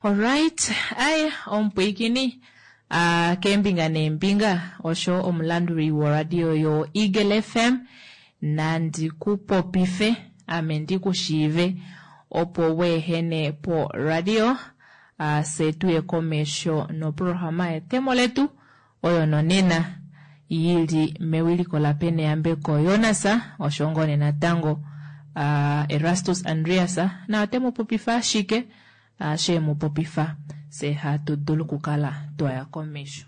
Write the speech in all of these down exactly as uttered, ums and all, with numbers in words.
Alright, aye omupwiikini uh, keembinga neembinga osho omulanduli woradio yo Eagle F M nandi ku popife ame ndi ku shiive opo weehene po radio uh, fye tuye komesho noprograma yetemo letu oyo nonena yili mewiliko laPeneyambeko Jonas osho ngoo nee natango uh, Erastus Andreas na ote mu popifa ashike uh, she mu popifa fye hatu dulu okukala twaya komesho.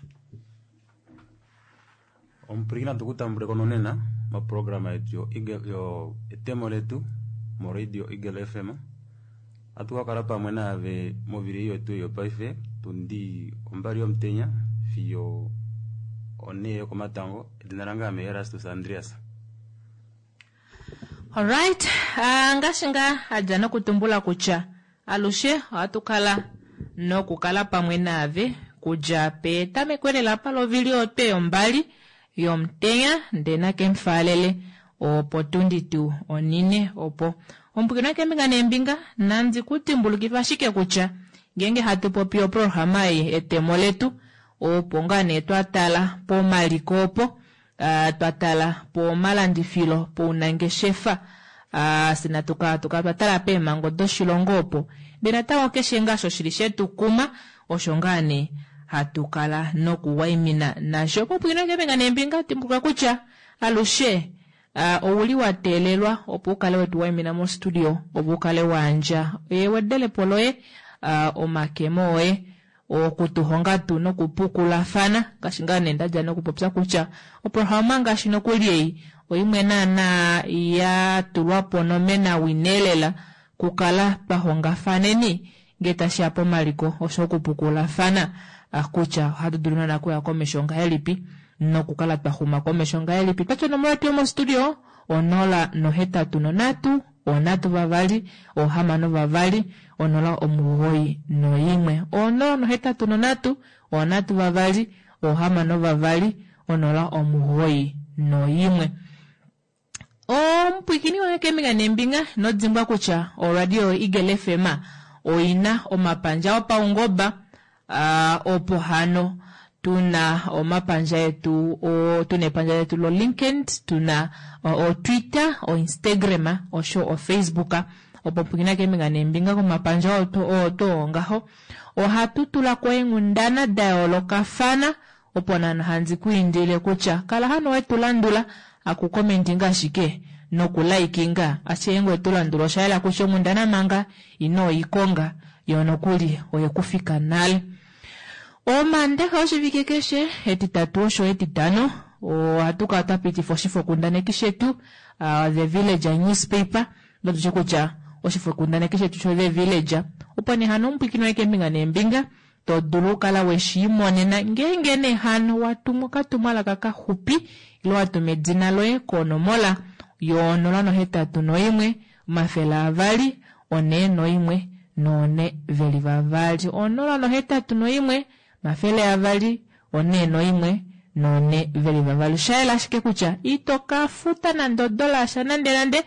Omupwilikini tukutambuleko nonena moprograma yetu yo Eagle- yo etemo letu moradio Eagle F M. Atu kakala pamwe naave movili yetu yopaife tundi ombali yomutenya fiyo onee yokomatango. Edina lange ame Erastus Andreas. Alright, uh, ngaashi ngaa adja nokutumbula kutya alushe ohatu kala nokukala pamwe naave kudja petameko lela palovili otwe yombali yomutenya ndee nakemufaalele opo tundi tuu onine opo omupwiikini keembinga neembinga nandi ku dimbulukifa ashike kutya ngeenge hatu popi oprograma ei etemo letu opo ngaa nee twa tala pomaliko opo uh, twa tala pomalandifilo pounangeshefa uh, fye natu kala tukala twa tala peemhango doshilongo opo ndee natango keshe ngaa osho shili shetu kuma osho ngaa nee hatu kala nokuwaimina nasho. Popwiina keembinga neembinga dimbuluka kutya alushe uh, ouli wa teelelwa opo ukale wetu waimina mostudio opo ukale waandja ewedelepo loye uh, omakemo oye okutuhonga tu nokupukulafana ngaashi ngaa nee ndadja nokupopya kutya oprograma ngaashi nokuli ei oimwe naana ya tulwapo nomena wineelela kukala twahongafaneni ngee tashiya pomaliko osho okupukulafana ah, kutya ohatu dulu naana kuya komesho ngahelipi nokukala twahuma komesho ngahelipi. Twatya onomola yetu yomostudio onola nohetatu nonhatu onhatu vavali ohamano vavali onola omugoyi noimwe onola nohetatu nonhatu onhatu vavali ohamano vavali onola omugoyi noimwe. Omupwiikini wange keembinga neembinga nodimbwa kutya oradio Eagle F M oina omapandja opaungoba uh, opo hano tuna omapandja etu o, tuna epandja letu lo LinkedIn, tuna o, o Twitter, o Instagram osho o Facebook opo pwiikina keembinga neembinga komapandja oto oto ngaho ohatu tulako eenghundana da yoolokafana opo nana handi ku indile kutya kala hano wetu landula akukomentinga ashike nokulaikinga ashike ngwe tu landula osha yela kutya onghundana manga ino ikonga yo nokuli oyekufika nale. Omaandaxa oshivike keshe etitatu osho etitano ohatu kala twa pitifa oshifokundaneki shetu uh, The Village newspaper ndotushe kutya oshifokundaneki shetu sho The Village opo nee hano omupwiikini waye keembinga neembinga to dulu okukala weshiimonena ngeenge nee hano watumwa okatumwalaka kaxupi ile watuma edina loye konomola yonola nohetatu noimwe omafele avali onee noimwe noone veli vavali onola nohetatu noimwe omafele avali onee noimwe noone veli vavali. Oshayela ashike kutya ito ka futa nande odola yasha nande nande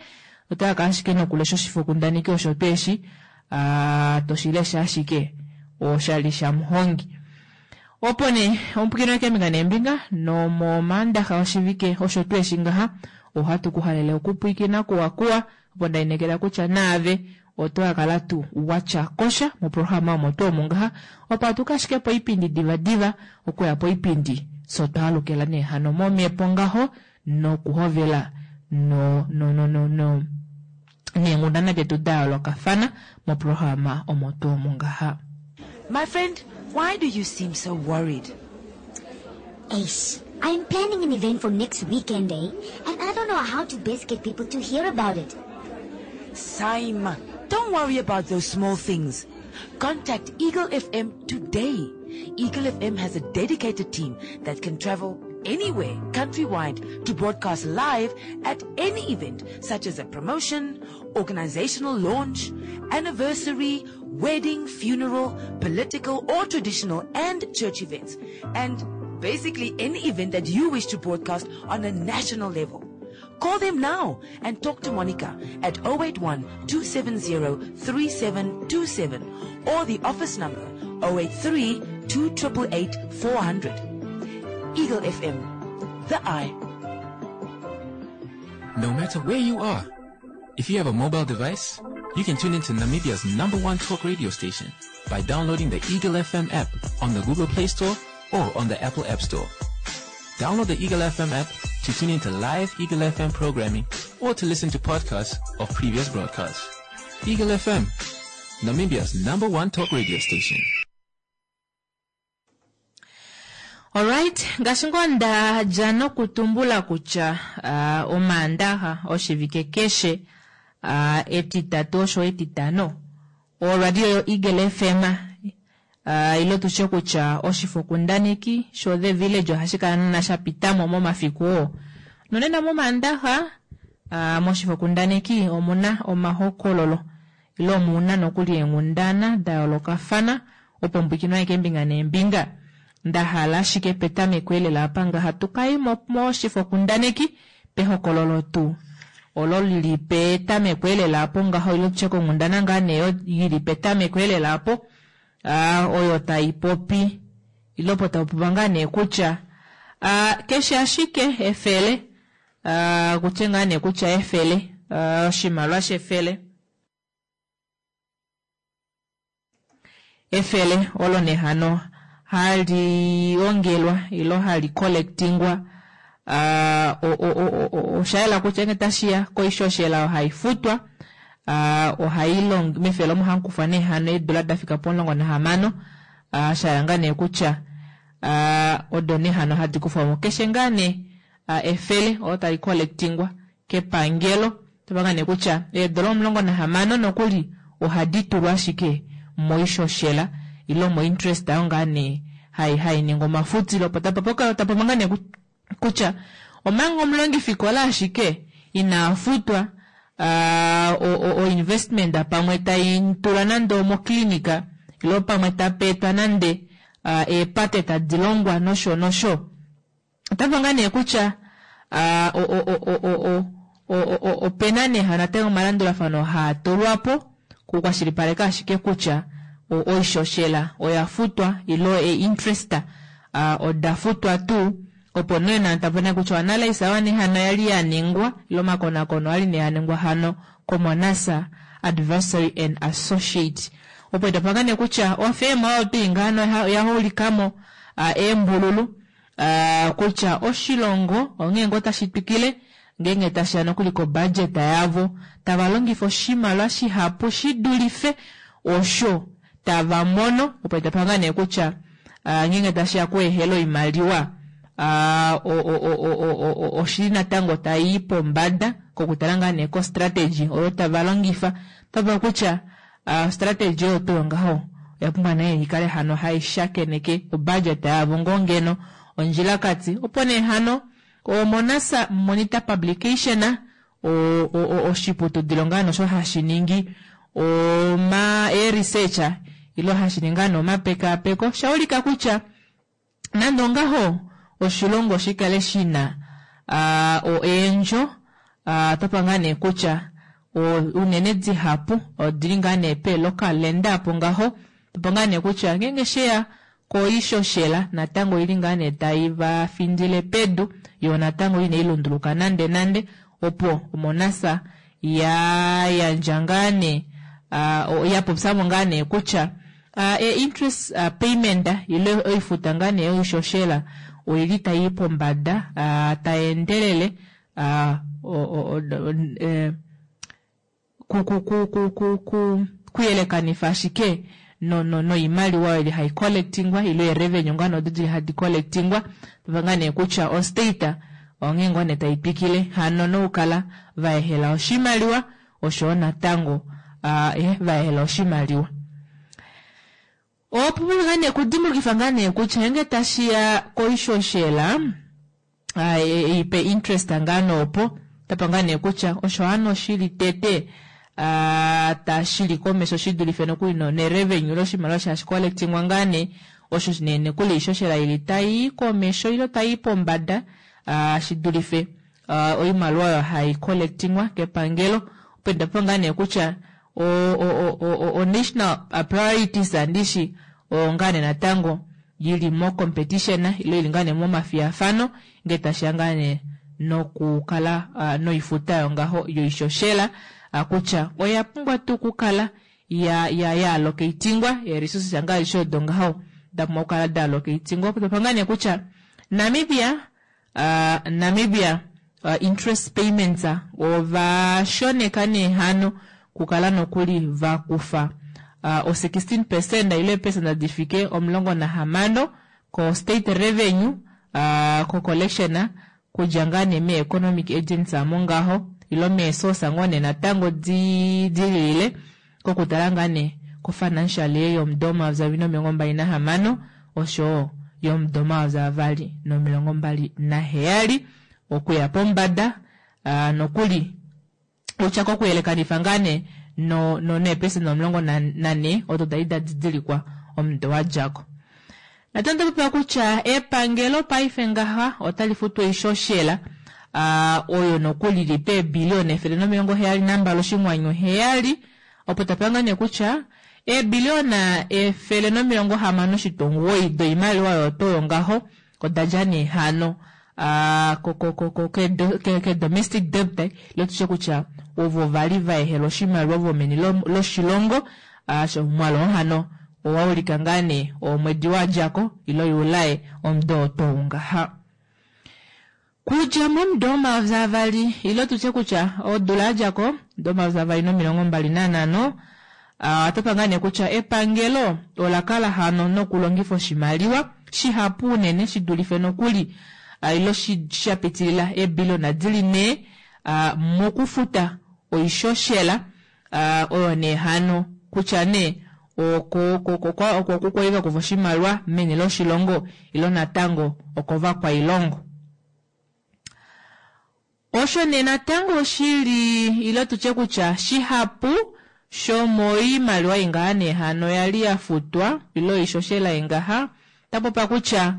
otaka ashike nokulesha oshifokundaneki osho tweeshi uh, toshilesha ashike oshali shamuhongi opo nee omupwiikini wakeembinga neembinga nomomaandaxa oshivike osho tweeshi ngaha ohatu ku halele okupwiikina kuwakuwa opo ndainekela kutya naave oto kakala tu watya kosha moprograma omo tuu omu ngaha opo atuka ashike poipindi divadiva okuya poipindi so twaalukila nee hano momhepo ngaho nokuhovela no no no no no neenghundana detu da yoolokafana moprograma omo tuu omu ngaha. My friend, why do you seem so worried? Eish, I'm planning an event for next weekend, eh? And I don't know how to best get people to hear about it. Saima, don't worry about those small things. Contact Eagle F M today. Eagle F M has a dedicated team that can travel anywhere countrywide to broadcast live at any event such as a promotion, organizational launch, anniversary, wedding, funeral, political or traditional and church events. And basically any event that you wish to broadcast on a national level. Call them now and talk to Monica at oh eight one, two seven zero, three seven two seven or the office number oh eight three, two triple eight, four hundred. Eagle F M, the eye. No matter where you are, if you have a mobile device, you can tune into Namibia's number one talk radio station by downloading the Eagle F M app on the Google Play Store or on the Apple App Store. Download the Eagle F M app to tune into live Eagle F M programming or to listen to podcasts of previous broadcasts. Eagle F M, Namibia's number one talk radio station. All right, ngaashi ngoo nda dja nokutumbula kutya, uh, omaandaxa oshivike keshe, uh, etitatu osho etitano, oradio yo Eagle F M, uh, ilo tushe kutya oshifokundaneki sho The Village ohashi kala nana sha pitamo momafiku oo. Nonena momaandaxa, uh, moshifokundaneki omuna omahokololo, ilo omuna nokuli eenghundana da yoolokafana, opo mbwikinwa aeke embinga neembinga. Nda hala ashike petameko elela apa ngaha tukai mo-, moshifokundaneki pehokololo tuu olo lili petameko elela apo ngaho, ilo tushe konghundana ngaa nee yo ili petameko elela apo, ah, oyo tai popi, ilo po tau popi ngaa nee kutya, ah, keshe ashike efele, ah, kutye ngaa nee kutya efele, ah, oshimaliwa shefele. Efele olo nehano hali ongelwa ilo hali collectingwa, ah, o, o, o, o, o, osha yela kutya ngee tashiya koishoshela ohai futwa, ah, ohai long-, mefele omo hamu kufwa nehano eedula da fika pomulongo nahamano, ah, sha yela ngaa nee kutya, ah, odo nehano hadi kufwa mo. Keshe ngaa nee, ah, efele olo tali collectingwa kepangelo, tova ngaa nee kutya eedula omulongo nahamano nokuli ohadi tulwa ashike moishoshela ilo mo interest ayo ngaa nee hai, hai ningi omafutilo. Opo tapa poka, tapa manga nee ku-, kutya omanga omulongifikola ashike ina futwa, ah, o, o, o investment pamwe tai tula nande omoklinika ilo pamwe tapetwa nande, ah, eepate tadi longwa nosho nosho. Otapa ngaa nee kutya, ah, o, o, o, o, o, o, o, o, opena nee hano natango omalandulafano haa tulwa po kukwashilipaleka ashike kutya o-, oishoshela oya futwa ilo e interest, ah, oda futwa tuu, opo nee na tapona kutya analyse awa nehano yali ya ningwa ilo makonakono ali ne ya ningwa hano koMonasa Advisory and Associate. Opo itapanga ne kutya ofema oyo tuu ngano ya-, ya hulikamo, ah, eembululu, ah, kutya oshilongo onghee ngoo tashi twikile ngeenge tashi ya nokuli ko budget yavo tava longifa oshimaliwa shihapu shi dulife osho tava mono. Opo itapanga ne kutya, ah, ngeenge tashi ya kuehela oimaliwa, ah, o, o, o, o, o, o, o, oshili natango tai pombada kokutala ngaa nee ko strategy oyo tava longifa. Tava kutya, ah, strategy oyo tuu ngaho oya pumbwa nee ikale hano hai shakeneke o budget yavo ngoo ngeno ondjilakati. Opo nee hano o Monasa Monitor Publication, o, o, o, oshiputudilo ngaa nosho hashi ningi oma e researcher ilo hashi ningi ngaa nomapekapeko, shaulika kutya nande ongaho oshilongo shikale shina, ah, o eendjo, ah, tapa ngaa nee kutya o, unene dihapu odili ngaa nee pe local lender apo ngaho, tapa ngaa nee kutya ngeenge sheya koishoshela natango ili ngaa nee tai va findile pedu, yo natango ine ilunduluka nande nande, opo Monasa ya yandja ngaa nee, ah, o, ya popyamo ngaa nee kutya, ah, e interest, ah, payment ile oifuta ngaa nee oishoshela oili tai pombada, ah, tai endelele, ah, o, o, o, o, e, ku, ku, ku, ku, ku, ku, kuyelekanifa ashike no, no, noimaliwa oyo ili hai collectingwa ile e revenue ngaa nodo dili hadi collectingwa, tava ngaa nee kutya o state onghee ngoo nee tai twikile hano noukala va ehela oshimaliwa osho natango, ah, eh, va ehela oshimaliwa. Opo ngaa nee kudimbulukifa ngaa nee kutya nge tashiya koishoshela, ah, e, e, ipe interest ngaa noopo, tapa ngaa nee kutya osho hano shili tete, ah, tashili komesho shi dulife nokuli no, ne revenue loshimaliwa shashi collectingwa ngaa nee, osho nene kuli ishoshela ili tai komesho ilo tai pombada, ah, shi dulife uh, oimaliwa oyo hai collectingwa kepangelo opo ndapo ngaa nee kutya o, o, o, o, o national priorities andishi oyo ngaa nee natango yili mo competition ilo ili ngaa nee momafiyafano ngee tashiya ngaa nee nokukala uh, noifuta yongaho yoishoshela uh, kutya oya pumbwa tuu okukala ya ya ya allocatingwa e-resources anga alishe odo ngaho da pumbwa okukala da allocatingwa opo tapa ngaa nee kutya Namibia uh, Namibia uh, interest payments ova shoneka nee hano kukala nokuli vakufa uh, o sixteen percent ile eepesenda difike omulongo nahamano ko state revenue uh, ko collection kudja ngaa nee mee economic agents amo ngaho ilo meesource ngoo nee natango di dilile kokutala ngaa nee ko financial year yomudo omayovi avali nomilongo mbali nahamano oshowo yomudo omayovi avali nomilongo mbali naheyali okuya pombada uh, nokuli kutya kokuyelekanifa ngaa nee no no neepesenda omulongo nane odo dali da didilikwa omudo wadjako. Natango popiwa kutya epangelo paife ngaha otali futu oishoshela uh, oyo nokuli li peebiliona efele nomilongo heyali nambali oshinghwanyu heyali opo tapanga nee kutya eebiliona efele nomilongo hamano oshitwa omugoyi doimaliwa oyo toyo ngaho odadja nee hano uh, ko, ko, ko, ko, ke, ke, ke domestic debt ilo tushe kutya ovo vali vaehela oshimaliwa vomeni loshilongo uh, omwaalu hano owaulika ngaa nee omwedi wadjako ilo yulae omudo otou ngaha. Kudja momudo omayovi avali ilo tutye kutya odula yadjako omudo omayovi avali nomilongo mbali nanhano uh, otapa ngaa nee kutya epangelo ola kala hano nokulongifa oshimaliwa shihapu unene shidulife nokuli uh, ilo sha pitilila eebiliona dili nhee uh, mokufuta oishoshela uh, oyo nee hano kutya nee oko oko kukwaiva kufa oshimaliwa meni loshilongo ilo natango okovakwailongo. Osho nee natango oshili ilo tutye kutya shihapu shomoimaliwa ingaha nee hano yali yafutwa ilo oishoshela ingaha tapopa kutya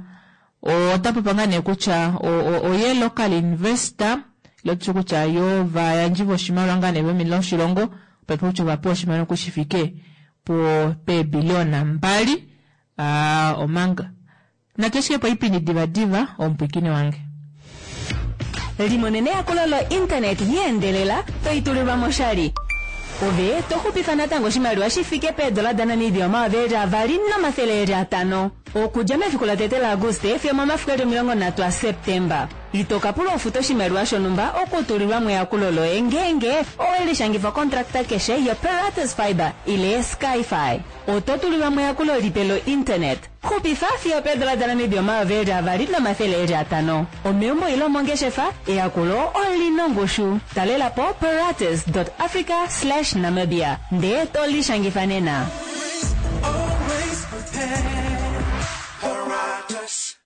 otapopa ngaa nee kutya oye local investor ilo tutye kutya yo vayandji voshimaliwa ngaa nee vomeni loshilongo opo kutya ovapewa oshimaliwa kushifike po peebiliona mbali uh, omanga natu ashike po oipindi divadiva omupwikini wange. Limonene eyakulo lo internet yeendelela toitulilwa moshali. Ove toxupifa natango oshimaliwa shifike peedola daNamibia omayovi eli avali nomathele eli atano. Okudja mefiku latete laAguste fiyo momafiku eli omilongo nhatu aSeptemba. Ito kapulwa ufuta oshimaliwa shonhumba okutulilwa meyakulo loye ngeenge owelishangifa kontrakta keshe yoPeratus Fiber ile Skyfi. Oto tulilwa meyakulo lipe lo-internet. Xupifa fiyo peedola daNamibia omayovi eli avali nomathele eli atano. Omeumbo ile omongeshefa, eyakulo olina ongushu. Talela po peratus dot africa slash namibia ndee tolishangifa nena. Always prepared. Paratus.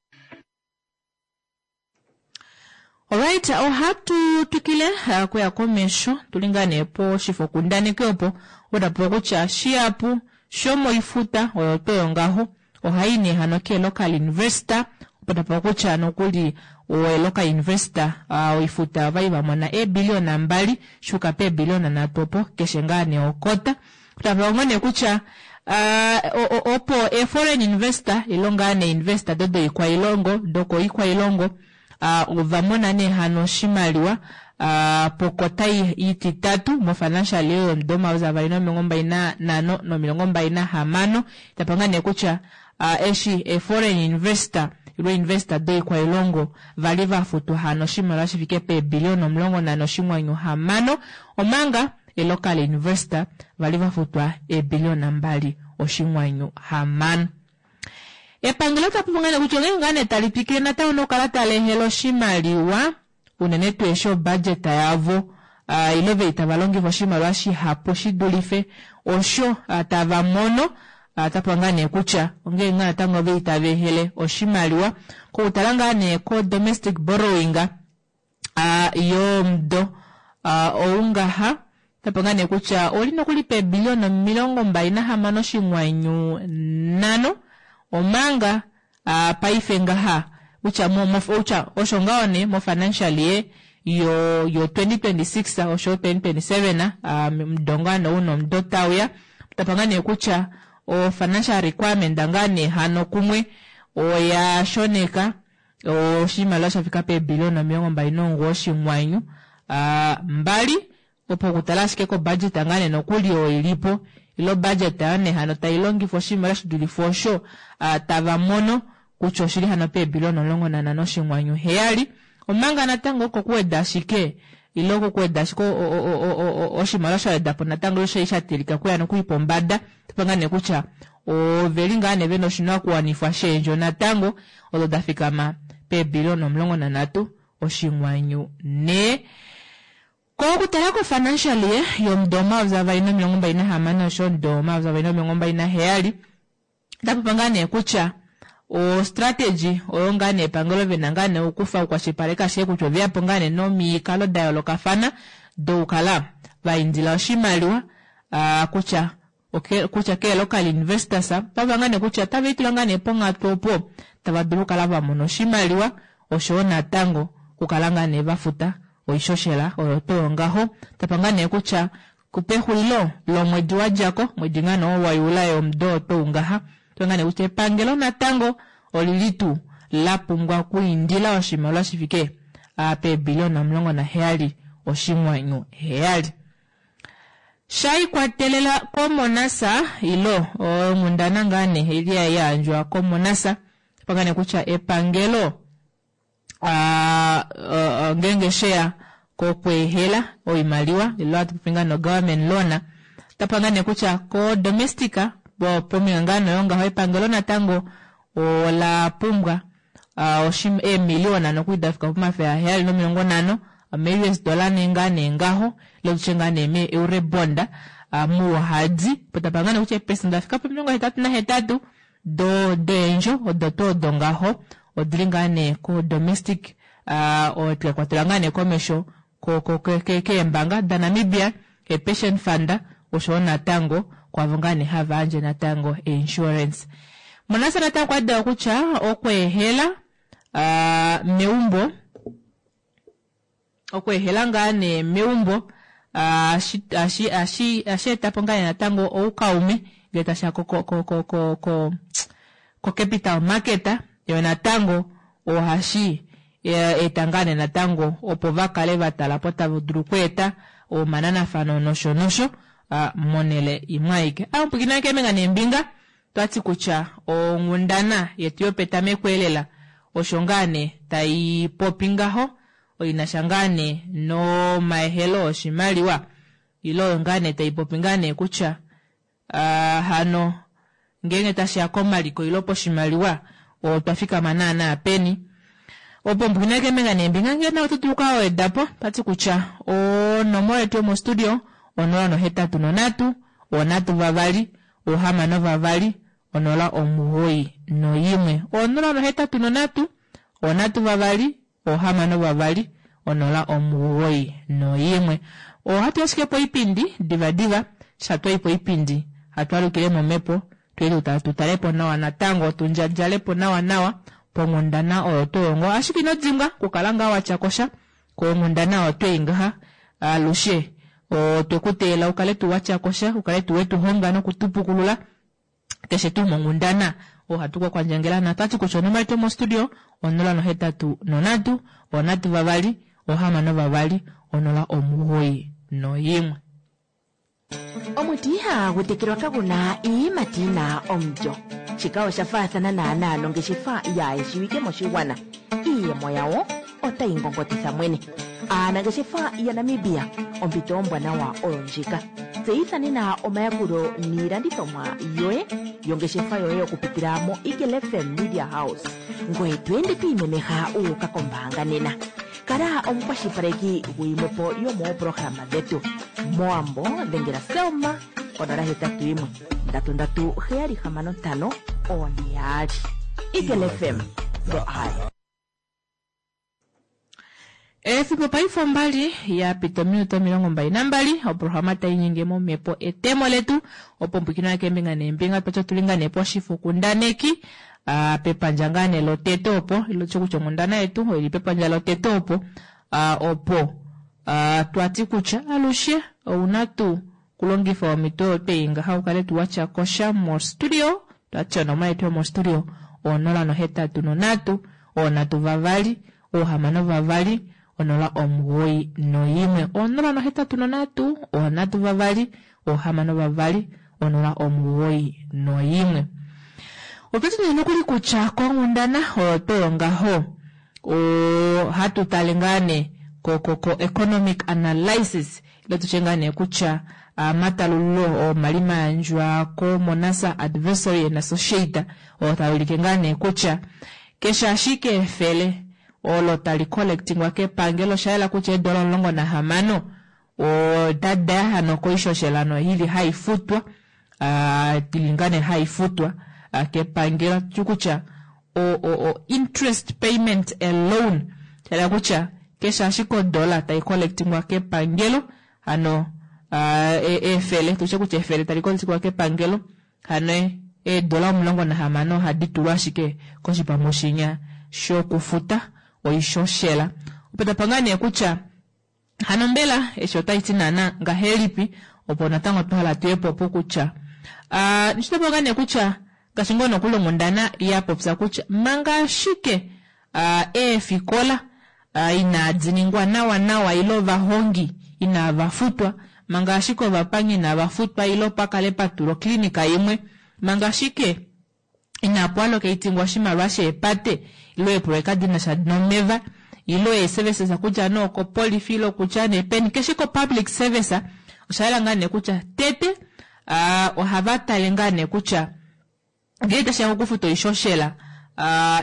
Alright, ohatu twikile uh, kuya komesho tulingane po shifokundaneki opo otapopa kutya shihapu shomoifuta oyo toyo ngaho ohai nee hano ke local investor opo tapopa kutya nokuli o local investor uh, oifuta ovali vamona eebiliona mbali shuka peebiliona nhatu opo keshe ngaa nee okota. Tapopa ngoo nee kutya uh, opo e foreign investor ilo ngaa nee investor dodo ikwailongo doko ikwailongo uh, ovamona nee hano oshimaliwa uh, pokota ititatu mo financial year yomudo omayovi avali nomilongo mbali nanhano nomilongo mbali nahamano tapanga nee kutya uh, eshi e foreign investor ilo investor doikwailongo vali vafutwa hano oshimaliwa shifike peebiliona omulongo nanhe oshinghwanyu hamano omanga e local investor vali vafutwa eebiliona mbali oshinghwanyu hamano. Epangelo tapopa nee kutya onghee ngaa nee tali twikile natango nokukala tali ehele oshimaliwa unene tuu eshi obudget yavo uh, ilo veli tava longifa oshimaliwa shihapu shidulife osho uh, tava mono uh, tapopa ngaa nee kutya onghee ngaa natango veli tava ehele oshimaliwa kokutala ngaa nee ko domestic borrowing uh, yomudo uh, oungaha tapopa ngaa nee kutya oli nokuli peebiliona omilongo mbali nahamano oshinghwanyu nhano omanga uh, paife ngaha kutya mo, mo, kutya osho ngaho nee mo financial year yo yo twenty twenty six osho twenty twenty seven omudo ngaa nee ou nomudo tauya tapanga nee kutya o financial requirement ngaa nee hano kumwe oya shoneka oshimaliwa shafika peebiliona omilongo mbali nomugoyi oshinghwanyu mbali opo okutala ashike ko budget ngaa nee nokuli oyo ilipo ilo budget ayo nee hano tailongifwa oshimaliwa shidulife osho tava mono kutya oshili hano peebiliona omulongo nanhano oshinghwanyu heyali omanga natango oko kuweda ashike ile oko kuweda ashike oshimaliwa shawedapo natango osho shatilika kuya nokuli pombada topanga nee kutya oveli ngaa nee vena oshinakuwanifwa sheendjo natango odo dafikama peebiliona omulongo nanhatu oshinghwanyu nhee. Kokutala ko financial year yomudo omayovi avali nomilongo mbali nahamano osho omudo omayovi avali nomilongo mbali naheyali otapopi ngaa nee kutya o strategy oyo ngaa nee epangelo vena ngaa nee okukufa okukwashilipaleka ashike kutya oveyapo ngaa nee nomikalo dayoolokafana dokukala vaindila oshimaliwa kutya kutya kee local investors otava ngaa nee kutya otave litula ngaa nee ponghatu opo tava dulu okukala vamona oshimaliwa oshoyo natango okukala ngaa nee vafuta oishoshela oyo tuu ngaho tapa ngaa nee kutya pexulilo lomwedi wadjako omwedi ngaa nee wa Juli yomudo tuu ngaha ngaa nee kutya epangelo natango olili tuu la pumbwa okwiindila oshimaliwa shifike peebiliona omulongo naheyali oshinghwanyu heyali. Shaikwatelela komonasa ilo onghundana ngaa nee ili yayandjwa komonasa tapa nee kutya epangelo ngenge sheya kokweehela oimaliwa ilo hatu no government loan tapa nee kutya ko domestic pomihangano yongaho epangelo natango ola pumbwa eemiliona nokuli dafika pomafele aheyali nomilongo nhano me U S dollar nee ngaa nee ngaho ile tutye ngaa nee me eurobond muuhadi potapa ngaa nee kutya eepesenda dafika pomilongo hetatu nahetatu do deendjo odo tuu odo ngaho odili ngaa nee ko domestic twakwatela ngaa nee komesho keembanga daNamibia e-pension fund oshoyo natango kwavo ngaa nee hava yandje natango insurance. Monasa natango okwa kutya okweehela meumbo okweehela ngaa nee meumbo ashi ashi ashi etapo ngaa nee natango oukaume ngele tashiya ko ko ko ko ko capital market yo natango ohashi eta ngaa nee natango opo vakale vatala po tava dulu okweeta omananafano nosho nosho monele imwe aike. Amupwiikina keembinga neembinga twati kutya onghundana yetu yopetameko elela osho ngaa nee taipopi ngaho oinasha ngaa nee nomaehelo oshimaliwa ilo oyo ngaa nee taipopi ngaa nee kutya hano ngenge tashiya komaliko ilo poshimaliwa otwa fikama naana peni. Opo mpwina keembinga neembinga ngele nawe oto dulu okukala twati kutya onomola yetu yomostudio onola nohetatu nonhatu onhatu vavali ohamano vavali onola omugoyi noyimwe onola nohetatu nonhatu onhatu vavali ohamano vavali onola omugoyi noyimwe. Ohatu ashike poipindi diva diva shatwayi poipindi hatwalukile momhepo tuye tutalepo nawa natango tundjadjalepo nawa nawa ponghundana oyo tuu ngo ashike ino dimbwa kukala ngaa watyakosha konghundana oyo twei ngaha alushe otwekuteela ukale tuu watyakosha ukale tuu wetuhonga nokutupukulula keshe tuu monghundana ohatu kakwandjangela natwati kutya onomola yetu yomostudio onola nohetatu nonhatu onhatu vavali ohamano vavali onola omugoyi noyimwe. Omuti ihagu tekelwa kaguna iiyimati yina omulyo. Shika osha faathana naanaa nongeshefa yaayeshiwike moshigwana. Iiyemo yawo otayi ngongotitha mwene. Aanangeshefa yaNamibia ompito ombwanawa oyo ndjika. Tseyitha nena omayakulo niilandithomwa yoye yongeshefa yoye okupitila mo Eagle F M Media House. Ngoye to ende to imemeha uuka kombaanga nena. Kala omukwashilipaleki guyimwepo yomoopolohalama dhetu. Moambo dhengela Selma onola hetatu yimwe ndatu ndatu heyali hamano ntano one yaali. Eagle F M, the eye. Efimbo paife ombali yapita ominute omilongo mbali nambali oprograma tainyenge momhepo etemo letu opo mpwikino keembinga neembinga twatya tuli ngaa nee poshifokundaneki pepandja ngaa nee lotete opo ilo tye kutya onghundana yetu oili pepandja lotete opo Opo twati kutya alushe ouna tuu okulongifa omhito oyo twei ngaha ukale tuu watya kosha mostudio. Twati onomola yetu yomostudio onola nohetatu nonhatu oonhatu vavali oohamano vavali onola omugoyi noimwe onola nohetatu nonhatu oonhatu vavali oohamano vavali onola omugoyi noimwe. Otwati nee nokuli kutya konghundana oyo toyo ngaho ohatu tale ngaa nee ko ko ko economic analysis ile tutye ngaa nee kutya omatalululo omali mayandjwa ko Monasa Advisory and Associate oo taulike ngaa nee kutya keshe ashike efele olo tali collectingwa kepangelo oshayela kutya eedola omulongo nahamano otadaya hano koishoshela ili haifutwa ili ngaa nee haifutwa kepangelo tu kutya o, o, o interest payment alone shayela kutya keshe ashike odola tai collectingwa kepangelo hano efele tutye kutya efele tali collectingwa kepangelo hano eedola omulongo nahamano ohadi tulwa ashike koshipambu shokufuta oishoshela. Opo tapa ngaa nee kutya hano mbela eshi otaiti naana ngahelipi opo natango twahala tuyepo po kutya nishitopo ngaa nee kutya ngaashi ngoo nokuli onghundana yapopya kutya manga ashike eefikola inadi ningwa nawa nawa ile ovahongi inava futwa, manga ashike ovapangi inava futwa ile pakale patulwa oklinika imwe, manga ashike inapu allocatingwa oshimaliwa sheepate ile eeproyeka dinasha nomeva ile eeservices kutya nee okopolifi ile kutya nee peni keshe ko public service oshayela ngaa nee kutya tete ohava tale ngaa nee kutya ngee tashiya kokufuta oishoshela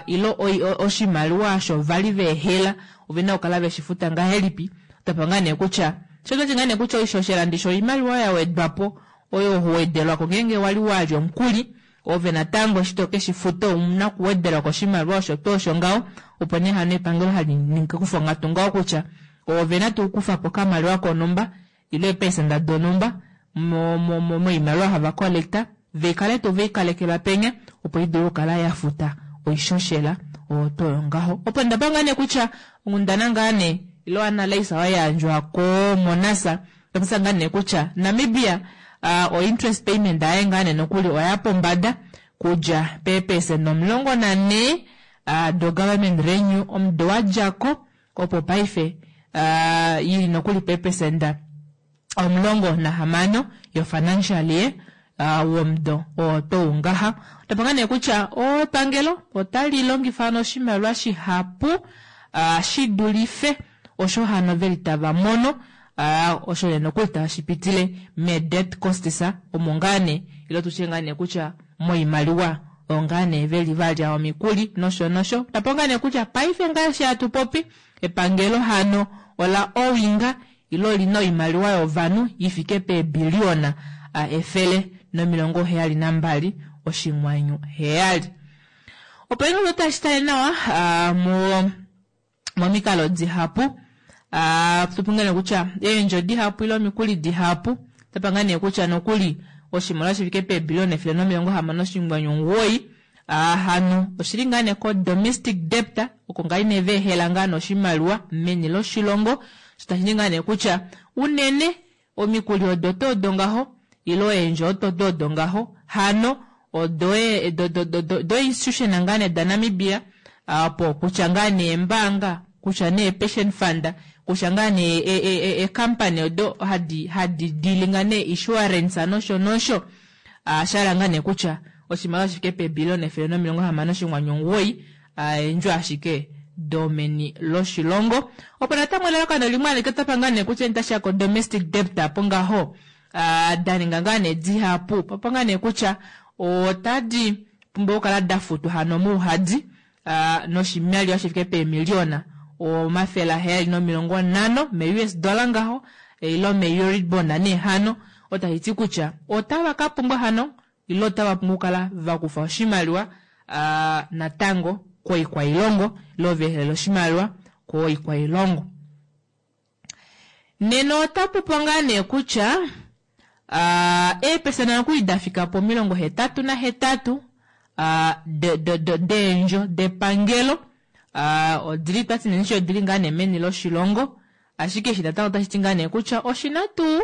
ile oshimaliwa osho vali veehela ovena okukala veshifuta ngahelipi. Otapa ngaa nee kutya shotati ngaa nee kutya oishoshela ndisho oimaliwa yawedwapo oyo huwedelwako ngeenge wali walya omukuli ove natango eshi tokeshifuta ouna okuwedelwako oshimaliwa osho tuu osho ngaho opo nee hano epangelo hali kufa onghatu ngaho kutya ovena tuu okukufapo okamaliwa konhumba ile eepesenda donhumba moimaliwa hava collecta veikale tuu veikalekelwa penya opo idule okukala yafuta oishoshela oyo toyo ngaho. Opo ndapa ngaa nee kutya onghundana ngaa nee ile analyse oyo yayandjwa ko Monasa tapisa ngaa nee kutya Namibia o interest payment aye ngaa nee nokuli oya pombada kudja peepesenda omulongo nanhee do government renew omudo wadjako opo paife ili nokuli peepesenda omulongo nahamano yo financial year womudo oo tou ngaha. Otapa ngaa nee kutya epangelo otali longifa oshimaliwa shihapu shidulife osho hano veli tava mono osho nee nokuli tashipitile me debt costs omo ngaa nee ile tutye ngaa nee kutya moimaliwa oyo ngaa nee veli valya omikuli nosho nosho. Tapa ngaa nee kutya paife ngaashi hatu popi epangelo hano ola owinga ile olina oimaliwa yovanhu ifike peebiliona efele nomilongo heyali nambali oshinghwanyu heyali. Opo ino tashi tale nawa mo momikalo dihapu tupungane kutya eendjo dihapu ile omikuli dihapu tapanga nee kutya nokuli oshimaliwa shifike peebiliona efele nomilongo hamano oshinghwanyu omugoyi hano oshili ngaa nee ko domestic debt oko ngaa nee veehela ngaa noshimaliwa meni loshilongo shitashi ngaa nee kutya unene omikuli odo toodo ngaho ile eendjo odo toodo ngaho hano odo do institution ngaa nee da Namibia opo kutya ngaa nee embaanga kutya nee pension fund kutya ngaa nee e company odo hadi hadi dealinga nee insurance nosho nosho shala ngaa nee kutya oshimaliwa shifike peebiliona efele nomilongo hamano oshinghwanyu omugoyi eendjo ashike domeni loshilongo. Opo natango elalakano limwe alike otapa ngaa nee kutya tashiya ko domestic debt apo ngaho daninga ngaa nee dihapu papo ngaa nee kutya otadi pumbwa okukala dafutwa hano mouhadi noshimaliwa shifike peemiliona omafele aheyali nomilongo nhano me U S dollar ngaho ile me Euribor nee hano otashiti kutya otava ka pumbwa hano ile otava pumbwa okukala vakufa oshimaliwa natango koikwailongo ile veehelela oshimaliwa koikwailongo. Nena otapupo ngaa nee kutya eepesenda nokuli dafika pomilongo hetatu nahetatu deendjo depangelo Uh, odili twati nee odili ngaa nee meni loshilongo, ashike eshi natango otashi ti ngaa nee kutya oshina tuu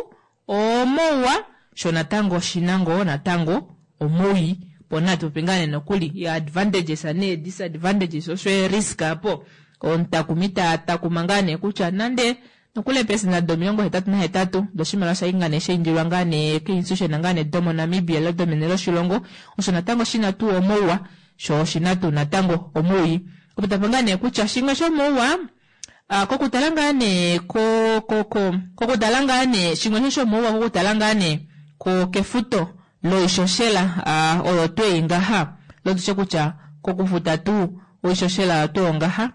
omouwa, sho natango oshina ngoo natango omowii. Po natu popi ngaa nee nokuli advantages nee disadvantages osho ee-risk apo. Omutakumi ta takuma ngaa nee kutya nande nokuli eepelesenda domilongo hetatu nahetatu doshimaliwa shai ngaa nee shaindilwa ngaa nee keinstitution ngaa nee domoNamibia ile domene loshilongo, osho natango shina tuu omouwa, sho oshina tuu natango omowii. Opo tapa ngaa nee kutya shimwe shomouwa, uh, kokutala ngaa nee ko ko ko kokutala ngaa nee shimwe shomouwa kokutala ngaa nee ko kefuto loishoshela uh, oyo twei ngaha lotutye kutya kokufuta tuu oishoshela oyo tweo ngaha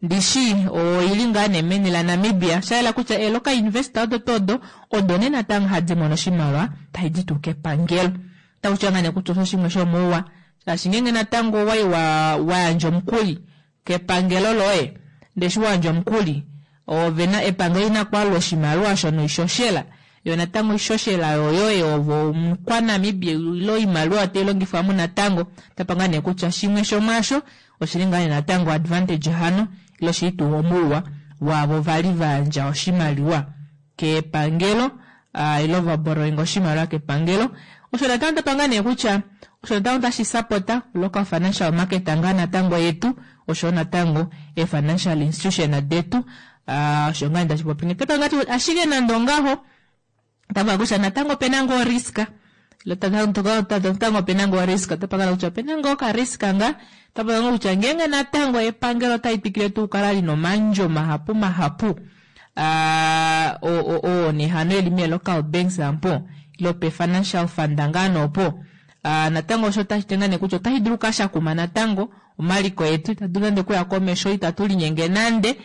ndishi oili ngaa nee meni la Namibia, shayela kutya eloka investor odo todo odo nee natango hadi mono oshimaliwa taidi tuu kepangelo. Takutya ngaa nee kutya osho shimwe shomouwa, shaashi ngeenge natango wai wa wayandja omukuli kepangelo loye, ndee eshi wayandja omukuli ovena epangelo lina kwalula oshimaliwa shono oishoshela, yo natango oishoshela yoyoye ovo omukwaNamibia ile oimaliwa otai longifwa mo natango. Tapa ngaa nee kutya shimwe shomwaasho oshili ngaa nee natango advantage hano ile oshili tuu omouwa waavo vali vayandja oshimaliwa kepangelo, uh, ile vaborrowing oshimaliwa kepangelo. Osho natango tapa ngaa nee kutya osho natango tashi sapota local financial market ngaa natango yetu, osho natango e financial institution detu, uh, osho ngaa tashi popi. Tapa ngaa ashike nande ongaho tapa kutya natango opena ngoo risk, natango opena ngoo risk, tapa ngaa kutya opena ngoo ka risk nga, tapa ngaa kutya ngeenge natango epangelo otali twikile tuu kukala lina omandjo mahapu mahapu, uh, o o o nehano eli mee local banks ampo ile pe financial fund ngaa noopo, uh, natango osho otashi ti ngaa nee kutya otashi dulu kashakuma natango omaliko etu, itatu dulu nande okuya komesho, itatu linyenge nande,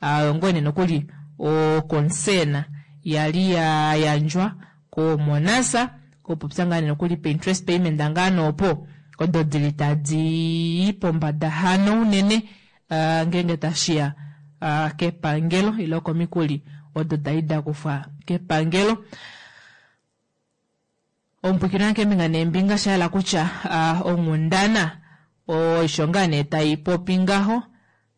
uh, ngoo nee nokuli o concern yali ya yandjwa ko Monasa kopopya ngaa nee nokuli pe interest payment ngaa noopo odo dili tadi pombada hano unene, uh, ngeenge tashiya uh, kepangelo ile komikuli odo dali dakufwa kepangelo. Omupwikino keembinga neembinga shayela kutya uh, onghundana osho ngaa nee tai popi ngaho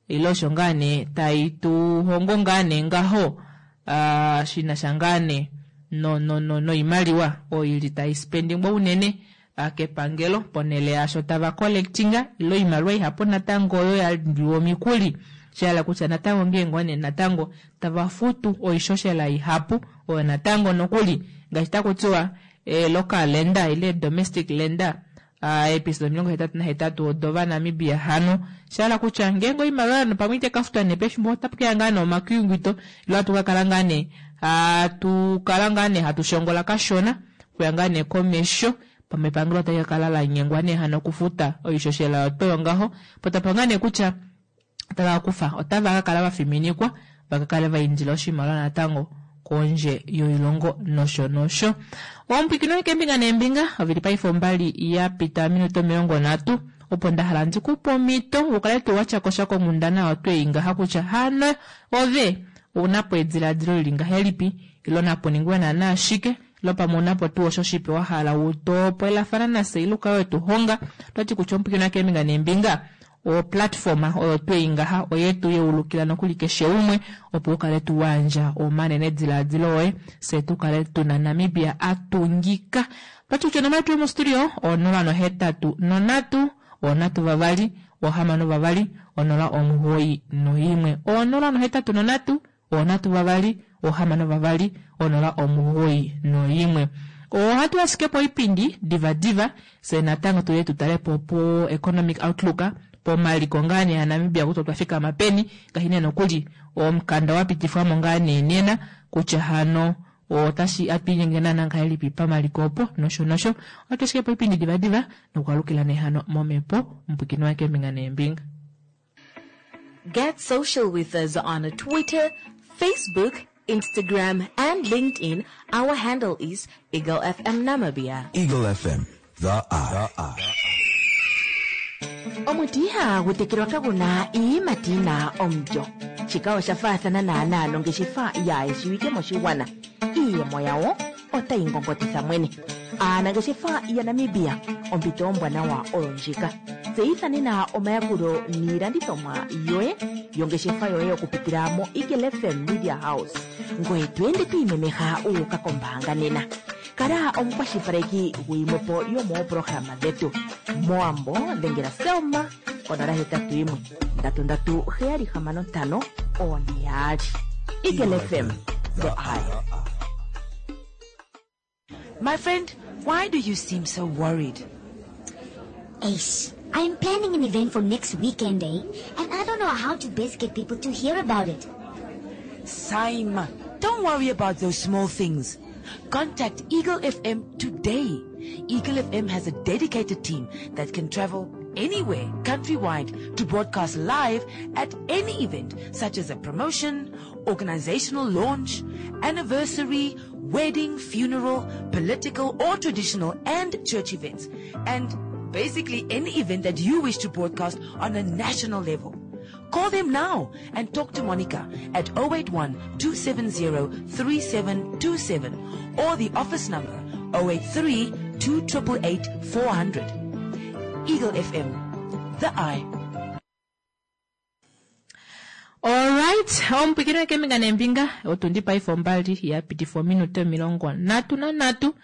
ile osho ngaa nee tai tuhongo ngaa nee ngaho, uh, shinasha ngaa nee no no no noimaliwa oyo ili tai spendingwa unene uh, kepangelo ponele yasho tava collectinga ile oimaliwa ihapu natango oyo yaliwa omikuli, shayela kutya natango ngeenge one natango tava futu oishoshela ihapu oyo natango nokuli ngaashi takutiwa e local lender ile domestic lender, uh, episode omilongo hetatu nahetatu odova Namibia hano, shayela kutya ngeenge oimaliwa no pamwe ite kafutwa nee pefimbo otapu keya ngaa nee omakuyunguto ile hatu kakala ngaa nee hatu kala ngaa nee hatu shongola kashona kuya ngaa nee komesho, pamwe epangelo otali kakala la nyengwa nee hano okufuta oishoshela yotoyo ngaho. Po tapa ngaa nee kutya otava kufa otava kakala vafiminikwa vakakale vaindila oshimaliwa natango kondje yoilongo nosho nosho. Omupwikino keembinga neembinga ovili paife ombali ya pita minuto omilongo nhatu, opo nda hala ndikupe omhito ukale tuu watya kosha konghundana oyo twei ngaha kutya hano ove ounapo ediladilo lili ngahelipi, ile napo ningwe naana ashike, ile pamwe ounapo tuu osho shipe wa hala utopwelafana nafye ile ukale wetuhonga. Otwati kutya omupwikino keembinga neembinga o platform oyo twei ngaha oyetu yeulukila nokuli keshe umwe opo ukale tu wandja omanene diladilo oye, se tukale tuna Namibia atungika. Twati kutya onomola yetu yomostudio onola nohetatu nonhatu onhatu vavali ohamano vavali onola omugoyi noimwe, onola nohetatu nonhatu onhatu vavali ohamano vavali onola omugoyi noimwe. Ohatu ashike po oipindi diva diva se natango tuye tutale po po economic outlook pomaliko ngaa nee aNamibia kutya otwa fikama peni, ngaashi nee nokuli omukanda wa pitifwamo ngaa nee nena kutya hano otashi atwiinyenge naana ngahelipi pamaliko opo nosho nosho. Ohatu ashike po oipindi diva diva nokwalukila nee hano momhepo omupwikino wa keembinga neembinga. Get social with us on Twitter, Facebook, Instagram and LinkedIn. Our handle is Eagle F M Namibia. Eagle F M, the eye. The eye. Omuti ihagu tekelwa kaguna iiyimati yina omulyo. Shika osha faathana naanaa nongeshefa yaayeshiwike moshigwana. Iiyemo yawo otayi ngongotitha mwene. Aanangeshefa yaNamibia, ompito ombwanawa oyo ndjika. Tseyitha nena omayakulo niilandithomwa yoye yongeshefa yoye okupitila mo Eagle F M Media House. Ngoye to ende to imemeha wu uka kombaanga nena. Kala omukwashilipaleki guyimwepo yomooprograma dhetu. Mowambo dhengela Selma konola hetatu yimwe ndatu ndatu heyali hamano ntano one yaali. Eagle F M, the eye. My friend, why do you seem so worried? Ace, I'm planning an event for next weekend, eh? And I don't know how to best get people to hear about it. Saima, don't worry about those small things. Contact Eagle F M today. Eagle F M has a dedicated team that can travel anywhere countrywide to broadcast live at any event such as a promotion, organizational launch, anniversary, wedding, funeral, political or traditional and church events, and basically any event that you wish to broadcast on a national level. Call them now and talk to Monica at oh eight one, two seven zero, three seven two seven or the office number oh eight three, two triple eight, four hundred. Eagle F M, the eye. All right, omupikiri wekembinga nembinga otundi paife ombali ya pitifa ominute omilongo nhatu nanhatu.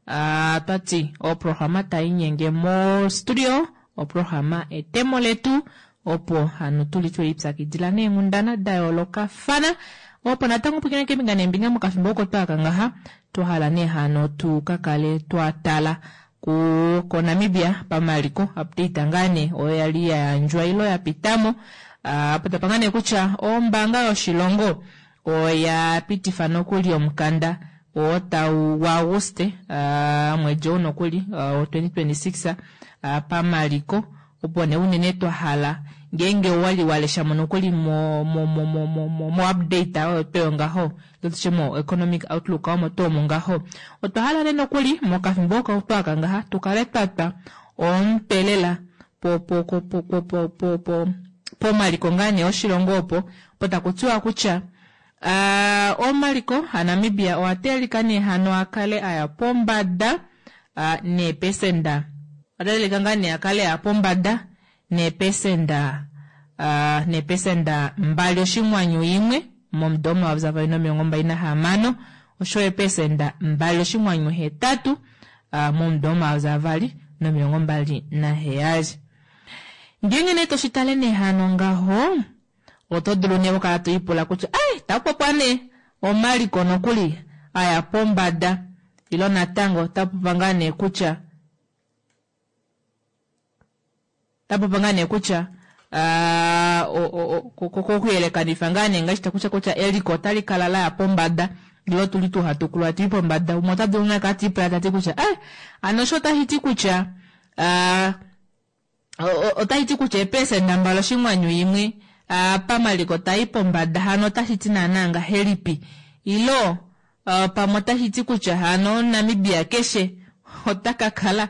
Ah, twati oprograma tainyenge mo studio, oprograma etemo letu opo hano tuli twelipyakidila neenghundana da yoolokafana. Opo natango omupikiri wekembinga nembinga mokafimbo oko twaka ngaha twahala nee hano tukakale twatala ku koNamibia pamaliko update ngaa nee oyo yali ya yandjwa ilo ya pitamo. Ah, apo tapanga nee kutya ombaanga yoshilongo oya pitifa nokuli omukanda oo tau wa Auguste, ah, mwedi ou nokuli, ah, wa twenty twenty-six, ah, pamaliko opo nee unene twahala ngeenge wali walesha mo nokuli mo, mo, mo, mo, mo, mo, mo update oyo tweyo ngaho, tutye mo economic outlook omo twoo ngaho. Otwahala nee nokuli mokafimbo oko twaka ngaha tukale twatwa ompelela po, po, po, po, po, po, po, po, pomaliko ngaa nee oshilongo opo, opo taku tiwa kutya, ah, omaliko aNamibia owa teelika nee hano akale aya pombada, ah, neepesenda. Owa teelika ngaa nee akale aya pombada neepesenda, ah, neepesenda mbali oshinghwanyu imwe momudo omayovi avali nomilongo mbali nahamano, osho eepesenda mbali oshinghwanyu hetatu, ah, momudo omayovi avali nomilongo mbali naheyali. Ngeenge nee toshitale nee hano ngaho, oto dulu nee okukala to ipula kutya, ai, tapopa nee omaliko nokuli aya pombada, ilo natango tapopa ngaa nee kutya, tapopa ngaa nee kutya, ah, o, o, o, ko, ko, ko kuyelekanifa ngaa nee ngaashi takutya kutya eliko otali kala laya pombada, ilo tuli tuu hatu kulwa tuli pombada. Umwe ota dulu nee kala ti ipula tati kutya, ai, ano osho otashi ti kutya, ah, o, o, otashi ti kutya eepesenda mbali oshinghwanyu imwe, ah, pamaliko tai pombada, hano otashi ti naana ngahelipi? Ilo, ah, pamwe otashi ti kutya hano Namibia keshe ota ka kala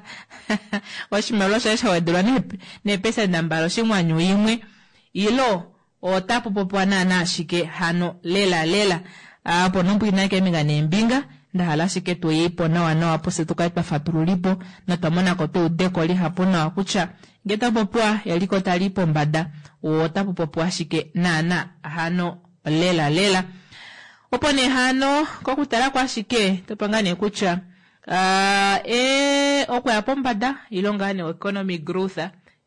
oshimaliwa shaye sha wedelwa neep-, neepesenda mbali oshinghwanyu imwe, ilo ota popopiwa naana ashike hano lela lela. Ah, opo nomupwina keembinga neembinga, ndahala ashike tuyipo nawa nawa opo se tukale twa fatululipo notwa monako tweudeko lihapu nawa kutya ngee tapopiwa eliko tali pombada, ota popopiwa ashike naana hano lela lela. Opo nee hano kokutala kwashike topanga nee kutya, ah, e, okuya pombada ilo ngaa nee economic growth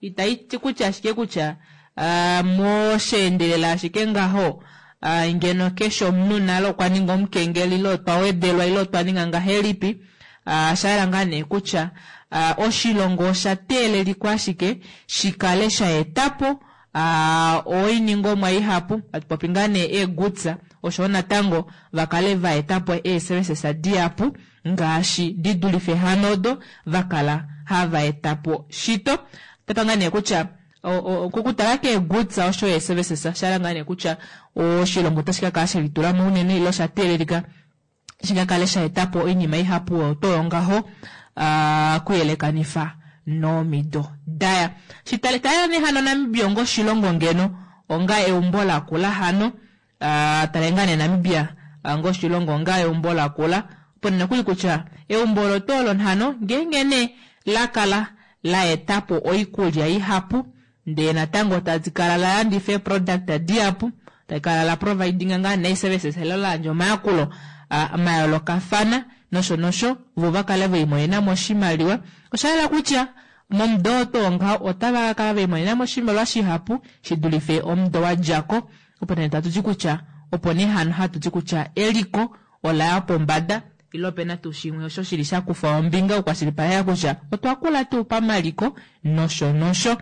itayi ti kutya ashike kutya, ah, mosheendelela ashike ngaho, ah, ngeno keshe omunhu nalo okwa ninga omukengeli ilo otwa wedelwa ilo otwa ninga ngahelipi, ah, sha yela ngaa nee kutya, ah, oshilongo osha teelelikwa ashike shikale sha etapo, ah, oiningomwa ihapu, hatu popi ngaa nee eegoods, osho natango vakale va etapo ee-services dihapu ngaashi di dulife hano odo vakala hava etapo shito. Tapa ngaa nee kutya, o-, o-, kokutala keegoods osho ee-services, sha yela ngaa nee kutya oshilongo otashi ka kala she litula mo unene ilo sha teelelika shi ka kale sha etapo oinima ihapu oyo toyo ngaho, ah, kuyelekanifa nomido daya. Shitale tala nee hano Namibia onga oshilongo ngeno, onga eumbo lakula hano, ah, tala ngaa nee Namibia, ah, onga oshilongo onga eumbo lakula, opo nokuli kutya eumbo olo tuu olo hano, ngeenge nee la kala la etapo oikulya ihapu ndee natango tali kala la landifa eeproduct dihapu tali kala la providinga ngaa nee services ile la yandja omayakulo ah, mayoolokafana nosho nosho vo vakale velimonenamo oshimaliwa. Oshayela kutya momudo oo tuu ngaho otava kakala velimonenamo oshimaliwa shihapu shidulife omudo wadjako. Opo nee tatuti kutya opo nee hano hatuti kutya eliko olaya pombada ile opena tuu shimwe osho shili shakufa ombinga okukwashilipaleka kutya otwa kula tuu pamaliko nosho nosho.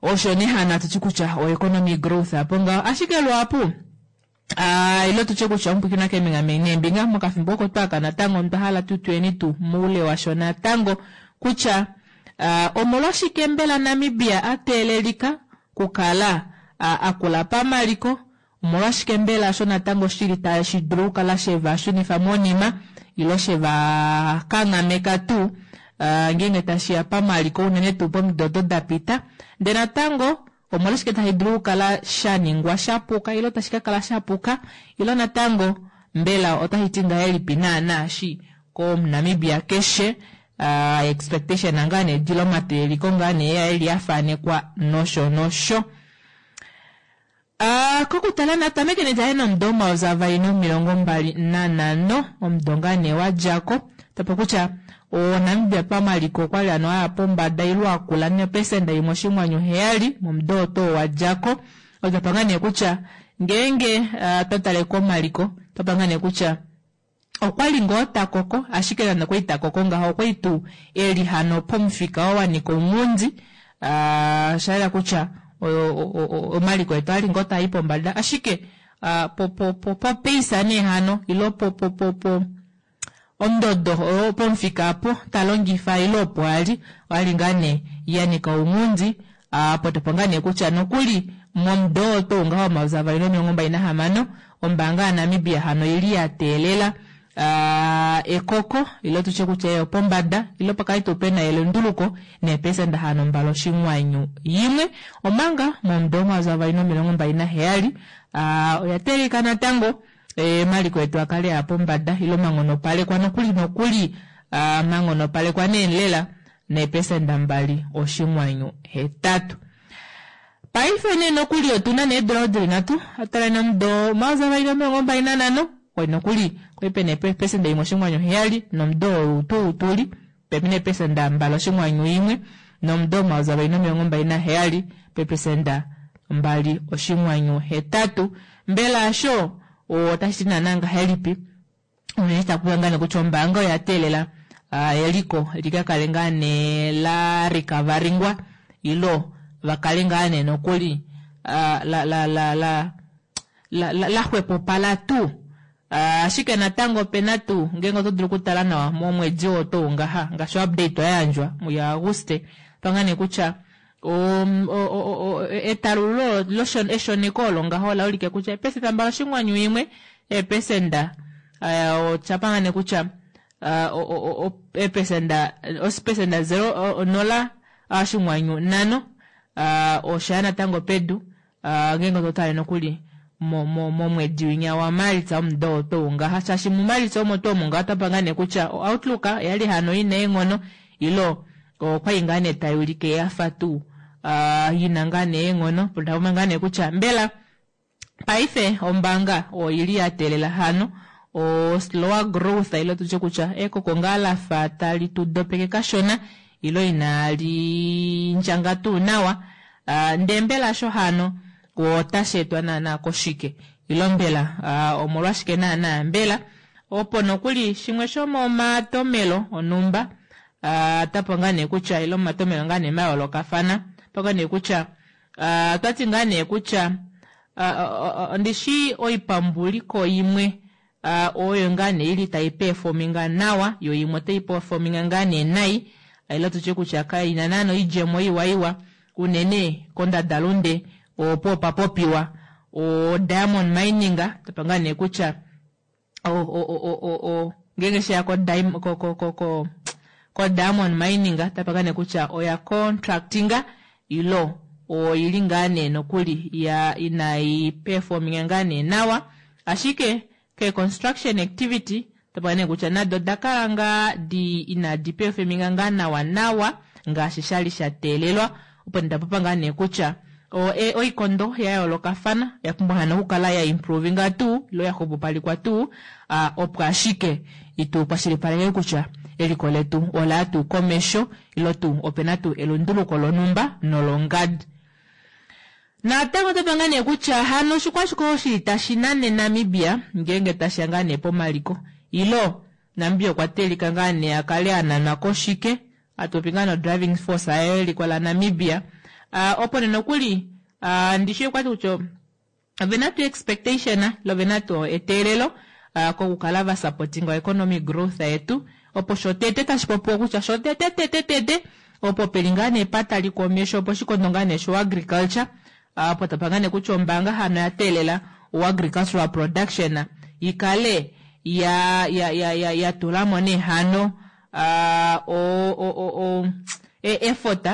Osho nee hano hatuti kutya o economy growth apo ngaho. Ashike luhapu Uh, ile tutye kutya omupwiikina keembinga neembinga mokafimbo oko twaka natango otwa hala tu tuyeni tu moule washo natango kutya uh, omolwashike mbela Namibia a teelelika kukala uh, akula pamaliko, omolwashike mbela osho natango shili tashi dulu okukala sheva shunifa monima ile sheva kanghameka tuu uh, ngeenge tashiya pamaliko unene tuu pomido odo dapita. Ndee natango omolwashike tashi dulu okukala shaningwa shapuka ile tashi kakala shapuka ile natango mbela otashi ti ngahelipi naana shi komunamibia keshe uh, expectation ngaa nee dila omateeliko ngaa nee eli afanekwa nosho nosho. Uh, kokutala natameke netaye nomudo omayovi avali nomilongo mbali nanhano omudo ngaa nee wadjako tapo kutya oNamibia pamaliko okwali hano aya pombada ile akula nepesenda imwe oshinghwanyu heyali momudo oo tuu wadjako. Otwapa ngaa nee kutya ngeenge uh, twatale komaliko twapa ngaa nee kutya okwali ngoo takoko ashike nande okwali takoko ngaho okwali tuu eli hano pomufika oo wanika ounghundi uh, shayela kutya omaliko etu ali ngoo taai pombada ashike uh, po po po popeisa nee hano ile po po po po ondodo oyo pomufika apo talongifa ile opo ali ali ngaa nee yanika ounghundi apo topo ngaa nee kutya nokuli momudo oo tuu ngaho omayovi avali nomilongo mbali nahamano ombaanga yaNamibia hano ili ya teelela uh, ekoko ile tutye kutya eyo pombada ile pakali tuu pena elunduluko neepesenda hano mbali oshinghwanyu yimwe omanga momudo omayovi avali nomilongo mbali naheyali uh, oya teelelika natango emaliko etu akale aya pombada ile manghonopalekwa nokuli nokuli uh, manghonopalekwa nee lela neepesenda mbali oshinghwanyu hetatu. Paife nee nokuli otuna needula odili nhatu atala nomudo omayovi avali nomilongo mbali nanhano kwali nokuli kwali pena eepesenda imwe oshinghwanyu heyali nomudo ou tuu tuli pepi neepesenda mbali oshinghwanyu imwe nomudo omayovi avali nomilongo mbali naheyali peepesenda mbali oshinghwanyu hetatu. Mbela asho otashi ti naana ngahelipi unene takuya ngaa nee kutya ombaanga oya teelela uh, eliko likakale ngaa nee la recoveringwa ilo vakale ngaa nee nokuli uh, la la la la la la laxwepopala tuu. Uh, ashike natango opena tuu ngeenge oto dulu okutala nawa momwedi oo tuu ngaha ngaashi update oya yandjwa muya Auguste panga nee kutya um, etalululo eshoneko olo ngaho ola ulike kutya eepesenda mbali oshinghwanyu imwe eepesenda uh, oshapanga nee kutya uh, eepesenda osipesenda zero nola oshinghwanyu nhano uh, oshaya natango pedu uh, ngeenge oto tale nokuli momwedi winya wa Maalitsa omudo oo tuu ngaha shaashi muMaalitsa omo tuu omo ngaho otwapanga nee kutya outlook oyali hano ina eenghono ilo okwali ngaa nee tai ulike yafa tuu uh, ina ngaa nee eenghono potapoma ngaa nee kutya mbela paife ombaanga oili ya teelela hano o slower growth ile tutye kutya ekoko ngaa lafa tali tu dopeke kashona ilo inali ndjanga tuu nawa uh, ndee mbela sho hano otashi etwa naana koshike ilo mbela uh, omolwashike naana mbela opo nokuli shimwe shomomatomelo onumba uh, tapo ngaa nee kutya ilo omatomelo ngaa nee mayoolokafana paka nee kutya uh, twati ngaa nee kutya uh, uh, ndishi oipambuliko imwe uh, oyo ngaa nee ili tai performinga nawa yo imwe otai performinga ngaa nee nai ilo tutye kutya kaina naana oidjemo iwa iwa unene kondadalunde opo papopiwa o diamond mining tapa ngaa nee kutya o o o o o ngeenge sheya ko ko ko ko ko ko diamond mining tapa ngaa nee kutya oya contractinga ilo oili ngaa nee nokuli ya inai performinga ngaa nee nawa ashike ke construction activity tapa nee kutya nado odakala ngaa di inadi performinga ngaa nawa nawa ngaashi shali sha teelelwa. Opo ndapopa ngaa nee kutya o, e, oikondo ya yoolokafana oya pumbwa hano okukala ya improvinga tuu ilo ya xupupalikwa tuu ah, opo ashike itu kwashilipaleke kutya eliko letu olaya tuu komesho ilo tuu opena tuu elunduluko lonhumba nolongadi. Natango otapa ngaa nee kutya hano oshikwashike oshili tashi nane Namibia ngeenge tashiya ngaa nee pomaliko ilo Namibia okwa teelika ngaa nee akale ananwa koshike atupopi ngaa no driving force yeliko la Namibia uh, opo nee nokuli uh, ndishi okwati kutya ovena tuu expectation ilo ovena tuu eteelelo uh, kokukala va supporting economic growth yetu opo shotete tashi popiwa kutya shotete tete tete opo peli ngaa nee pataliko omesho opo shikondo ngaa nee sho agriculture opo tapa ngaa nee kutya ombaanga hano ya teelela o agricultural production ikale ya ya ya ya, ya tulamo nee hano uh, o, o, o, o, e, effort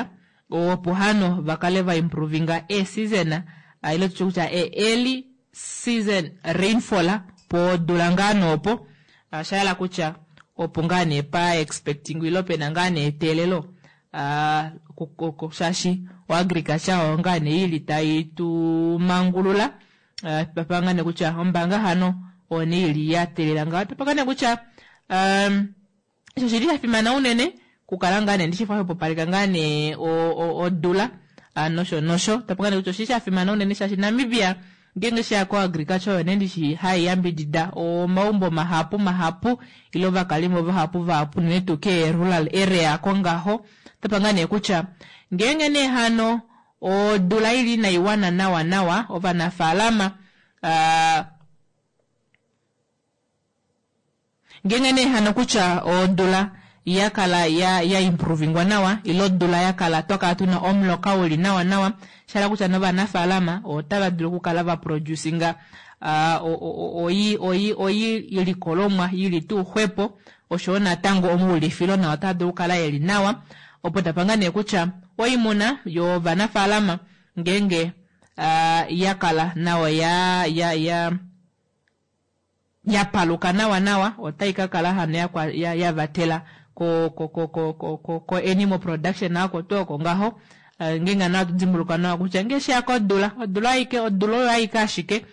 opo hano vakale va improvinga e season uh, ile tutye kutya e early season rainfall podula ngaa noopo uh, shayela kutya opo ngaa nee pa expecting ilo pena ngaa nee eteelelo uh, ku- ku- shaashi o agriculture oyo ngaa nee ili tayi tu mangulula uh, tapa ngaa nee kutya ombaanga hano oyo nee ili ya teelela ngaho tapa ngaa nee kutya um, osho shili sha fimana unene kukala ngaa nee ndishi xwepopaleka ngaa nee o- o- odula ah, nosho nosho tapa ngaa nee kutya oshili sha fimana unene shaashi Namibia ngeenge sheya ko agriculture oyo nee ndishi hai yambidida omaumbo mahapu mahapu ilo ovakalimo vahapu vahapu unene tuu ke rural area kongaho tapa ngaa nee kutya ngeenge nee hano odula ili inaiwana nawa nawa ovanafaalama ah, ngeenge nee hano kutya odula yakala ya, ya improvingwa nawa ilo odula yakala twakala tuna omuloka uli nawa nawa shala kutya novanafaalama otava dulu okukala va producinga uh, oyi oyi oyi ilikolomwa ili tuu xwepo oshowo natango omuulifilo nawo otaa dulu okukala eli nawa opo tapanga nee kutya oimuna yovanafaalama ngeenge uh, yakala nawa ya ya ya ya paluka nawa nawa otai ka kala hano ya, kwa- ya, ya vatela ko ko ko ko ko ko, ko animal production ako tuu oko ngaho uh, ngeenge nawa tudimbuluka nawa kutya ngee sheya kodula odula aike odula oyo aike ashike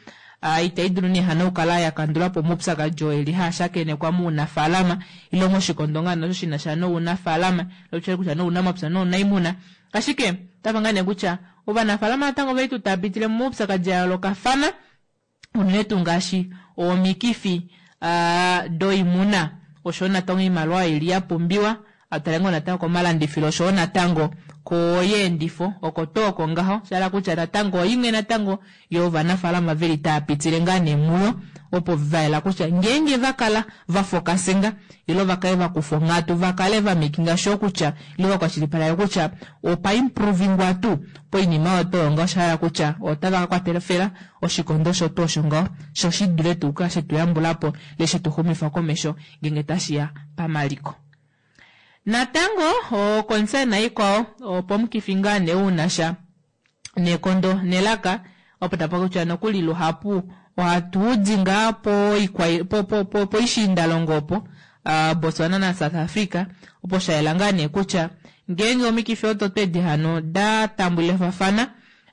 uh, itai dulu nee hano okukala ya kandula po omaupyakadi oo eli haa shakenekwa muunafaalama ilo moshikondo ngaa nosho shina sha nounafaalama ilo tutye kutya nounamapya nounaimuna ashike otapa ngaa nee kutya ovanafaalama natango veli tuu tapitile momaupyakadi a yoolokafana unene tuu ngaashi omikifi uh, doimuna oshowo natango iimaliwa ili ya pumbiwa atale ngoo natango komalandifilo oshowo natango koyeendifo oko tuu oko ngaho shala kutya natango oimwe natango yovanafaalama veli taa pitile ngaa nee muyo opo vayela kutya ngeenge vakala vafokasinga ilo vakale vakufa onghatu vakale vamikinga sure kutya ilo vakwashilipaleka kutya opa improvingwa tuu poinima oyo tuu ngaho oshahala kutya otava ka kwatela oshikondo osho tuu osho ngaho sho shi dule tuu kukala shetu yambulapo ile shetu xumifa komesho ngeenge tashiya pamaliko. Natango oconcern ikwao opo omukifi ngaa nee unasha nekondo nelaka opo tapa kutya nokuli luhapu ohatu di ngaa poikwa- po- po- po- poishiindalongo opo uh, Botswana na South Africa opo shayela ngaa nee kutya ngeenge omikifi odo twedi hano da tambulafafana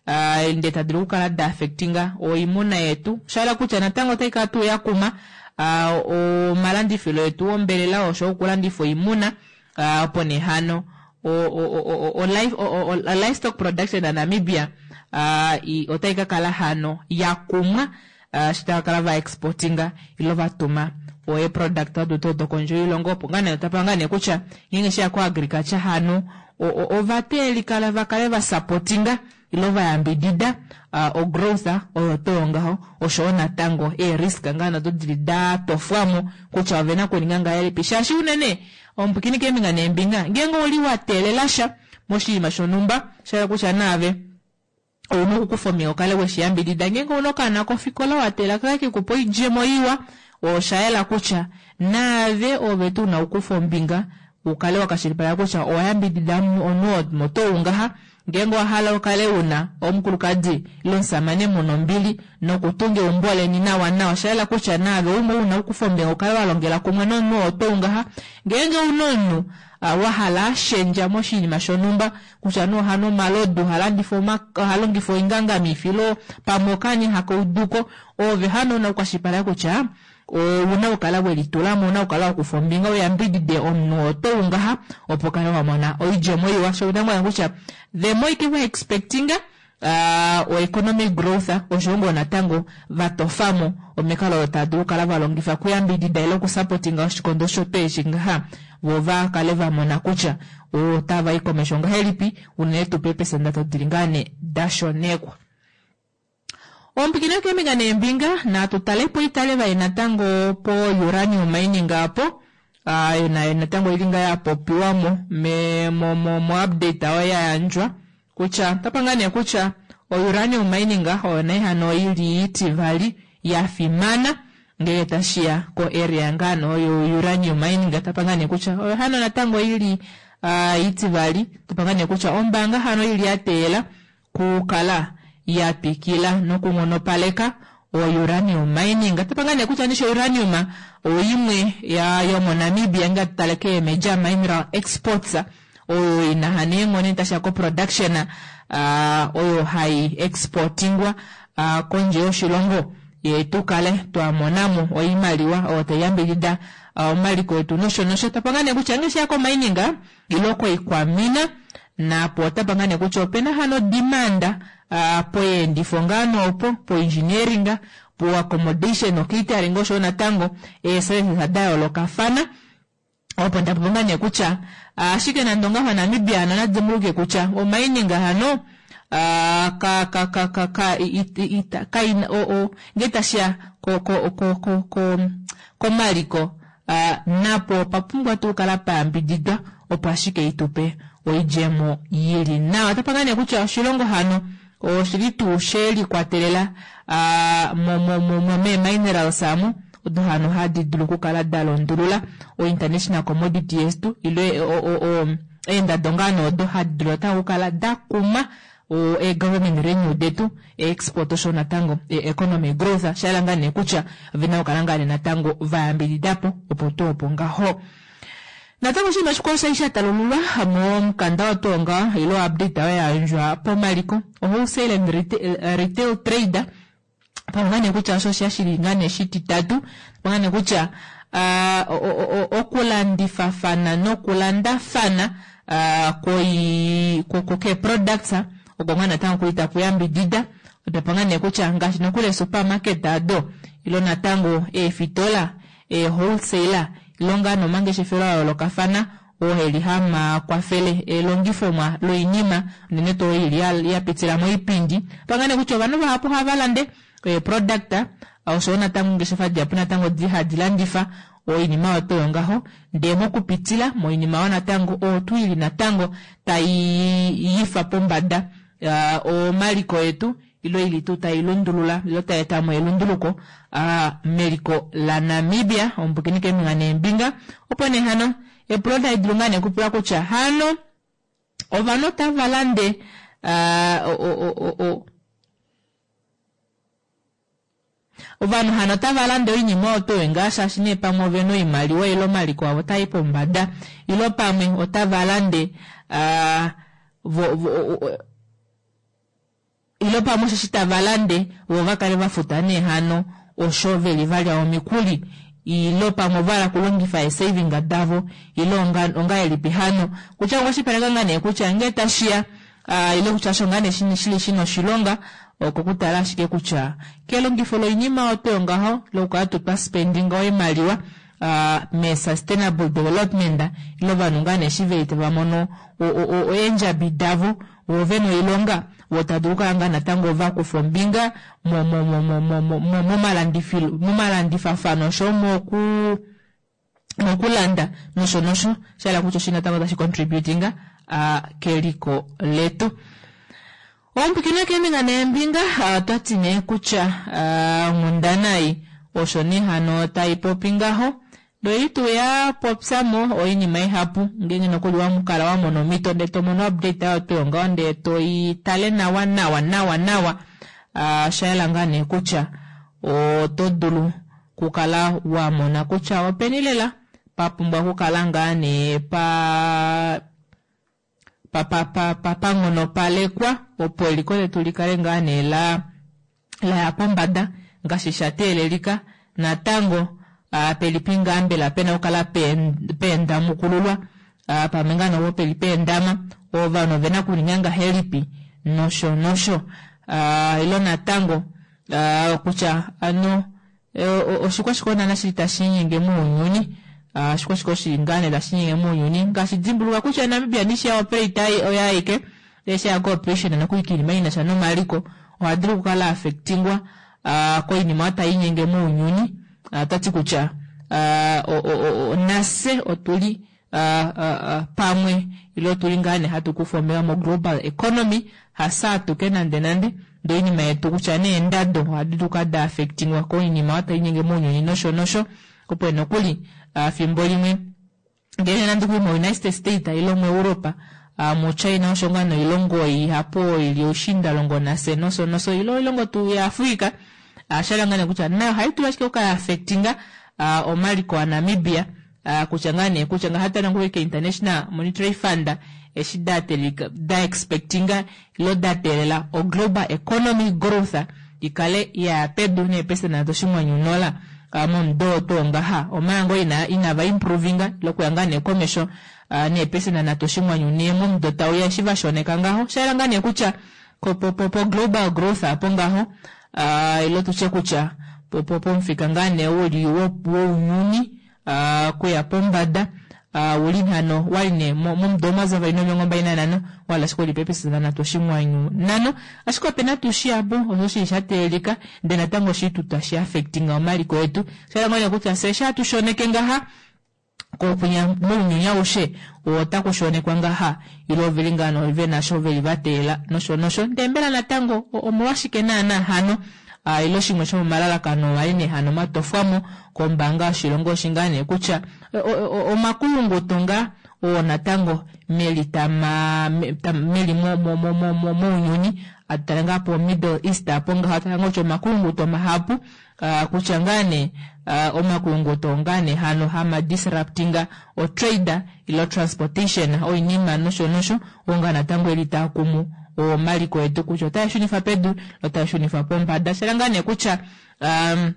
uh, ndee tadulu okukala da affectinga oimuna yetu shayela kutya natango otai kala tuu yakuma uh, omalandifilo etu ombelela osho okulandifa oimuna uh, opo nee hano o, o, o, o, o, life, o, o, o, livestock production ya Namibia uh, i, otai ka kala hano yakumwa uh, shi tava kala va exportinga ilo vatuma oe product odo tuu dokondje yoilongo opo ngaa nee otapa ngaa nee kutya ngeenge sheya ko agriculture hano ovateelikala vakale va supportinga ilo vayambidida uh, o growth oyo tuu ngaho oshowo natango ee risk ngaa nado dili da tofwamo kutya ovena okuninga ngahelipi shaashi unene omupwikini keembinga neembinga ngeenge ouli wa teelela sha moshinima shonhumba shayela kutya naave ouna okukufa omiya ukale weshiyambidida ngeenge ouna okaana kofikola wa teelela kake kekupa oidjemo iwa oshayela kutya naave ove tuu una okukufa ombinga ukale wakashilipaleka kutya owayambidida omunhu oo motoungaha Ngeenge owa hala ukale una omukulukadi ile omusamane muna ombili nokutunga eumbo leni nawa nawa, osha yela kutya naave umwe una okukufa ombinga ukale wa longela kumwe nomunhu oo tou ngaha. Ngeenge una omunhu wa hala ashendja moshinima shonhumba kutya nee ohanu omalodu, ohalandifa ohalongifa oingangamifi ile pamwe okaana hakauduko, ove hano una okukwashilipaleka kutya ouna okukala welitulamo, ouna okukala wakufa ombinga uyambidide omunhu oo tou ngaha opo ukale wamona oidjemo iwa. Sho unamona kutya the more you expecting uh, o economic growth osho ngoo natango vatofamo omikalo odo tava dulu okukala valongifa okuyambidida ile okusupportinga oshikondo osho eshi ngaha voo vakale vamona kutya otavai komesho ngahelipi unene tuu peepesenda dili ngaa nee dashonekwa. Ompikino keembinga neembinga natu talepo itale vai natango po uranium mining apo uh, nayo natango ili ngaa yapopiwamo me, mo, mo, mo update oyo yayandjwa kutya otapa nee kutya o uranium mining oyo naye hano ili itivali yafimana ngenge tashiya ko area ngaano oyo uranium mining otapa nee kutya oyo hano natango ili uh, itivali topanga nee kutya ombaanga hano ili yateela kukala yatwikila nokunghonopaleka o uranium mining. Otapa nee kutya nisho uranium oimwe ya yomoNamibia nga tutale ke major mineral exports oyo ina hano eenghono tashiya ko production uh, oyo hai exportingwa uh, kondje yoshilongo ye tukale twamonamo oimaliwa oyo taiyambidida uh, omaliko etu nosho nosho. Tapanga nee kutya ngeshi ko mining ile koikwamina napo otapa nee kutya opena hano demand uh, poyeendifo ngaano opo po engineering po accommodation catering osho natango eeservices da yoolokafana opo ndapopa nee kutya ashike nande ongaho Namibia hano nadimbuluke kutya omining hano uh, ka ka ka ka ka ita ka o o ngee tashiya ko ko ko ko ko komaliko uh, napo opapumbwa tuu kala payambididwa opo ashike itupe oidjemo yili nawa. Otapa nee kutya oshilongo hano oshili tuu shelikwatelela uh, mo mo mo mo mee-minerals amu odo hano hadi dulu okukala dalondulula o international commodity yetu ile eendado ngaano odo hadi dulu natango okukala dakuma o e-government revenue detu e-export osho natango e-economy growth shayela ngaa nee kutya ovena okukala ngaa nee natango vayambididapo opo tuu opo ngaho. Natango oshinima shikwao shali shatalululwa momukanda wotonga ile update oyo yayandjwa pomaliko wholesale and retail trade pamwe nee kutya osho shashili ngaa nee shititatu pamwe nee kutya uh, okulandifafana nokulandafana uh, koi ko products oko ngaa natango kuli takuyambidida otapanga nee kutya ngaashi nokuli supermarket ado ilo natango eefitola e wholesaler ilo ngaa nomangeshefelo a yoolokafana oo heli hama kwafele elongifomwa loinima unene tuu ili yapitila moipindi panga nee kutya ovanhu vahapu hava lande product oshowo natango ongeshefa dihapu natango di hadi landifa oinima oyo toyo ngaho ndee mokupitila moinima oyo natango otu ili natango tai yifa pombada uh, omaliko etu ilo ili tuu tai lundulula ilo tai etamo elunduluko uh, meliko la Namibia ombukini keembinga neembinga opo nee hano epulo tali dulu ngaa nee okupula kutya hano ovanhu otava lande uh, o, o, o, o, ovanhu hano otava lande oinima oyo tuu ngaa shaashi nee pamwe ovena oimaliwa ile omaliko avo otai pombada ilo pamwe otava lande uh, vo, vo, o, ilo pamwe osheshi tava lande vo vakale vafuta nee hano osho veli valya omikuli ilo pamwe ovahala okulongifa eesaving davo ile ongahelipi hano kutya okwashilipaleka ngaa nee kutya ngee tashiya uh, ile kutya osho ngaa nee shili shina oshilonga oko kutala ashike kutya kelongifo loinima oyo ngaho lokukala twa spendinga oimaliwa uh, me sustainable development ilo ovanhu ngaa nee eshi veli tava mono eendjabi davo vo vena oilonga vo tava dulu okukala ngaa natango vakufa ombinga momalandifafano osho moku mokulanda nosho nosho shahala kutya oshi natango tashi contributinga uh, keliko letu. Ompikino keembinga neembinga otwati nee kutya onghundana ei osho nee hano taipopi ngaho Ndee tuu yapopyamo oinima ihapu ngeenge nokuli wamukala wamona omhito ndee tomono update oyo tuu ngaho ndee toitale nawa nawa nawa nawa oshayela ngaa nee kutya oto dulu okukala wamona kutya openi lela papumbwa okukala ngaa nee pa pa pa pa panghonopalekwa opo eliko letu likale ngaa nee la laya pombada ngaashi sha teelelika natango pelipi ngaa mbela pena okukala peendamukululwa pamwe ngaa nopo peli peendama ovanhu ovena okuninga ngahelipi nosho nosho ile natango kutya hano oshikwashike naana shili tashiinyenge mounyuni oshikwashike shili ngaa nee tashiinyenge mounyuni ngaashi dimbuluka kutya Namibia ndishi ya operate oye aike eshi ya cooperation nokuli koinima inasha nomaliko ohadulu okukala affectingwa koinima oyo taiinyenge mounyuni otati kutya nafye otuli pamwe ile otuli ngaa nee hatu kufa ombinga mo global economy hafye atuke nande nande ndee oinima yetu kutya nee eendado ohadi dulu okukala da affectingwa koinima oyo taiinyenge mounyuni nosho nosho opo nokuli fimbo limwe ngeenge nande okuli mo United States ile mu Europa mu China osho ngaa noilongo ihapu oyo ili oushiindalongo nafye nosho nosho ile oilongo tuu ya Africa oshahala ngaa nee kutya nayo ohaidulu ashike okukala ya affectinga omaliko a Namibia kutya ngaa nee kutya ngaashi hatutale nokuli ko International Monetary Fund eshi da expectinga ile da teelela o global economy growth ikale yaya pedu neepesenda nhatu oshinghwanyu nola momudo oo tuu ngaha omanga ngoo inava improvinga ile okuya ngaa nee komesho neepesenda nhatu oshinghwanyu nhee momudo tauya eshi vashoneka ngaho oshayela ngaa nee kutya po global growth aapo ngaho ile tutye kutya pomufika ngaa nee uli wounyuni okuya pombada uli hano wali nee momudo omayovi avali nomilongo mbali nanhano wali ashike uli peepesenda nhatu oshinghwanyu nhano ashike opena tuu shihapu osho shili shateelelika ndee natango oshili tuu tashi affectinga omaliko etu shayela ngoo nee kutya fyee eshi hatu shoneke ngaha kokwinya mounyuni aushe otaku shonekwa ngaha ile oveli ngaa nee vena osho veli vateelela nosho nosho ndee mbela natango omolwashike naana hano ile shimwe shomomalalakano wali nee hano matofwamo kombaanga yoshilongo oshi ngaa nee kutya omakulunguto ngaa oo natango meli tama meli mounyuni atutale ngaa po Middle East apo ngaho atutale ngaa kutya omakulunguto mahapu kutya ngaa nee omakulunguto ngaa nee hano hama disruptinga o trade ile transportation oinima nosho nosho oo ngaa natango eli taakumu omaliko etu kutya otaa shunifa pedu otaa shunifa pombada shela ngaa nee kutya um,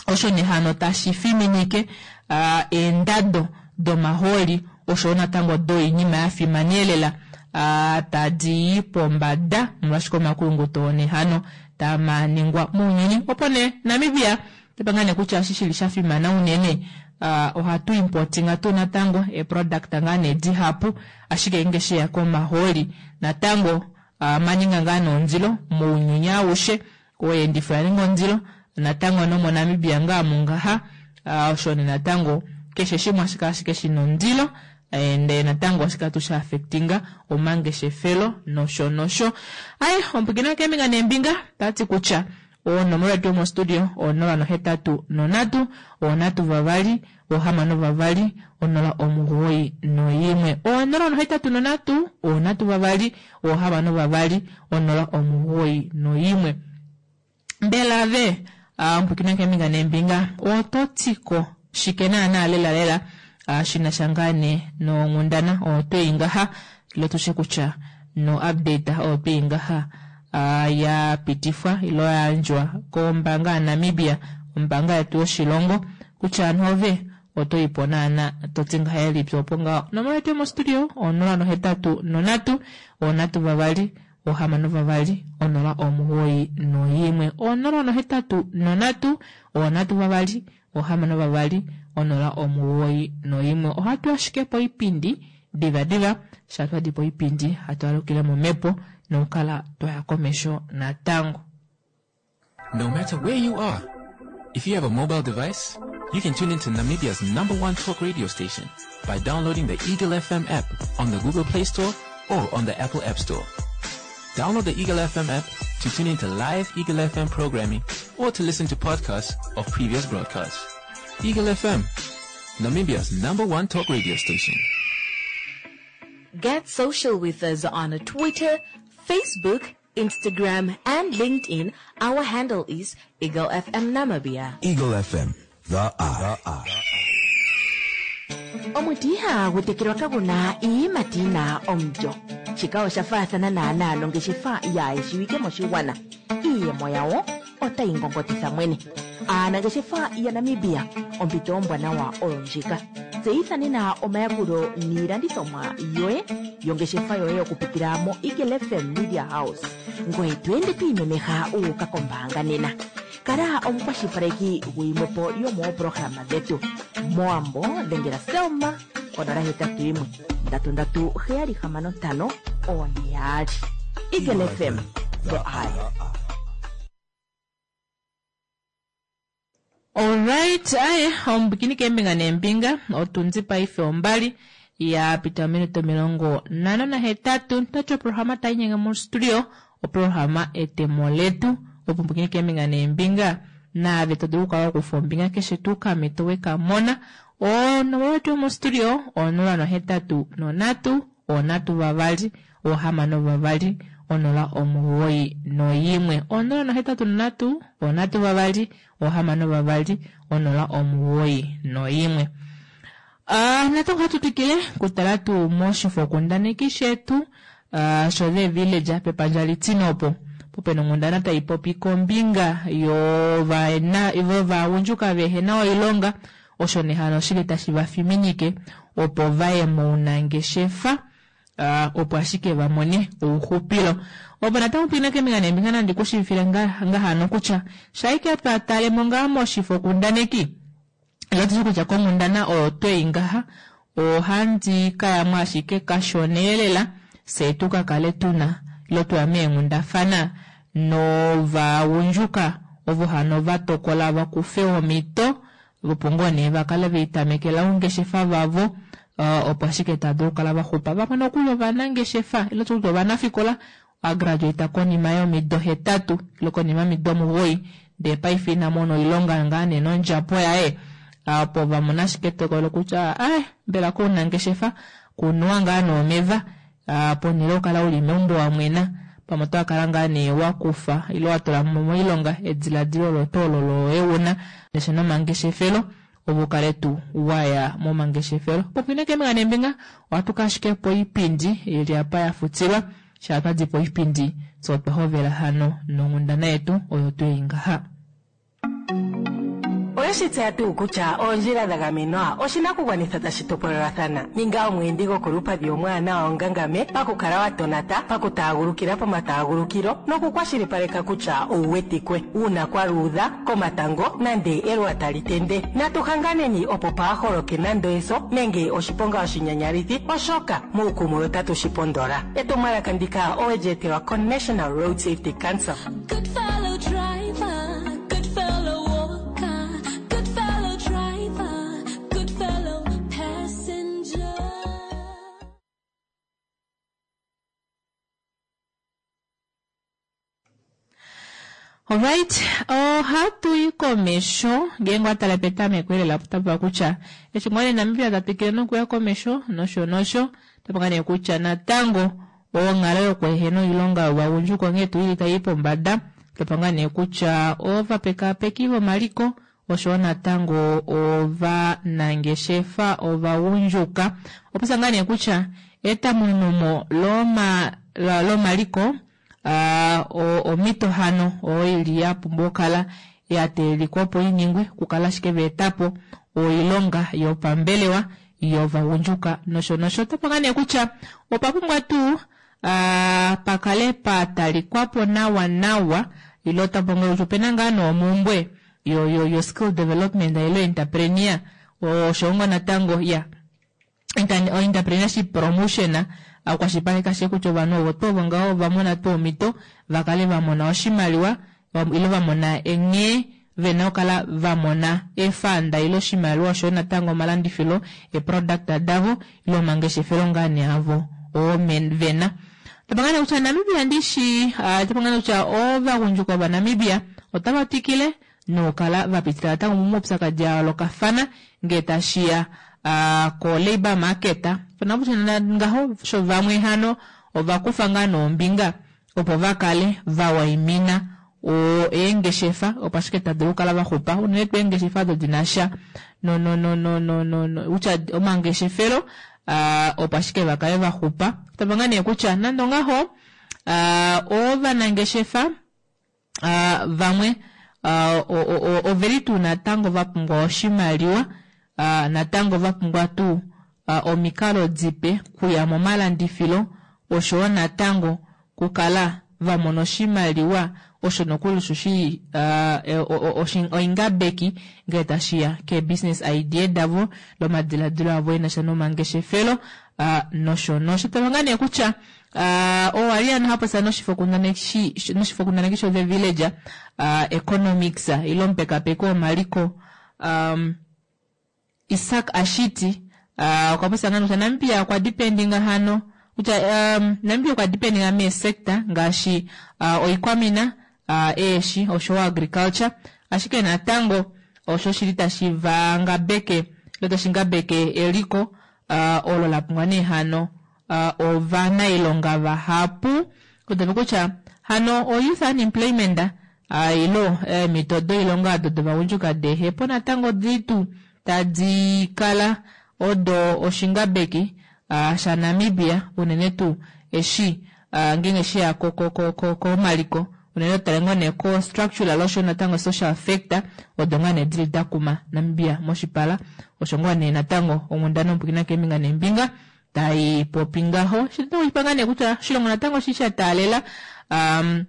osho nee hano tashi fiminike uh, eendado domahooli oshoyo natango doinima yafimana elela uh, tadi i pombada molwashike omakulunguto nee hano tamaningwa mounyuni opo nee Namibia tepa ngaa nee kutya eshi shili shafimana unene uh, ohatu importinga tuu natango eproduct ngaa nee dihapu ashike ngeenge sheya komahooli natango uh, maninga ngaa nondilo mounyuni aushe oyeendifo oyaninga ondilo natango nomoNamibia ngaa mungaha uh, osho nee natango keshe shimwe ashike ashike shina ondilo ndee natango ohashi tuu sha affectinga omangeshefelo nosho nosho aye omupwiikini keembinga neembinga tati kutya onomola yetu yomostudio onola nohetatu nonhatu onhatu vavali ohamano vavali onola omugoyi noyimwe onola nohetatu nonhatu onhatu vavali ohamano vavali onola omugoyi noyimwe mbela ve omupwiikini keembinga neembinga ototiko shike naana lela lela shinasha ngaa nee nonghundana oyo twei ngaha ile tushe kutya no update oyo twei ngaha yapitifwa ile yayandjwa kombaanga ya Namibia ombaanga yetu yoshilongo kutya hano ove otoipo naana toti ngahelipi opo ngaho onomola yetu yomostudio onola nohetatu nonhatu onhatu vavali ohamano vavali onola omugoyi noyimwe onola nohetatu nonhatu onhatu vavali ohamano vavali onola omugoyi noyimwe ohatu ashike poipindi diva diva sha twadi poipindi hatu alukile momhepo nokukala twaya komesho natango. No matter where you are, if you have a mobile device, you can tune into Namibia's number one talk radio station by downloading the Eagle F M app on the Google Play Store or on the Apple App Store. Download the Eagle F M app to tune into live Eagle F M programming or to listen to podcasts of previous broadcasts. Eagle F M, Namibia's number one talk radio station. Get social with us on Twitter, Facebook, Instagram, and LinkedIn. Our handle is Eagle FM Namibia. Eagle F M, the Eye. The Eye. Omuti ihagu tekelwa kaguna iiyimati yina omulyo. Shika osha faathana naanaa nongeshefa yaayeshiwike moshigwana. Iiyemo yawo otayi ngongotitha mwene. Aanangeshefa yaNamibia, ompito ombwanawa oyo ndjika. Tseyitha nena omayakulo niilandithomwa yoye yongeshefa yoye okupitila mo Eagle F M Media House, ngoye to ende to imemeha uuka kombaanga nena. Kala omukwashilipaleki guyimwepo yomooprograma dhetu. Mowambo dhengela Selma konola hetatu yimwe ndatu ndatu heyali hamano ntano one yaali. Eagle F M, the Eye. Alright, aye, ombikini keembinga neembinga, otundi paife ombali ya pita ominute omilongo nhano nahetatu. Tati oprograma tai nyenge mostudio, oprograma Etemo Letu. Opumbukini keembinga neembinga, naave to dulu okukala wakufa ombinga keshe tuu kamito wekamona. Onomola yetu yomostudio onola nohetatu nonhatu, onhatu vavali, ohamano vavali, onola omugoyi noyimwe. Onola nohetatu nonhatu, onhatu vavali, ohamano vavali, onola omugoyi noyimwe. Uh, natango ohatu twikile kutala tuu moshifokundaneki shetu uh, sho The Village pepandja litine opo popena onghundana tai popi kombinga yovagundjuka vehena oilonga osho nehano oshili tashi vafiminike opo vaye mounangeshefa uh, opo ashike vamone ouxupilo. Opo natango pwina keembinga neembinga nandi kushivifile ngahano kutya shaike twatalemo ngaa moshifokundaneki ilo kutya konghundana oyo twei ngaha ohandi kayamo ashike kashoneelela fye tukakale tuna ilo twaya meenghundafana novagundjuka ovo hano vatokola vakufe omhito opo ngoo nee vakale veitamekela oungeshefa vavo uh, opo ashike tava dulu okukala vaxupa. Vamwe nokuli ovanangeshefa ilo kutya ovanafikola agraduate konima yomido hetatu ilo konima yomido omugoyi ndee paife ina mona oilonga ngaa nee nondjapo yaye opo vamona ashike etokolo kutya ai mbela kounangeshefa kunuwa ngaa noomeva ponhele yokukala uli meumbo wamwena pamwe otwakala ngaa nee wakufa ilo watula moilonga ediladilo olo olo loye una nesha nomangeshefelo opo ukale tuu waya momangeshefelo. Popwina keembinga neembinga ohatu ka ashike poipindi ili apa yafutilwa shaa twadi poipindi fye otwa hovela hano nonghundana yetu oyo twei ngaha. Oweshi tseya tuu kutya oondjila dha gamenwa oshinakugwanithwa tashi topolelathana? Ninga omweendi gokolupadhi omwaanawa ongangame pakukala wa tonata, pakutaagulukila pomataagulukilo nokukwashilipaleka kutya owu wetikwe uuna kwa luudha komatango nande eluwa tali tende. Natu hanganeni opo paa holoke nando eso nenge oshiponga oshinyanyalithi, oshoka muukumwe otatu shi pondola. Etumwalaka ndika owe li etelwa koNational Road Safety Council. Good fellow driver, good fellow walker, good fellow driver, good fellow passenger. Alright, ohatu yi komesho ngeenge watala petameko elela otapuva kutya eshi ngoo nee Namibia ta twikile nokuya komesho nosho nosho otapuka nee kutya natango onghalo yokuehena oilonga yovagundjuka onghee tuu ili tai pombada topanga nee kutya ovapekapeki vomaliko oshowo natango ovanangeshefa ovagundjuka opisa ngaa nee kutya etamunumo loma lomaliko uh, omhito hano oyo ili yapumbwa okukala yateelikwa opo iningwe okukala ashike veetapo oilonga yopambelewa yovagundjuka nosho nosho. Otapanga nee kutya opa pumbwa tuu uh, pakale patalikwapo nawa nawa ilo otapanga kutya opena ngaa noomumbwe yo, yo, yo skill development ilo entrepreneur osho ngo natango ya entrepreneurship promotion akwashilipaleka ashike kutya ovanhu ovo tuu ovo ngaho ovamona tuu omhito vakale vamona oshimaliwa ilo vamona nghee vena okukala vamona efanda ilo oshimaliwa oshoyo natango omalandifilo eproduct davo ilo omangeshefelo ngaa nee avo oo vena. Tapangane kutya Namibia ndishi uh, tapangane kutya ovagundjuka ovanamibia otava twikile nokukala vapitila natango momaupyakadi a yoolokafana ngee tashiya uh, ko labour market pona kutya ngaho sho vamwe hano ovakufa ngaa noombinga opo vakale vawaimina eengeshefa opo ashike tadulu okukala vaxupa unene tuu eengeshefa odo dinasha no no no no no no no kutya omangeshefelo uh, opo ashike vakale vaxupa tava ngaa nee kutya nande ongaho uh, ovanangeshefa uh, vamwe uh, oveli tuu natango vapumbwa oshimaliwa uh, natango vapumbwa tuu uh, omikalo dipe kuya momalandifilo oshowo natango kukala vamona oshimaliwa osho nokuli osho shili uh, oingabeki ngele tashiya ke business idea davo lomadiladilo avo enasha nomangeshefelo uh, nosho nosho tava ngaa nee kutya uh, owali ano hapopya noshifokundaneki sho The Village uh, economics ile omupekapeko womaliko um, Isak Ashiti uh, okwa popya ngaa kutya Namibia okwa dependinga hano kutya um, Namibia okwa dependinga meesector ngaashi uh, oikwamina uh, eeshi oshowo agriculture ashike natango osho shili tashi vangabeke ile tashi ngabeke eliko uh, olo la pumbwa nee hano uh, ovanailonga vahapu kutave kutya hano o youth unemployment uh, ilo eemhito doilonga odo dovagundjuka dehepo natango dili tuu tadi kala odo oshingabeki uh, shaNamibia unene tuu eshi uh, ngeenge sheya komaliko unene tale ngoo nee ko structural osho natango social factor odo ngaa nee dili dakuma Namibia moshipala osho ngoo nee natango onghundana ompwikina keembinga neembinga tai popi ngaho shipanga nee kutya oshilongo natango shi sha taalela um,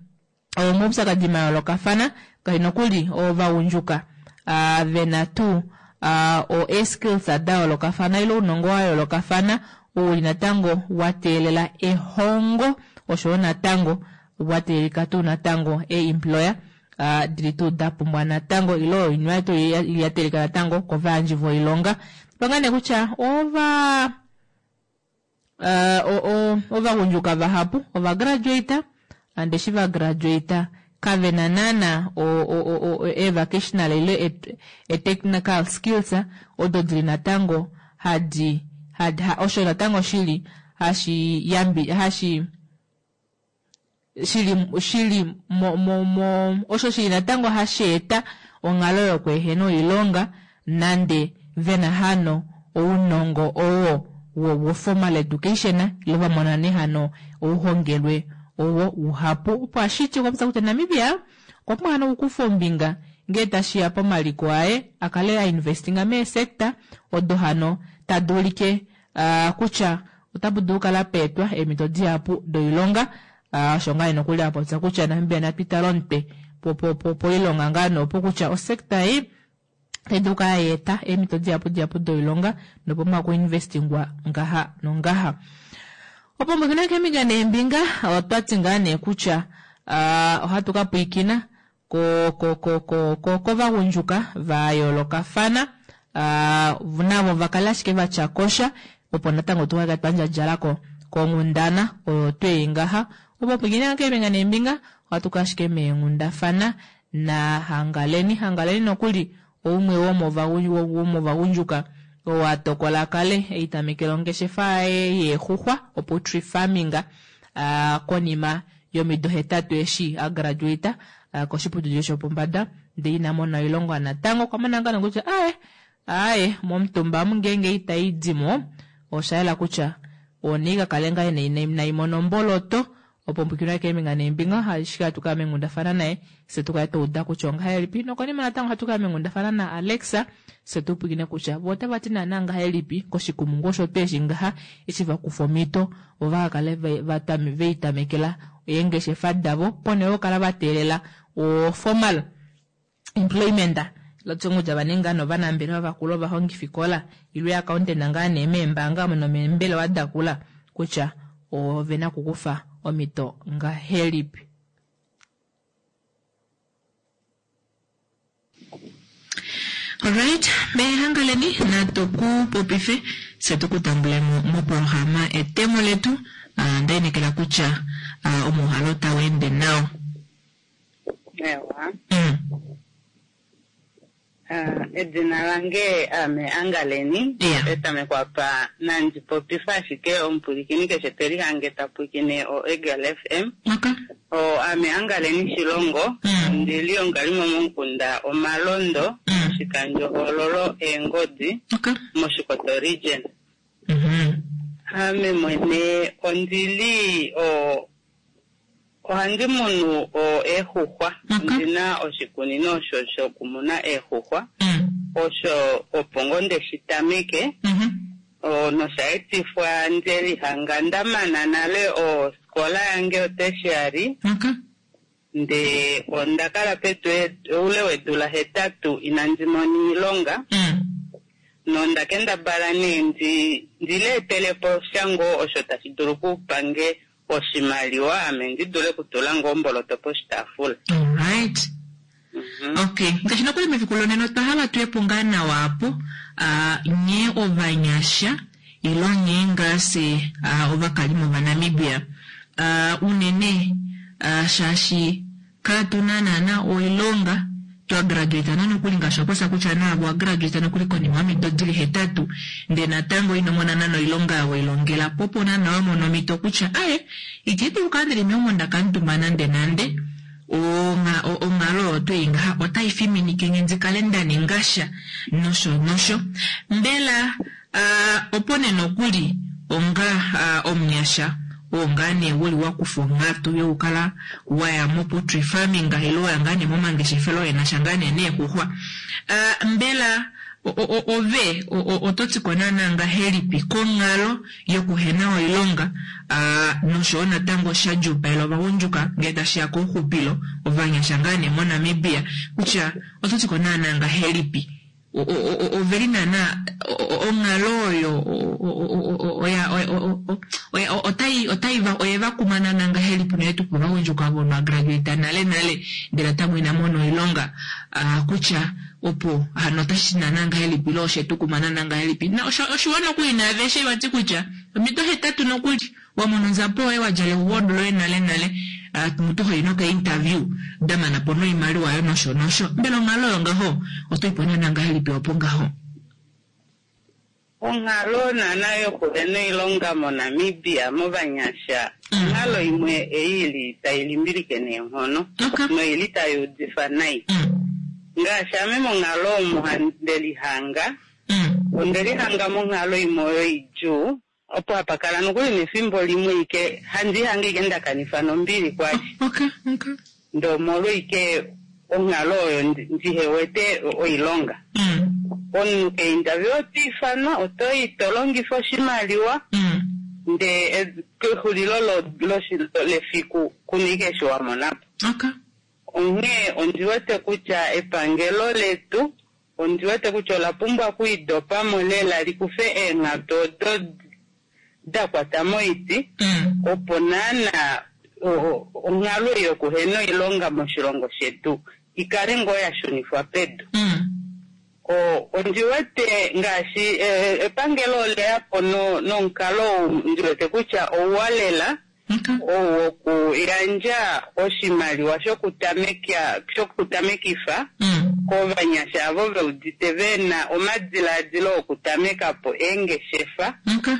omaupyakadi mayoolokafana kai nokuli ovagundjuka uh, vena tuu uh, o skills da yoolokafana ile ounongo wa yoolokafana ouli natango wateelela ehongo oshowo natango wateelelika tuu natango e-employer uh, dili tuu dapumbwa natango ile oinima tuu yateelelika natango kovayandji voilonga panga nee kutya ova uh, ovagundjuka vahapu ovagraduate ande eshi vagraduate kavena naana e-vocational ile e-technical skills odo dili natango hadi hadi ha, osho natango shili hashi yambi hashi shili shili mo, mo, mo osho shili natango hashi eta onghalo yokweehena oilonga nande vena hano ounongo owo wo formal education ile vamona nee hano ouhongelwe owo uhapu opo ashiti okwa kutya Namibia okwa pumbwa hano okukufa ombinga ngee tashiya pomaliko aye akale ainvestinga meesector odo hano tadi ulike uh, kutya otapu dulu okukala peetwa eemhito dihapu doilonga osho uh, ngaa nokuli apopya kutya Namibia natwitale omutwe poilonga ngaa noopo kutya osector ei tai dulu okukala yaeta eemhito dihapu dihapu doilonga nopomwa okuinvestingwa ngaha nongaha. Opo mbwikina keembinga neembinga otwati ngaa nee kutya uh, ohatu ka pwiikina ko ko ko ko ko kovagundjuka va yoolokafana uh, navo vakale ashike vatyakosha opo natango tukake twandjadjalako konghundana oyo twei ngaha opo pwiikina keembinga neembinga ohatu ka ashike meenghundafana na Hangaleni Hangaleni nokuli oumwe womovagundjuka owatokola kale eitamekela ongeshefa yaye yeexuxwa opoultry farming uh, konima yomido hetatu eshi agraduate uh, koshiputudilo shopombada ndee ina mona oilonga natango okwa mona ngaa kutya aye aye momutumba omu ngeenge ita idimo osha yela kutya onika kale ngaa naimona omboloto opo mpwikinwa keembinga neembinga ashike hatu kala meenghundafana naye fye tukale twauda kutya ongahelipi nokonima natango ohatu kala meenghundafana na Alexa fye tupwikine kutya vo otava ti naana ngahelipi koshikumungu osho tweeshi ngaha eshi vakufa omhito vo vakakale veitamekela eengeshefa davo ponhele yokukala vateelela o formal employment lotye kutya vaninga novanambelewa vakulu ovahongifikola ile accountant ngaa nee meembanga nomeembelewa dakula kutya ovena okukufa omhito ngahelipi. Alright, mehangaleni natu kupopife fye tukutambulemo moprograma etemo letu uh, ndainekela kutya uh, omuhalo tau ende nawa. Ewa. Mm. Uh, Edina lange ame Angaleni. Yeah. Petameko apa nandi popifa ashike omupwilikini keshe te lihange ta pwilikine o Eagle F M. Okay. O ame Angaleni Shilongo. Mm. Ondili omukalimo momukunda Omalondo, Mm. moshikandjohoololo Eengodi, Okay. mOshikoto region. Mhm. Ame mwene ondili o ohandi munu o eexuxwa. Okay. Ondina oshikunino osho shokumuna eexuxwa. Mm. Osho opo ngoo ndeshi tameke. Mhm. O, nosha etifwa nde lihanga nda mana nale oskola yange yotertiary. Okay. Nde onda kala pedu oule weedula hetatu inandi mona iilonga. Mm. Nonda kendabala nee ndi ndileetele po sha ngoo osho tashi dulu okupange oshimaliwa ame ndi dule okutula ngoo omboloto poshitaafula. Alright. Mhm. Okay, ngaashi nokuli mefiku lonena otwa hala tuye po ngaa nawa apo ah, nye ovanyasha ilo nye ngase ah, ovakalimo vaNamibia Ah, unene ah, shaashi katuna naana oilonga twa graduate na nokuli ngaashi waposa kutya naavo wagraduate nokuli konima yomido dili hetatu ndee natango ino mona nana oilonga weilongela po opo naana wamona omhito kutya aye iti dulu kala ndili meumbo ndakanutuma nande nande Onga- o- onghalo oyo twei ngaha otai fiminike nge ndi kale nda ninga sha nosho nosho mbela ah, opo nee nokuli onga ah, omunyasha oo ngaa nee wuli wakufa onghatu yokukala waya mo-poultry farming ile waya ngaa nee momangeshefelo enasha ngaa nee neexuxwa. Ah, mbela o- o- o- ove o- o- oto ti ko naana ngahelipi konghalo yokuhena oilonga ah, noshowo natango sha djuupaela ovagundjuka ngee tashiya kouxupilo ovanyasha ngaa nee moNamibia kutya oto ti ko naana ngahelipi O- o- o- oveli naana o- o- onghalo oyo o- o- o- o- oya- oya- o- o- oya- o- otai otai va oye va kuma naana ngahelipi unene tuu kovagundjuka ovo va graduate nale nale ndele natango ina mona oilonga ah, kutya opo hano otashi naana ngahelipi ile oshetu kuma naana ngahelipi na osho- oshiwa nokuli naaveshe vati kutya omido hetatu nokuli wamona onzapo yoye wadjala ewuwodo loye nale nale ah, mutu hoyi noka-interview damana po noimaliwa yo nosho nosho mbela onghalo oyo ngaho otoipo naana ngahelipi opo ngaho? Onghalo naana yokuhena oilonga moNamibia movanyasha onghalo imwe ei ili tai limbilike neenghono Okay. noili tai udifa nai. Mm. Ngaashi ame monghalo omo nde lihanga, Mm. onde lihanga monghalo imwe oyo idjuu opo hapa kala nokuli nefimbo limwe ike handi ihange ike nda kanifa nombili kwali. Okay, okay. Ndee omolwa ike onghalo oyo ndi- ndihewete oilonga. Mm. Omunhu keinterview oto ifanwa otoyi to longifa oshimaliwa Mm. ndee e- kexulilo lo- loshi- lefiku kuna ike eshi wa monapo. Okay. Onghee ondi wete kutya epangelo letu ondi wete kutya ola pumbwa okwiidopamo lela likufe eenghatu odo da kwata moiti Mm. opo naana o- o- onghalo ei yokuhena oilonga moshilongo shetu ikale ngoo ya shunifwa pedu. Mm. O- ondi wete ngaashi eh, epangelo oleya po no- nomukalo ou ndi wete kutya ouwa lela Okay. ou wokuyandja oshimaliwa shokutameka shokutamekifa Mm. kovanyasha avo ve udite vena omadilaadilo okutameka po eengeshefa Okay.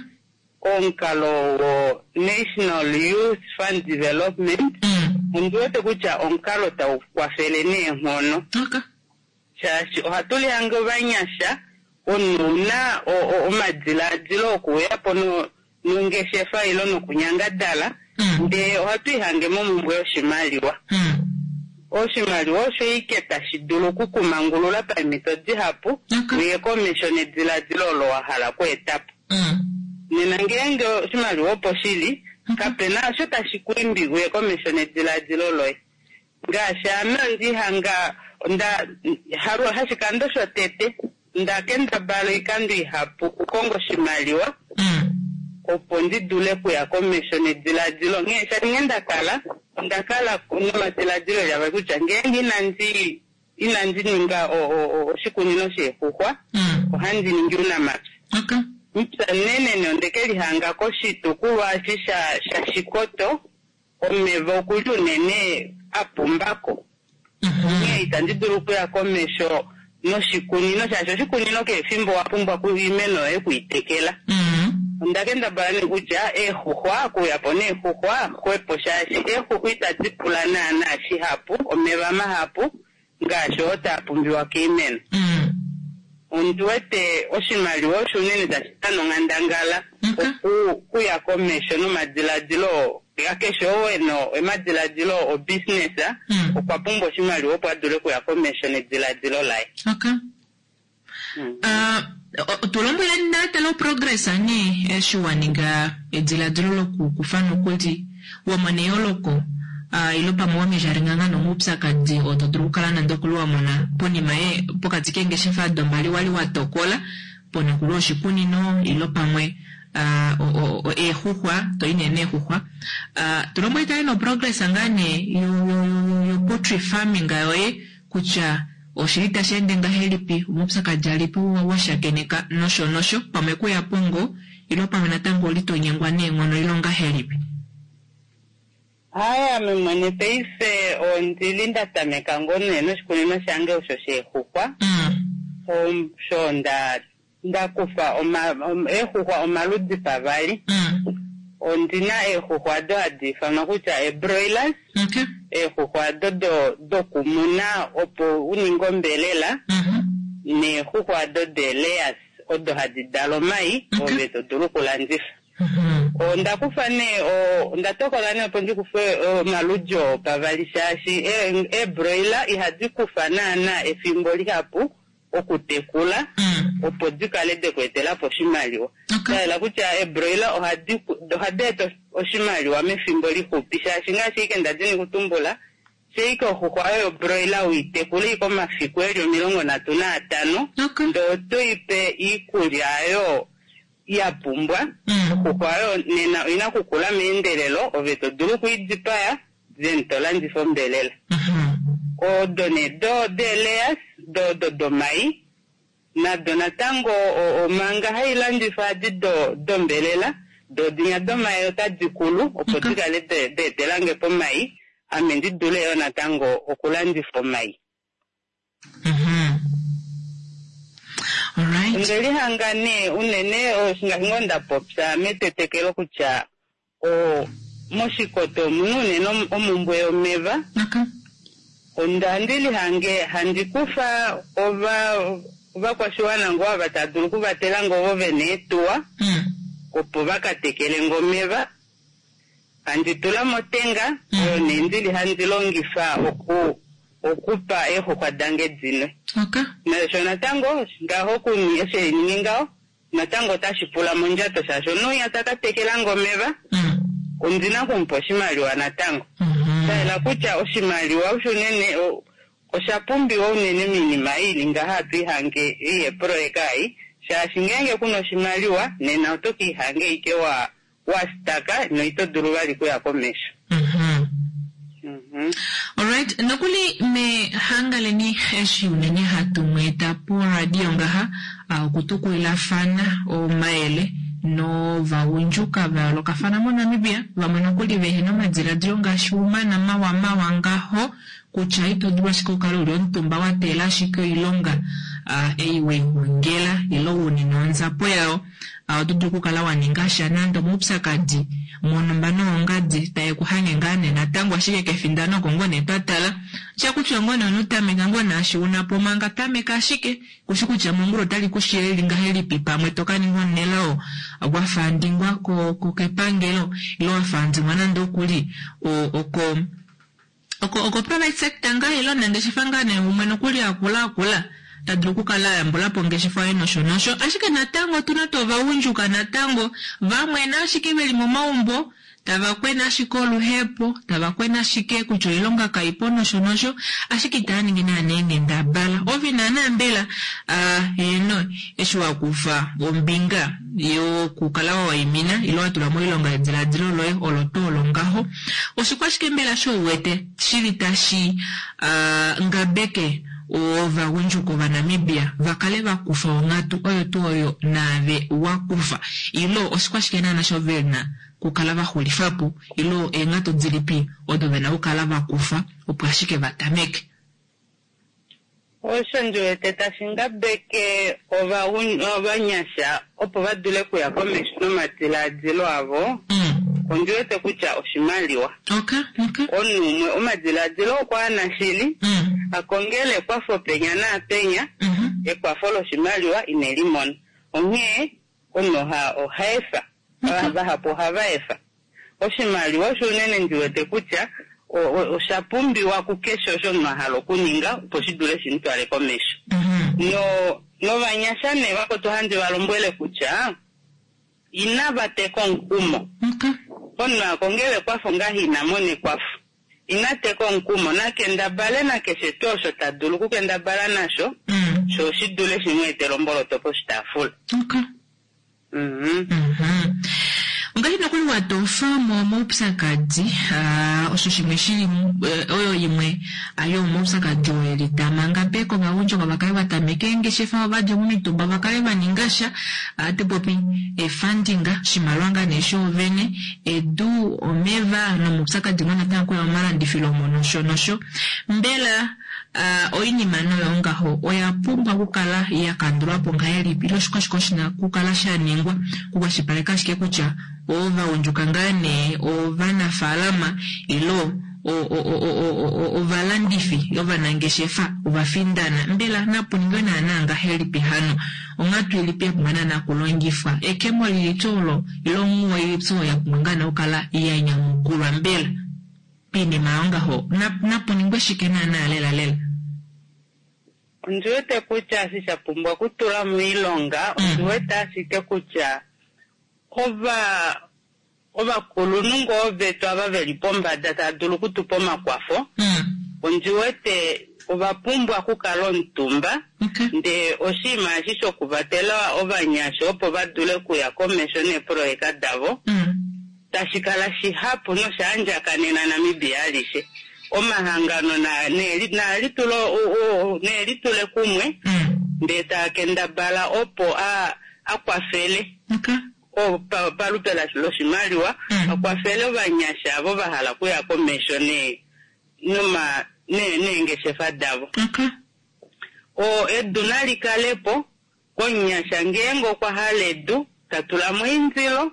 omukalo wo National Youth Fund Development. Mm. Ondi wete kutya omukalo tau kwafele neenghono Okay. shaashi ohatu lihange ovanyasha omunhu una o- o- omadilaadilo okuuya po no- nongeshefa ilo nokunyangadala Mm. ndee ohatu ihange momumbwe yoshimaliwa. Mm. Oshimaliwa osho ike tashi dulu okukumangulula pamhito dihapu Okay. uye komesho nedilaadilo olo wa hala okweeta po. Mm. Nena ngeenge oshimaliwa opo shili kapena osho tashi ku imbi uye komesho nedilaadilo loye. Ngaashi ame ondihanga onda halu hashikando shotete nda kendabala oikando ihapu okukonga oshimaliwa Mm. opo ndi dule okuya komesho nedilaadilo. Nghee shaashi nghee nda kala onda kala nomadilaadilo eli avali kutya ngeenge inandi inandi ninga o- o- o- oshikunino sheexuxwa Mm. ohandi ningi ounamapya. Okay. Mupya munenene onde ke lihanga koshitukulwa eshi sha shaShikoto omeva okuli unene a pumbako. Mhm. Onghee itandi dulu okuya komesho noshikunino shaashi oshikunino kehe efimbo owa pumbwa ku- iimeno yoye okuitekela. Onda kendabala nee kutya eexuxwa, okuuya po neexuxwa xwepo shaashi eexuxwa itadi pula naana shihapu, omeva mahapu ngaashi oo taa pumbiwa koimeno. Ondi wete oshimaliwa osho unene tashi dana onghandangala oku okuya komesho nomadiladilo akeshe oo ena omadiladilo obusiness okwa pumbwa oshimaliwa opo a dule okuya komesho nediladilo laye. Okay. Uh, o- tu lombwele natale oprogress nee eshi wa ninga ediladilo lokukufa nokuli wa mona eyooloko uh, ilo pamwe wa mejaringanga nomaupyakadi oo to dulu okukala nande okuli wa mona ponima ye pokati keengeshefa dombali wali wa tokola pona kuli oshikunino ilo pamwe uh, o- o- o- eexuxwa to i nee neexuxwa uh, tu lombwele tale noprogress ngaa nee yo, yo, yo, yo poultry farming yoye kutya oshili tashi ende ngahelipi omaupyakadi alipi wa wa shakeneka nosho nosho pamwe kuya pongo ilo pamwe natango oli to nyengwa neenghono ilo ngahelipi. Haya, ame mwene paife ondili nda tameka ngoo nee noshikunino shange osho sheexuxwa. Om- Sho nda nda kufa oma- om- eexuxwa omaludi pavali. Ondina eexuxwa ado hadi ifanwa kutya eebroilers. Eexuxwa ado do dokumuna opo u ninge ombelela. Neexuxwa ado deelayers odo hadi dala omai ove to dulu okulandifa. Onda kufa nee o- onda tokola nee opo ndi kufe omaludi oo pavali shaashi ee- eebroiler ihadi kufa naana efimbo lihapu okutekula opo di kale deku etela po oshimaliwa. Shayela kutya eebroiler ohadi ku- ohadi eta oshimaliwa mefimbo lixupi shaashi ngaashi ike ndadini kutumbula sheike oxuxwa yoyo broiler uitekule ike omafiku eli omilongo nhatu naatano ndee oto ipe iikulya oyo ya pumbwa. Oxuxwa oyo nena oina okukula meendelelo ove to dulu okuidipaya then to landifa ombelela. Odo nee do deelayers do do domai nado natango o- omanga hailandifwa adi do dombelela do dinya domai otadi kulu opo dikale de- deetelange po omai ame ndi dule yo natango okulandifa omai. Onde lihanga nee unene ngaashi ngoo nda popya metetekelo kutya o moshikoto omuna unene om- omumbwe yomeva. Onda ndi lihange handi kufa ova ovakwashiwana ngoo ava tava dulu okuvatela ngoo ovo vena eetuwa opo vaka tekele ngo omeva. Handi tula motenga oyo nee ndili handi longifa oku okupa eexuxwa dange dinwe. Nasho natango ngaho kuni eshi einingi ngaho natango otashi pula mondjato shaashi omunhu winya taka tekela ngo omeva ondina okumupa oshimaliwa natango. Shayela kutya oshimaliwa osho unene o- osha pumbiwa unene miinima ili ngaha hatu ihange ei yeeproyeka ei shaashi ngeenge kuna oshimaliwa nena oto ka ihange ike wa wa staka noito dulu vali kuya komesho. Mhm. Alright, nokuli mehangaleni eshi unene hatu mweeta poradio ngaha ah, okutukulilafana omayele novagundjuka va yoolokafana moNamibia vamwe nokuli vehena omadiladilo ngaashi umana mawa mawa ngaho kutya ito dulu ashike okukala uli omutumba wa teela ashike oilonga ah, ei weihongela ilo unina onzapo yayo. Ah, oto dulu okukala wa ninga sha nande omaupyakadi monumba noongadi taye ku hange ngaa nee natango ashike kefindano oko ngoo nee twa tala sha kutya ngoo nee onotameka ngoo naashi una po manga tameka ashike kushi kutya mongula otali ku shileli ngahelipi pamwe to ka ninga omunelao wafandingwa ko, ko kepangelo ilo wafandingwa nande okuli o, oko oko oko private sector ngaa ilo nangeshefa ngaa nee umwe nokuli akula akula ta dulu okukala a yambula po ongeshefa yoye nosho nosho ashike natango otuna tuu ovagundjuka natango vamwe na ashike veli momaumbo tava kwena ashike oluhepo tava kwena ashike kutya oilonga kaipo nosho nosho ashike itava ningi naana eenghendabala ove naana mbela ah, heeno eshi wa kufa ombinga yokukala wa waimina ilo wa tula moilonga ediladilo loye olo tuu olo ngaho oshikwashike mbela sho uwete shili tashi ah, ngabeke ovagundjuka ovanamibia vakale vakufa onghatu oyo tuu oyo naave wakufa ilo oshikwashike naana sho vena kukala vaxulifapo ilo eenghatu dilipi odo vena okukala vakufa opo ashike vatameke. Osho ndi wete tashi ngabeke ovagun- ovanyasha opo va dule kuya komesho nomadilaadilo avo ondi wete kutya oshimaliwa omunhu umwe omadilaadilo okwa ana shili akongele ekwafo penya naapenya ekwafo loshimaliwa ine li mona onghee omunhu oha- oha efa vahapu ohava efa oshimaliwa osho unene ndi wete kutya o- o- osha pumbiwa kukeshe osho omunhu a hala okuninga opo shi dule shi mu twale komesho no novanyasha nee vakwetu ohandi va lombwele kutya inava teka omukumo omunhu akongele ekwafo ngaha ina mona ekwafo ina teka omukumo nakendabale nakeshe tuu osho ta dulu okukendabala nasho sho shi dule shi mu etele omboloto poshitaafula Mhm. Ongaashi nokuli watofa mo moupyakadi ah, osho shimwe shili eh, oyo imwe ah, yomoupyakadi oo eli tamanga pe kovagundjuka vakale vatameke eengeshefa ovadja momitumba vakale vaninga sha ah, tupopi efunding oshimaliwa ngaa nee shoovene edu omeva nomaupyakadi ngoo natango kuya momalandifilo omo nosho nosho mbela ah, oinima noyo ngaho oya pumbwa okukala ya kandulwa po ngahelipi ile oshike oshina okukala sha ningwa kukwashilipaleka ashike kutya ovagundjuka ngaa nee ovanafaalama ilo o- o- o- o- o- o- ovalandifi ovanangeshefa ovafindana mbela napu ningwe naana ngahelipi hano onghatu ilipi ya pumbwa naana okulongifwa ekemo lilipi olo ile onghuwo ilipi oyo ya pumbwa ngaa nee okukala ya nyamukulwa mbela piinima yongaho Na- napu ningwe shike naana lela lela Ondi wete kutya eshi sha pumbwa okutula moilonga ondi wete ashike kutya ova ovakulunhu ngoo vetu ava veli pombada tava dulu okutupa omakwafo ondi wete ova pumbwa okukala omutumba ndee oshinima eshi shokuvatela ovanyasha opo va dule okuya komesho neeproyeka davo tashi kala shihapu nosha andjakanena Namibia alishe omahangano na- neeli- naalitule u- u- neelitule kumwe ndee taa kendabala opo a a kwafele o- pa- palupe la- loshimaliwa a kwafele ovanyasha avo va hala okuya komesho ne noma ne- neengeshefa davo o edu nali kalepo komunyasha ngeenge okwa hala edu ta tula mo eindilo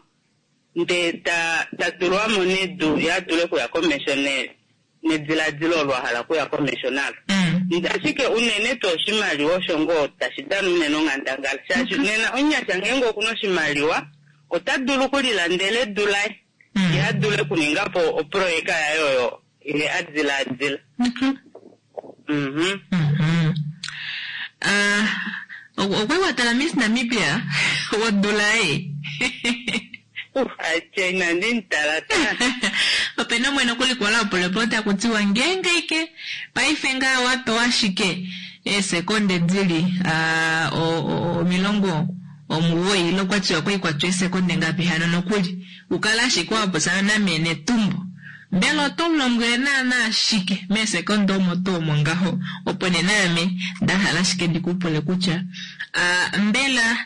ndee ta ta tulwamo nedu ye a dule okuya komesho ne nediladilo olo a hala okuya komesho nalo ashike unene tuu oshimaliwa osho ngoo tashi dana unene onghandangala shaashi nena omunyasha ngeenge okuna oshimaliwa ota dulu okulilandela edu laye ye a dule okuninga po oproyeka yaye oyo ye a dilaadila Mhm. Ah, okwa watala Miss Namibia wodula ei atye inandi mutala opena omwene okulikola opulepota kutiwa ngeenge ike paife ngaa wapewa ashike eesekonde dili ah, o- o- omilongo omugoyi ile okwatiwa kwaikwatwa eesekonde ngapi hano nokuli ukala ashike wapopyana name netumbo mbela oto mulombwele naana ashike meesekonde omo tuu omo ngaho opo nee naame ndahala ashike ndikupule kutya ah, mbela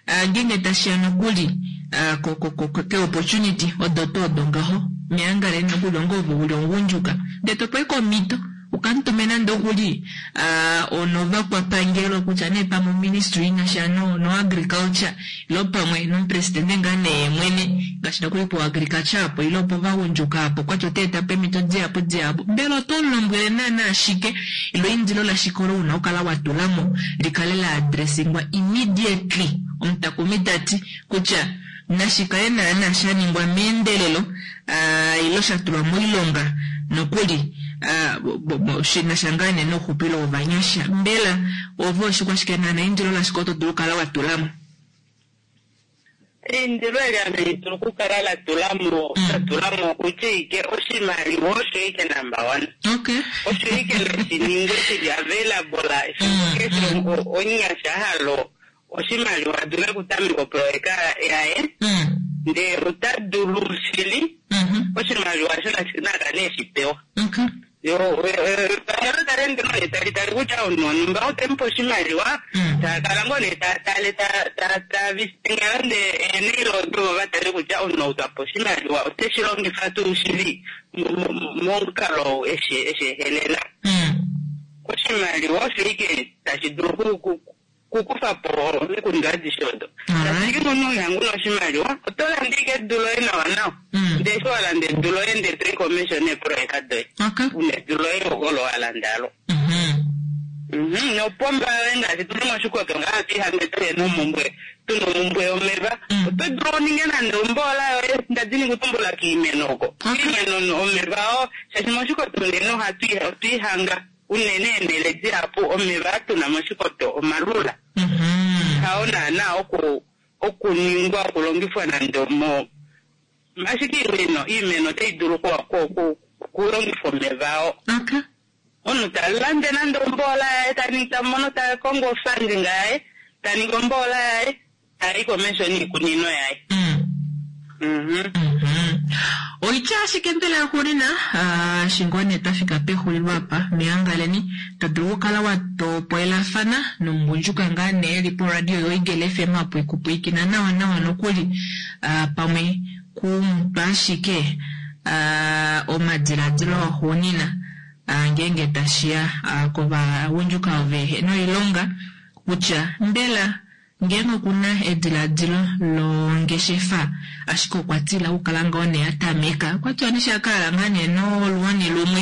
ah, ngeenge tashiya nokuli ah, ko- ko- ko- ko- ke-opportunity odo tuu odo ngaho meangaleni nokuli onga ove uli omugundjuka ndee topewa omhito ukamutume nande okuli ah, onovakwapangelo kutya nee pamwe oministry inasha no, no agriculture ilo pamwe nomupresidente ngaa nee mwene ngaashi nokuli po agriculture apo ilo opo vagundjuka apo kwati oteeta po eemhito dihapu dihapu mbela oto mulombwele naana ashike ilo eindilo lashike olo una okukala watulamo likale la addressingwa immediately omutakumi tati kutya nashikale naana sha ningwa meendelelo ah, ilo sha tulwa moilonga nokuli ah, bo- bo- bo- shina sha ngaa nee nouxupilo wovanyasha mbela ove oshikwashike naana eindilo lashike oto dulu okukala watulamo Eindilo eli ame dulu okukala la tulamo la tulamo kutya ike oshimaliwa osho ike number one okay osho ike nashiningwe shili available efimbo keshe o- omunyasha a hala oshimaliwa a dule okutameka oproyeka yaye ndee ota dulu shili oshimaliwa osho nashi- nakale eshi pewa yo epangelo tali ende nee tali tali kutya omunhu wonhumba otemupe oshimaliwa taakala ngoo nee taatale tavisitenga nande eeneilo odo va tale kutya omunhu ou twapa oshimaliwa oteshi longifa tuu shili mo- mo- momukalo eshi eshi ehelela Oshimaliwa osho ike tashi dulu ku- ku- kukufa po omikundu adishe odo. Ashike omunhu iha una oshimaliwa oto landa ike edu loye nawa nawa. Ndee eshi wa landa edu loye ndee toyi komesho neeproyeka doye. Una edu loye olo wa landa alo. Mhm, nopomba yoye ngaashi tuli moshikoto ngaa tuihange tuhena omumbwe tuna omumbwe yomeva oto dulu oninge nande omboola yoye ndadini kutumbula kiimeno oko kiimeno no- omeva oo shaashi moshikoto unene ohatu otwiihanga unene eenhele dihapu omeva atuna moshikoto omalula hao naana oku okuningwa okulongifwa nande omo ashike iimeno iimeno otai dulu ku- ku- ku- kulongifwa omeva oo omunhu ta lande nande omboola yaye taningi tamono ta kongo ofandinga yaye taningi omboola yaye tayi komesho niikunino yaye Mhm. Oitya ashike mbela yaxuulina ah, shingone twafika pexulilo apa meangaleni to dulu okukala wa topolelafana nomugundjuka ngaa nee eli poradio yoEagle FM apo ekupwiikina nawa nawa nokuli ah, pamwe kumutwa ashike ah, omadiladilo axuunina ah, ngeenge tashiya ah, kovagundjuka ove noilonga kutya mbela ngeenge okuna ediladilo longeshefa ashike okwa tila okukala ngoo nee atameka okwa tiwa neshi akala ngaa nee noluwani lumwe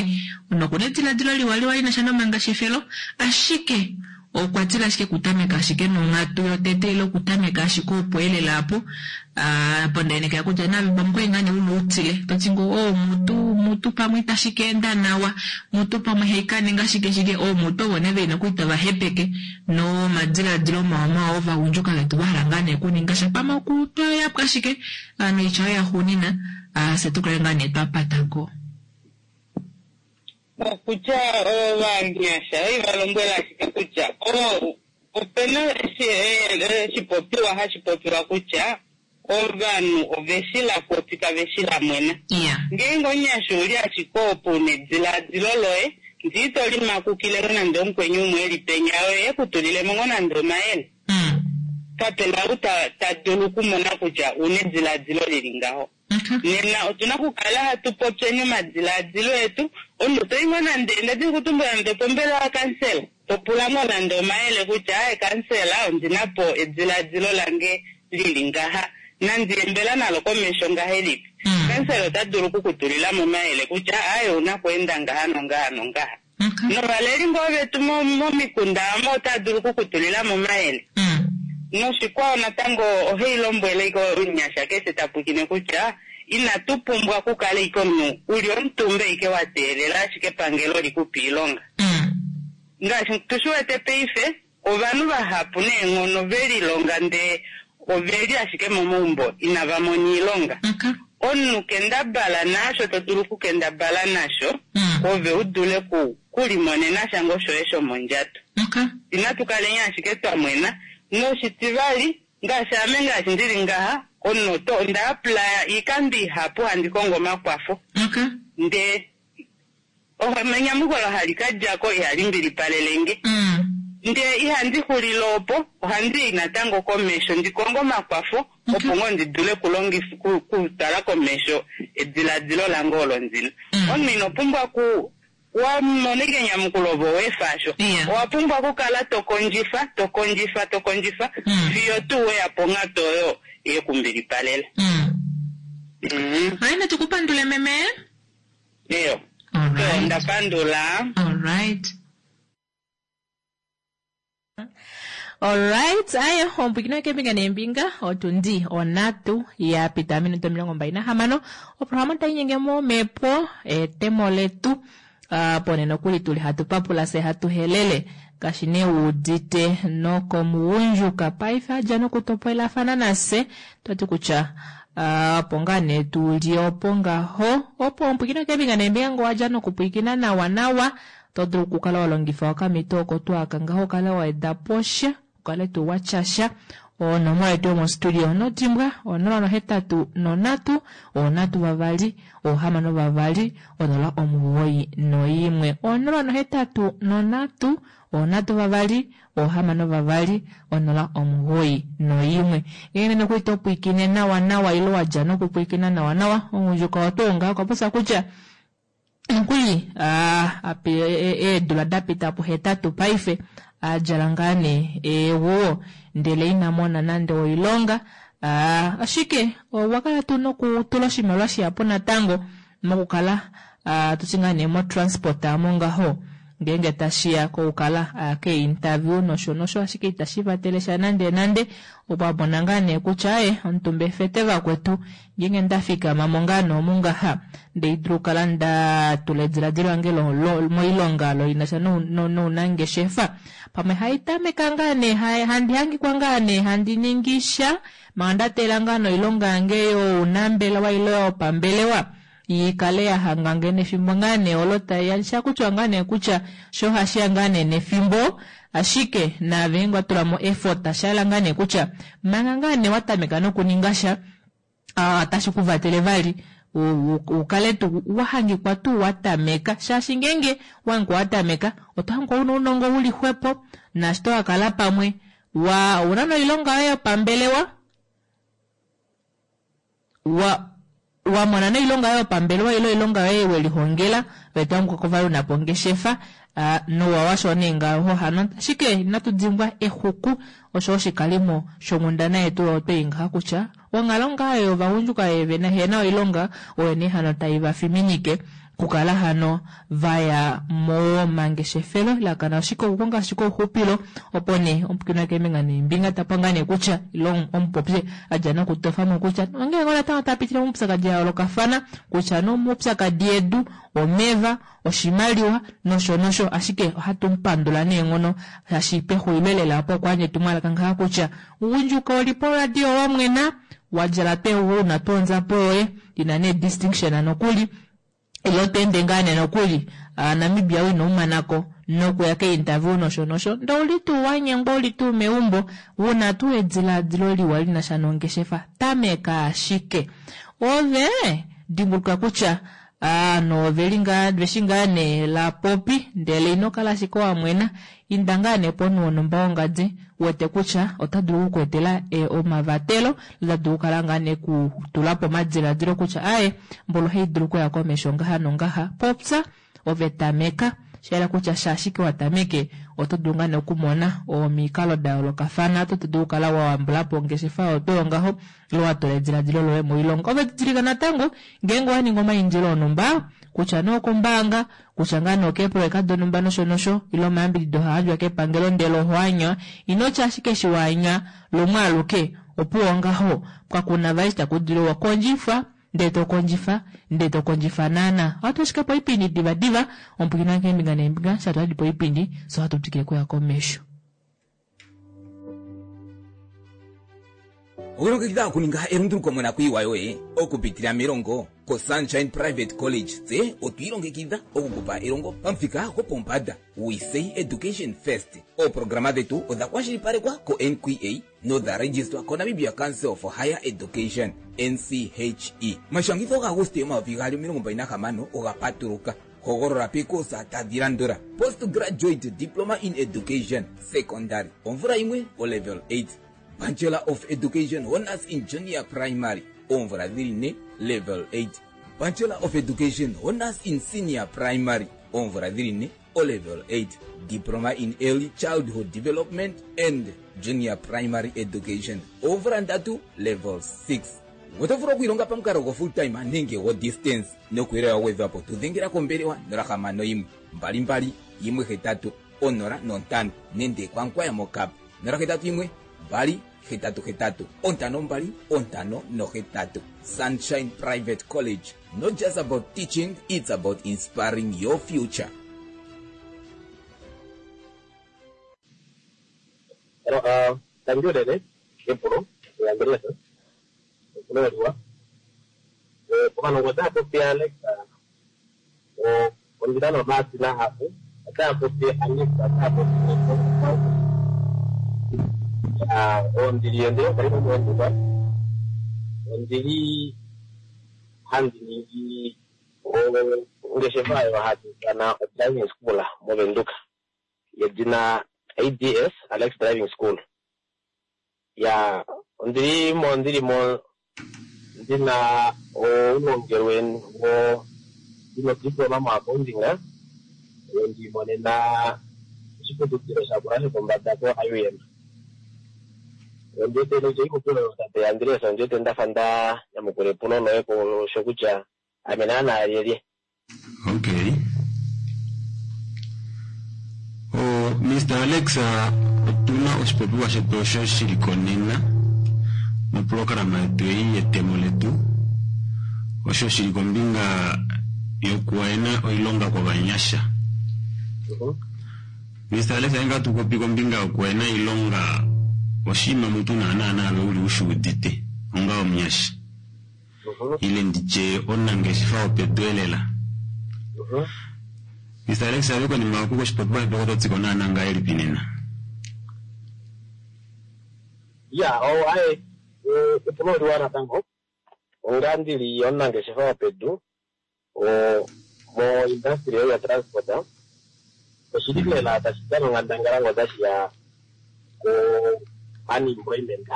nokuna ediladilo liwaliwa linasha nomangeshefelo ashike okwa tila ashike okutameka ashike nonghatu yotete ile okutameka ashike opo elela apo ah, apo ndaenekela kutya nave pamwe kwali ngaa nee una utile toti ngoo oh mutu mutu pamwe itashi ka enda nawa mutu pamwe haikaninga shike shike oh mutu ovo nee veli nokuli tava hepeke nomadiladilo mawamawa ovagundjuka vetu vahala ngaa nee okuninga sha pamwe okutwayapwa ashike ah, noitya oyo yaxuunina ah, fye tukale ngaa nee twapatako. Okutya ovanyasha oi valombwela ashike kutya o- opena eshi- e- oshipopiwa hashi popiwa kutya ovanhu oveshila popi kaveshila mwena. Ngeenge omunyasha ouli ashike opo una ediladilo loye ndee ito limakukile ngo nande omukweni umwe eli penya oye ekutulilemo ngo nande omayele. Kapena ou ta, ta dulu okumona kutya una ediladilo lili ngaho. Nena otuna okukala hatu popyeni omadiladilo etu omunhu toyi ngoo nande ndadini kutumbula nande opombelewa yakansela topula ngoo nande omayele kutya aye kansela ondina po ediladilo lange lili ngaha nandiyembela nalo komesho ngahelipi. Kansela ota dulu okukutulilamo omayele kutya aye ouna okweenda ngaha nongaha nongaha. Novaleli ngoo vetu mo- momikunda amo otava dulu okukutulilamo omayele. Noshikwao natango ohai lombwele ike omunyasha keshe tapwikine kutya inatu pumbwa okukala ike omunhu uli omutumba ike wa teelela ashike epangelo likupe iilonga. Ngaashi tushiwete paife ovanhu vahapu neenghono velilonga ndee oveli ashike momaumbo inava mona iilonga. Omunhu kendabala naasho to dulu okukendabala nasho ove u dule ku kulimonena sha ngoo shoye shomondjato. Inatu kaleni ashike twa mwena noshitivali ngaashi ame ngaashi ndili ngaha omunhu oto onda apply iikando ihapu handi kongo omakwafo. Ndee enyamukulo hali kadjako ihali mbilipalelenge. Ndee ihandi xulile opo ohandi yi natango komesho ndi konge omakwafo opo ngoo ndi dule okulongifa ku- kutala komesho ediladilo lange olo ndina. Omunhu ino pumbwa ku wamona ike enyamukulo ove owefa asho. Owa pumbwa okukala tokondjifa tokondjifa tokondjifa fiyo tuu weya ponghatu oyo yekumbilipalela. Mhm. Hayi natukupandule meme. Eyo. Alright. Ndapandula. Alright. Alright, aya ompwikino kembinga nembinga otundi onatu ya pita minuto omilongo mbali nahamano oprograma tayi nyenge momepo etemo letu uh, pone nokuli tuli hatu papula se hatu helele ngaashi nee wuudite nokomugundjuka paife adja nokutopolelafana nase twati kutya ah, opo ngaa nee tuli opo ngaho opo ompwikino kembinga nembinga ngo wadja nokupwikina nawa nawa to dulu okukala wa longifa okamito oko twaka ngaho ukale wa eda posha ukale tuu watyasha onomola yetu yomostudio nodimbwa onola nohetatu nonhatu onhatu vavali ohamano vavali onola omugoyi noimwe onola nohetatu nonhatu onhatu vavali ohamano vavali onola omugoyi noimwe ngenge nokuli topwiikine nawa nawa ile wadja nokupwiikina nawa nawa omugundjuka otuunga okwa popya kutya Nokuli eedula dapita puhetatu paife adjala ngaa nee eeguwo ndele ina mona nande oilonga. Ashike okwa kala tuu nokutula oshimaliwa shihapu natango mokukala tuti ngaa nee motransport aamo ngaho ngeenge tashiya kokukala aya kee-interview nosho nosho, ashike itashi vatele sha nande nande. Okwa mona ngaa nee kutya aye omutumba efete vakwetu ngeenge ndafikama mo ngaa nee omu ngaha ndee dulu okukala ndatula ediladilo lange moilonga lo linasha nounangeshefa, pamwe haitameka ngaa nee handi hangikwa ngaa nee handi ningi sha manga ndateelela ngaa noilonga yange younambelewa ile yopambelewa ikale yahangange nefimbo ngaa nee olo taiya shakutya ngaa nee kutya sho hashiya ngaa nee nefimbo, ashike naave ngeenge watulamo effort shayela ngaa nee kutya manga ngaa nee watameka nokuninga sha otashi kuvatele vali ukale tuu wahangikwa tuu watameka, shaashi ngeenge wahangikwa watameka oto hangikwa una ounongo uli xwepo naashi tokakala pamwe wa una noilonga yoye yopambelewa wa wamona noilonga yoye yopambelewa ile oilonga yoye welihongela ove tohangikwa vali unapo ongeshefa nouwa washo nee ngaho hano. Ashike inatu dimbwa exuku osho oshikalimo shonghundana yetu oyo twei ngaha kutya onghalo ngaa yovagundjuka vehena oilonga oyo nee hano taivafiminike kukala hano vaya momangeshefelo lakana ashike okukonga ashike ouxupilo opo nee omupwilikini keembinga neembinga tapwa ngaa nee kutya ile omupopye adja nokutofamo kutya onghee ngoo natango tapitile moupyakadi yayoolokafana kutya nomaupyakadi edu, omeva, oshimaliwa nosho nosho, ashike ohatu mupandula neenghono shaashi pexulilo lela opo okwayandja etumwalaka ngaha kutya ugundjuka oli poradio wamwena wadjala tweeguwo una twonzapo yoye ina nee distinction nokuli ilo tweende ngaa nee nokuli Namibia ino umanako nokuya kee-interview nosho nosho ndee ouli tuu wanyengwa uli tuu meumbo una tuu ediladilo liwa linasha nongeshefa tameka ashike ove dimbuluka kutya ovanhu oveli ngaa veshi ngaa nee lapopi ndele ino kala ashike wamwena inda ngaa nee pomunhu wonhumba wongadi wete kutya ota dulu okukweetela omavatelo ota dulu okukala ngaa nee kutulapo omadiladilo kutya aaye mboli ohaidulu okuya komesho ngaha nongaha popya ove tameka shayela kutya shaashike watameke oto dulu ngaa nee okumona omikalo dayoolokafana oto dulu okukala wayambulapo ongeshefa oyo tuu ngaho ile watula ediladilo loye moilonga. Ove didilika natango ngeenge owaningi omaindilo onhumba kutya nee okombaanga kutya ngaa nee okeeprojeka donhumba nosho nosho ile omayambidido haayandjwa kepangelo ndele ohoanywa inotya ashike eshi waanywa lumwe aluke opuwo ngaho kakuna vali eshi takudulu wakondjifwa ndee tokondjifa ndee tokondjifa naana. Ohatu ashike poipindi divadiva omupwilikini wange keembinga neembinga sha twali poipindi fye ohatu twikile okuya komesho. Owilongekidha okuninga elunduluko monakuyiwa yoye okupitila melongo koSunshine Private College. Tse otwi ilongekidha okukupa elongo pamuthika gwopombanda. We say education first. Ooprograma dhetu odha kwashilipalekwa ko-N Q A nodha registwa koNamibia Council for Higher Education, N C H E. Omashangitho gaAguste omayovi gaali omilongo mbali nahamano oga patuluka. Hogolola peekoosa tadhi landula: Postgraduate Diploma in Education, Secondary, omvula yimwe, olevel eight. Bachelor of Education Honours in Junior Primary, oomvula dhili ne, level eight. Bachelor of Education Honours in Senior Primary, oomvula dhili ne, olevel eight. Diploma in Early Childhood Development and Junior Primary Education, oomvula ndatu, level six. Oto vulu okwiilonga pamukalo go full time nenge go distance. Nokuuyelele wa gwedhwa po tu dhengela kombelewa nola hamano yimwe mbali mbali yimwe hetatu onola nontano nenge kwankwaya mokap nola hetatu yimwe mbali hetatu hetatu ontano mbali ontano nohetatu. Sunshine Private College, not just about teaching, it's about inspiring your future. Hello, uh, thank you, Dede. Epulo, Andreas. Epulo liwa. Pomanongo otaa popi Alex, ondila nomaadi mahapu. Otaa popi Alex, otaa popi ondili ondili omukalimo movenduka. Ondili handi ningi ongeshefa oyo hatu ithana driving school movenduka yedina A D S Alex Driving School. Ya ondili mo ndili mo ndina oulongelwe wo Ndina odiploma moaccounting oyo ndiimonena oshiputudhilo shakula shopombada ko-I U M. Ondiwete nokutya ikupi oyo tate Andreas, ondiwete ndafa nda nyamukula epulo loye sho kutya ame naana lyelye. Okay. O Mister Alex, otuna oshipopiwa shetu osho shili konena moprograma yetu ei yetemo letu, osho shili kombinga yokuwaena oilonga kwovanyasha. Mister Alex, ainga tupopi kombinga yokuwaena oilonga oshinima mutu naana naave uli ushuudite onga omunyasha ile nditye omunangeshefa wopedu elela. Mister Alex, ave konima oku koshipopiwa shetu oko totsiko naana ngahelipi nena? Ya, o aye, epulo oliwa natango. Onga ndili omunangeshefa wopedu o mo industry ya transport, oshili lela tashi dana onghandangala ngo tashi ya ko unemployment.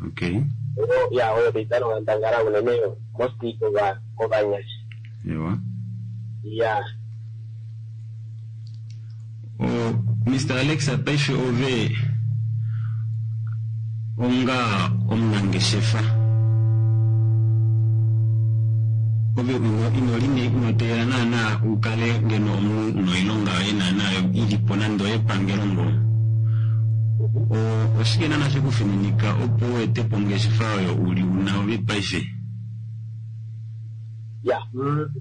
Okay. Oyo ya oyo tayi dana onghandangala unene mostly kova kovanyasha. Ewa. Ya. O Mister Alex, paife ove onga omunangeshefa ove ino inoteela naana ukale ngeno omunhu noilonga yoye naana ilipo nande oyepangelo ngo. O oshike naana shekufininika opo u ete po ongeshefa oyo uli una ove paife? Ya,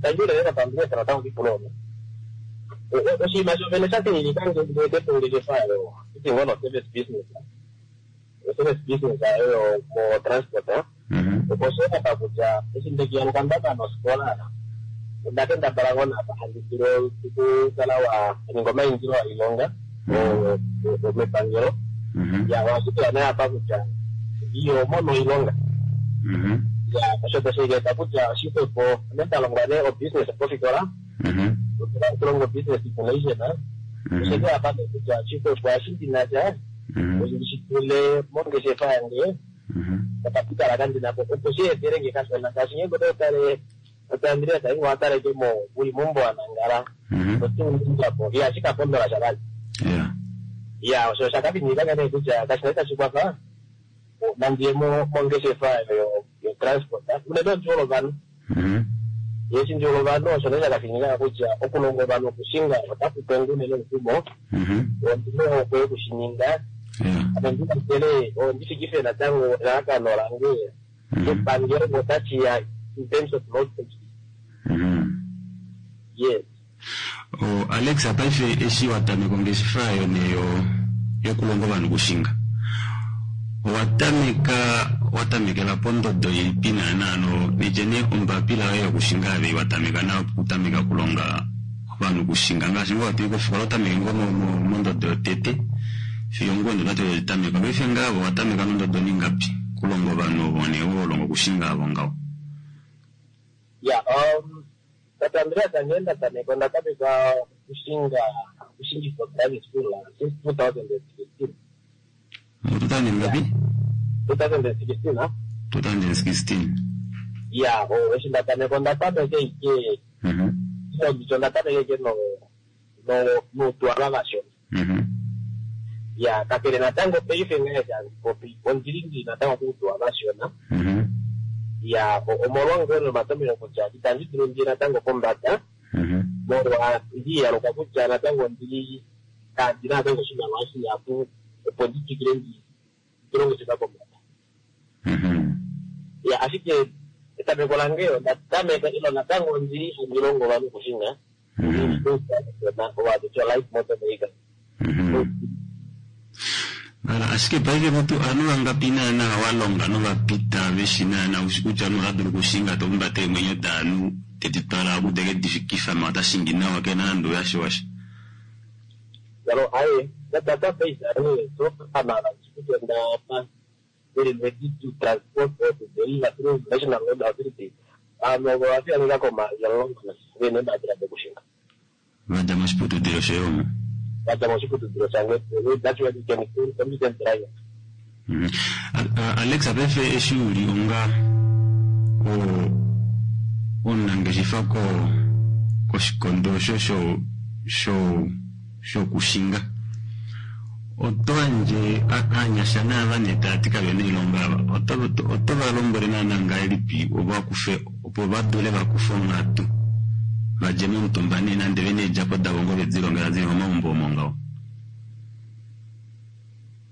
tangi lela pambele natango kipulo olo. Oshinima shovene sha fininika nge ndi ete po ongeshefa oyo iti ngono service business. Service business oyo mo transport. Opo sheka kutya eshi ndekiyaluka ndaka nosikola onda kendabala ngoo napa handi dulu okukala wa ninga omaindilo oilonga mepangelo. Ya, ohashi nee apa kutya iyo mono oilonga. Ya, osho tashi eta kutya oshixwepo ame nda longwa nee obusiness pofikola. Okulonga business information. Osho apa kutya oshixwepo eshi ndina sha oshi tule mongeshefa yange okapitala kandina po opo shi etele nge kashona shaashi ngeenge oto tale tate Andreas ingo wataleke mo uli mombo wa nangala otiundjapo ihashi ka pondola sha vali. Ya, osho oshakafinika nee kutya kashina tashi kwafa nandiye mongeshefa yo yo transport unene ondjuolo ovanhu. Eshi ndjuolo ovanhu osho nee shakafinika kutya okulonga ovanhu okushinga otaku pengu unene omukumo ondina ohokwe yokushininga. Ame ndikwathele ondifikife natango elalakano lange epangelo otashi ya in terms of road safety. Yes. O Alex, paife eshi watameka ongeshefa yo neyo yokulonga ovanhu kushinga, owatameka watamekela pondodo ilipi naana no nitye nee ombapila yoye yokushinga ave watameka nayo okutameka okulonga ovanhu kushinga ngaashi ngoo watui kofikola otameke ngoo mondodo yotete fiyo ngoo ndodo totameka paife ngaavo watameka nondodo ningapi kulonga ovanhu ovo nee wolonga okushinga avo ngaho? Ya, um tate Andreas, ngee ndatameka ondatameka okushinga okushingifwa driving school since two thousand and sixteen. two thousand ngapi? two thousand and sixteen. two thousand and sixteen. Ya, o eshi ndatameka ondatameka ike ndicho ndatameka ike no no nuutwala vashona. Ya, kakele natango paife ngee popi ondili ndi natango kuutwa vashona. Ya, omolwa ngoo nomatomelo kutya itandi dulu ndiye natango pombada molwa ndiyaluka kutya natango ndili kandina natango oshimaliwa shihapu opo ndi twikile ndi ndilongeshefa pombada. Ya, ashike etameko lange ondatameka ilo natango ndili handi longo ovanhu okushinga ovatutya light motor vehicle. Ala, ashike paife mutu anu vangapi naana walonga novapita veshi naana ushi kutya anu otadulu kushinga tomumbate eemwenyo daanhu tedi twala okuteke difikifa ma otashingi nawa kena nande uyashiwasha. Yalo aye, database aye so amala kutya ndapa very ready to transport or to deliver through National Road Authority. Ano vafianika koma yalonga vene mbapila dokushinga. Vadja moshiputudilo shoye omo? Vadja moshiputudilo shange, that's where you can competent driver. Alex, paife eshi uli onga omunangeshefa ko koshikondo osho sho sho shokushinga oto yandje aanyasha naava nee taya ti kavena oilonga ava oto oto va lombwele naana ngahelipi opo vakufe opo va dule vakufe onghatu vadje momutumba nee nande vena eedjapo davo ngo vedi longela dili momaumbo omo ngaho.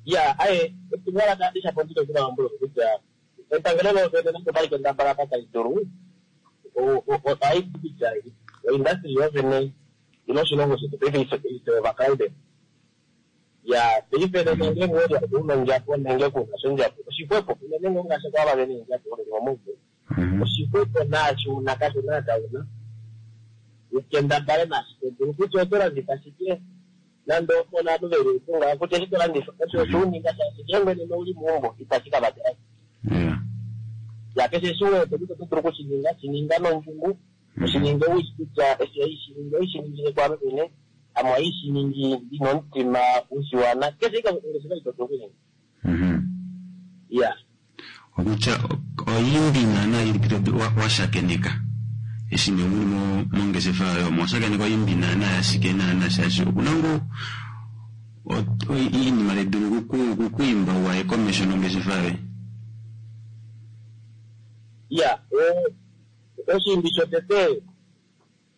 Ya aye etumwalaka lishapo ndilo kuvaambula kutya epangelo lovene nande otali kendabala apa tali dulu ohai ti kutya oindustry yovene ilo oshilongo shetu paife is overcrowded. Ya paife nena ngenge weli una ondjapo nenge kuna sha ondjapo oshixwepo unene ngoo ngaashi kwaava vena eendjapo veli momaumbo oshixwepo naashi una kasho naa kauna ukendabale naashi to dulu kutya oto landifa shike nande opo ovanhu veli upunga kutya eshi to landifa osho osho uninga shaashi ngeenge nena ouli meumbo itashi ka vatela ya keshe eshi wete kutya oto dulu okushininga shininga nondjungu oshininge ushi kutya eshi haishiningi ohaishiningile kwaame mwene ame ohaishiningi ndina omutima ushiwana keshe ike ongeshefa ito dulu okuninga ya okutya oimbi naana ilipi to washakeneka eshi nee muli mongeshefa yoye omo washakeneka oimbi naana yashike naana shaashi okuna ngoo iinima tayi dulu kukwiimba waye komesho nongeshefa yoye. Ya oshiimbi shotete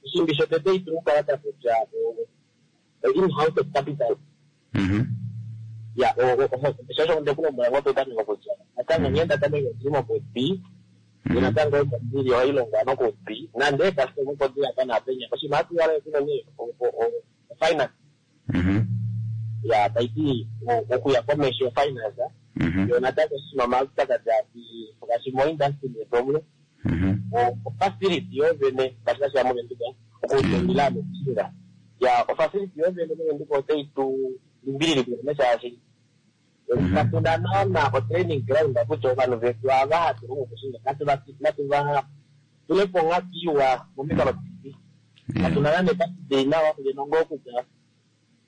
oshiimbi shotete itu kukala takutya in-house capital ya shosho ndekulombwela ngoo petameko kutya natango nghee ndatameke ondili mopopi natango omo ndili ohailongwa nokopi nande eekastoma opo dili apa naapenya oshinima hatu yala kunene ofinance ya taiti okuya komesho finance yo natango oshinima omaupyakadi ati ngaashi moindustry yetu omu ofacility yovene ngaashi tashiya movenduka okutungila nokushinga ya ofacility yovene movenduka otai tu limbililike unene shaashi katuna naana otraining ground kutya ovanhu vetu ava hatu longo okushinga natu va tulepo onghatu iwa momikalo dilipi katuna nande epatidei nawa ngeno ngoo kutya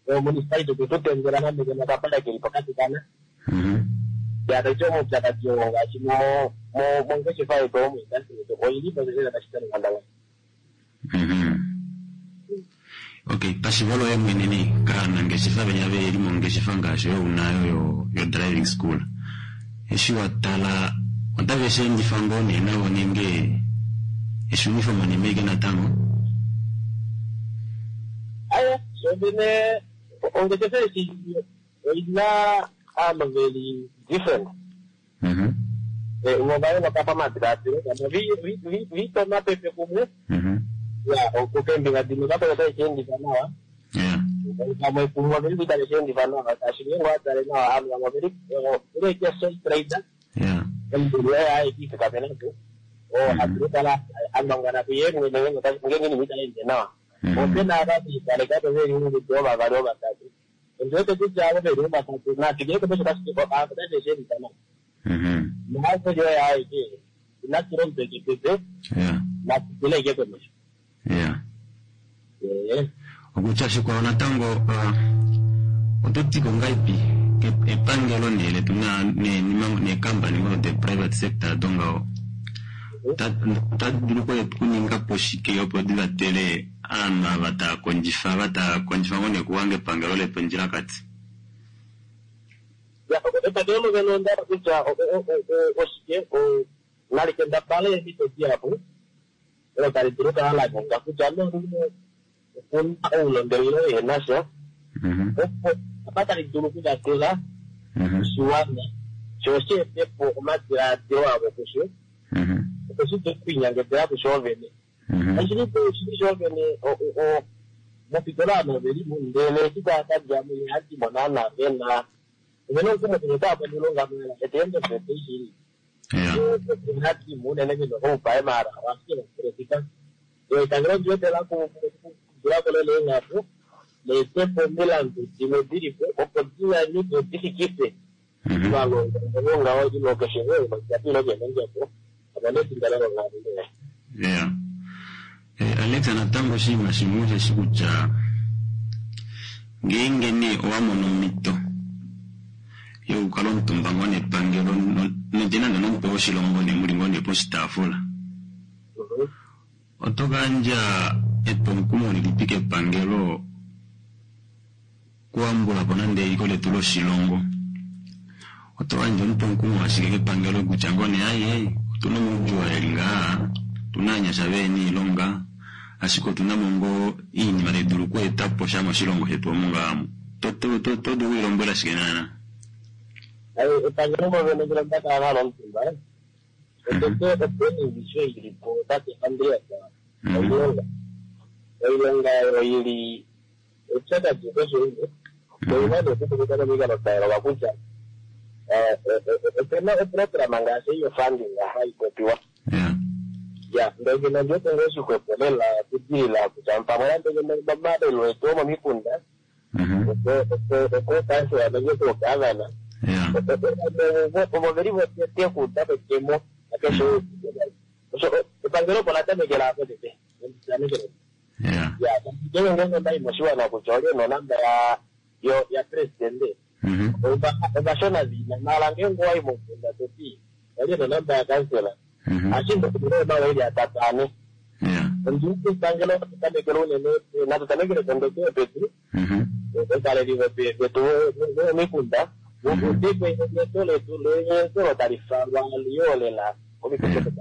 omunicipality okwe tu tendela nande ngeno okapale keli pokati kana ya taiti omaupyakadi oo ngaashi mongeshefa yetu omoindustry yetu oili po lela tashi dana onghandangala. Okay, pashivo loye mwene nee kaanangeshefa venya veli mongeshefa ngaashi oyo unayo yo, yo driving school eshi wa tala otave shi endifa ngoo nee navo nenge eshunifo monima ike natango? Aya shovene ongeshefa eshi oina aanhu veli different vo vayooloka pamadilaadilo vamwe viita omapepe kumwe ya keembinga dimwe vakwao otashi endifa nawa vamwe kumwe oveli itave shi endifa nawa shaashi ngeenge owatale nawa ovanhu vamwe oveli oveli sole trader omudulu oye aeke ifikamenapo oo hadulu okukala angwangwana kuye mwene ngeenge inima itai ende nawa opena ava viikalekapo veli ungudu ovavali ovatatu ondiwete kutya avo veli ovatatu natwikile komesho otashi shi endifa nawa naaseli oye aeke inatula omutwe kepepe natwikile ike komesho. Okutya shikwao natango oto ti ko ngahelipi epangelo nee letu neekampani ngoo de private sector dongaho otadi dulu okuninga po shike opo di vatele aanhu ava taa kondjifa ava taa kondjifa ngoo nee okuhanga epangelo letu ondjilakati? Epangelo lovene onda hala kutya oshike nali kendabale eemhito dihapu olo tali dulu okukala la ninga kutya nolumwe okuna oulongelelo wehenasha opo apa tali dulu okuvatela oshiwana sho shi etepo omadilaadilo avo kusho opo shi dule okwiinyangedela kusho vene. Kashili tuu shili shoovene mofitola ovanhu ovelimo ndele eshi tava kadjamo ihadimo naana vena ovena omukumo kutya otava mono oilonga maala at the end of the day shili ihadimo unene vena oupae maala ashike vakulofika epangelo oliwete lakudulako lela eenghaku leetepo omilandu dimwe dilipo opo dinyanyuke difikife ovalongwa ngaho ilo keshe ilo kena ondjapo amone efindano longhalamwenyo yaye. Yeah. Alex natango oshinima shimwe osheshi kutya ngeenge nee owa mono omhito yokukala omutumba ngoo nepangelo nande nande nomutwe woshilongo nee muli ngoo nee poshitaafula oto kayandja etwomukumo lilipi kepangelo kuambulapo nande eliko letu loshilongo oto yandje omutwomukumo ashike kepangelo kutya ngoo nee aye otuna omaudjuu eli ngaha otuna aanyasha vehena iilonga ashike otuna mo ngoo iinima tayi dulu okweetapo sha moshilongo shetu omu ngaamo to to to to dulu okuilombwela shike naana Aye, epangelo movene ngele onda kala nalo omutumba otete openi ivisho ili po tate Andreas oilonga oilonga oyo ili eupyakadi keshe umwe oina nee okutumika nomikalo da yooloka kutya eh, eh, eh, opena oprograma ngaashi ei yofunding hayi popiwa ya ndele ngeno ondiwete ngoo shixwepo lela okudilila kutya pamwe nande ngeno momalelo etu omomikunda okookansela nenge koogavana ovo veli votete okuuda kwetemo nakeshe osho epangelo opo la tamekela apo tete tamekele ya ngenge ngenge ondayi moshiwana kutya olye nonamba ya yo ya presidente ovashona vina mala ngenge owayi momukunda toti olye nonamba ya kansela ashike omawa eli atatu ane ondiwete epangelo tamekele unene natu tamekele kondodo yopedu ovaleli vetu vomikunda udikwe enyenyeto letu lenyenyeto olo tali falwa liyo lela komikunda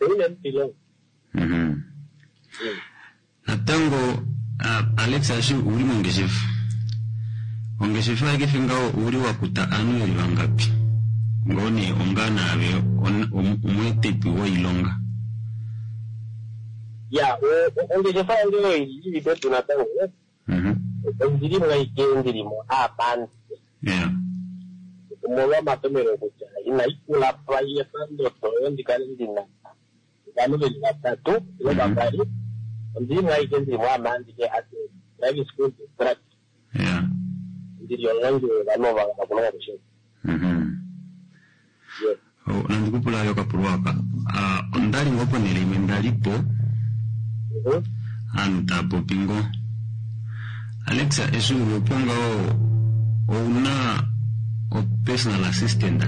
unene ilonga natango ah, Alex ashi uli mongeshefa ongeshefa yakefe ngaho uli wakuta aanhu veli vangapi ngoo nee onga naave on- om- omweetipi woilonga ya ongeshefa yange oyo ili pedu natango ondili mo ashike ndili mo aapandi omolwa omatomelo kutya inayi kula pa pandodo oyo ndikale ndina ovanhu veli vatatu ile vavali ondili mo ashike ndili mo amaandike ati driving school instructor ndili omulongi wovanhu ovo vahala okulonga kushinga Oh, nandikupula yo kapulwa aka Ah, ondali ngoo ponhele imwe ndalipo aanhu taapopi ngoo Alexa eshi uli opo ngaho ouna o personal assistant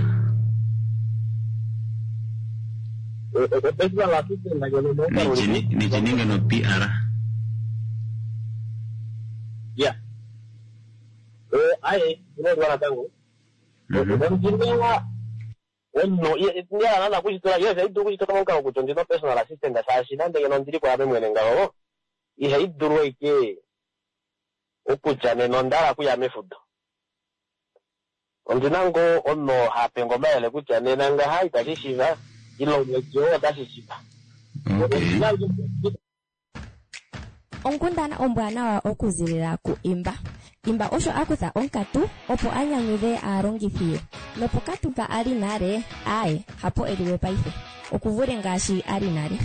personal assistant ngeno Nichini- nichininga no P R ya aye inoliwa natango ondina omunhu ndiyala nana kushitola yes ihai dulu okushitola momukalo kutya ondina personal assistant shaashi nande ngeno ondili kwaame mwene ngaho ihai dulu ashike okutya nena onda hala okuya mefudo ondina ngoo omunhu hape omayele kutya nena ngaha itashi shiva ile omwedi oo otashi shiva Onkundana ombwanawa okuzilila ku Imba. Imba osho a kutha onkatu opo a nyanyudhe aalongithi ye. Nopokatu mpa a li nale, aaye, hapo e liwe paife. Okuvule ngaashi a li nale.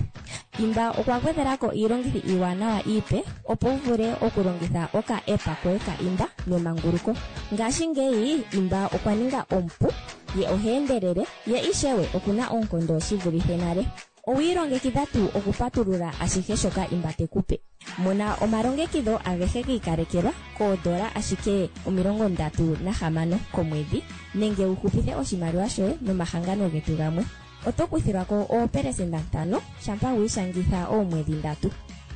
Imba okwa gwedhelako iilongithi iiwanawa iipe opo wu vule okulongitha oka-app koye ka Imba nemanguluko. Ngashingeyi Imba okwa ninga omupu, ye oha endelele, ye ishewe okuna oonkondo shi vulithe nale. Owi ilongekidha tuu okupatulula ashihe shoka Imba te ku pe? Mona omalongekidho agehe gi ikalekelwa koodola ashike omilongo ndatu nahamano komwedhi nenge wu hupithe oshimaliwa shoye nomahangano getu gamwe. Oto kuthilwa ko oopelesenda ntano shampa wi ishangitha oomwedhi ndatu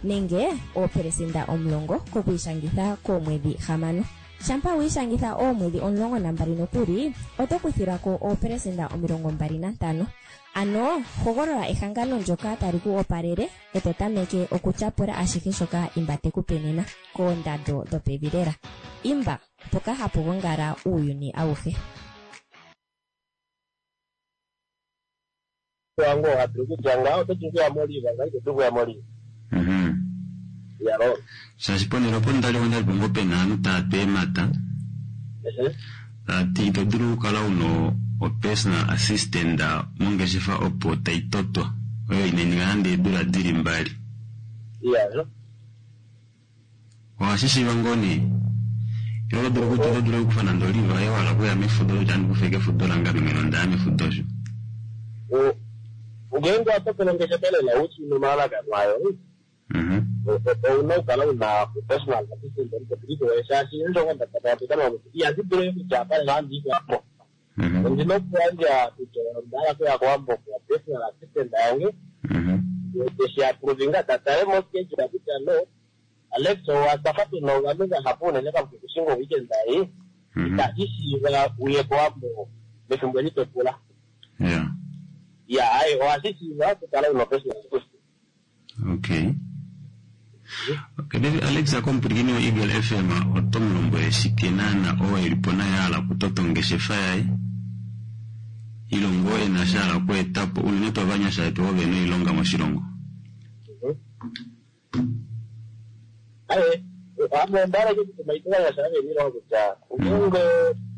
nenge oopelesenda omulongo kokwiishangitha koomwedhi hamano. Shampa wi ishangitha oomwedhi omulongo nambali nokuli oto kuthilwa ko oopelesenda omilongo mbali nantano. Ano hogolola ehangano ndyoka tali ku opalele e to tameke okutyapula ashihe shoka Imba te ku pe nena koondando dhopevi lela. Imba, mpoka hapu gongala uuyuni awuhe. Wangu ohadulu kutya ngaho oto dulu okuya moliva ngaho ito dulu okuya moliva yalo shaashi ponhele opo ndali ondalipo ngoo pena aanhu tava tu eemhata tavati ito dulu okukala una o personal assistant mongeshefa opo taitotwa oyo inayi nande eedula dili mbali iya ohashishiiva ngoo nee ile oto dulu kutya oto dulu okukufa nande oliva yoye wahala okuya mefudo kutya ohandi kufa ashike efudo lange ame mwene ondaya mefudo osho ngeenge watokele ongeshefa lela ushi nomalalakano ayo ouna okukala una personal assistant omupopiliko woye shaashi eendjovo ndapatapetama kuti ihandi dulu kutya apa lela handi i kowambo ondina okuyandja kutya onda hala okuya kowambo kwa personal assistant yange Teshi aprovinga ta tale mo schedule kutya no Alex owa twafa tuna ovanhu vahapu unene kamuke kushinga weekend ei ita ishiiva uye kowambo mefimbo eli to pula. Yeah. Ya ai ohashi shiiva okukala una personal school. Okay. Okay, David Alex akomupwilikini wo-Eagle FM oto mu lombwele shike naana oo e li po naye a hala okutota ongeshefa yaye ile ngoo e na sha hala okweeta po unene tuu ovanyasha vetu ovo ve na oilonga moshilongo. Aye, ame onda hala ashike okutuma ovanyasha ve na oilonga kutya ngeenge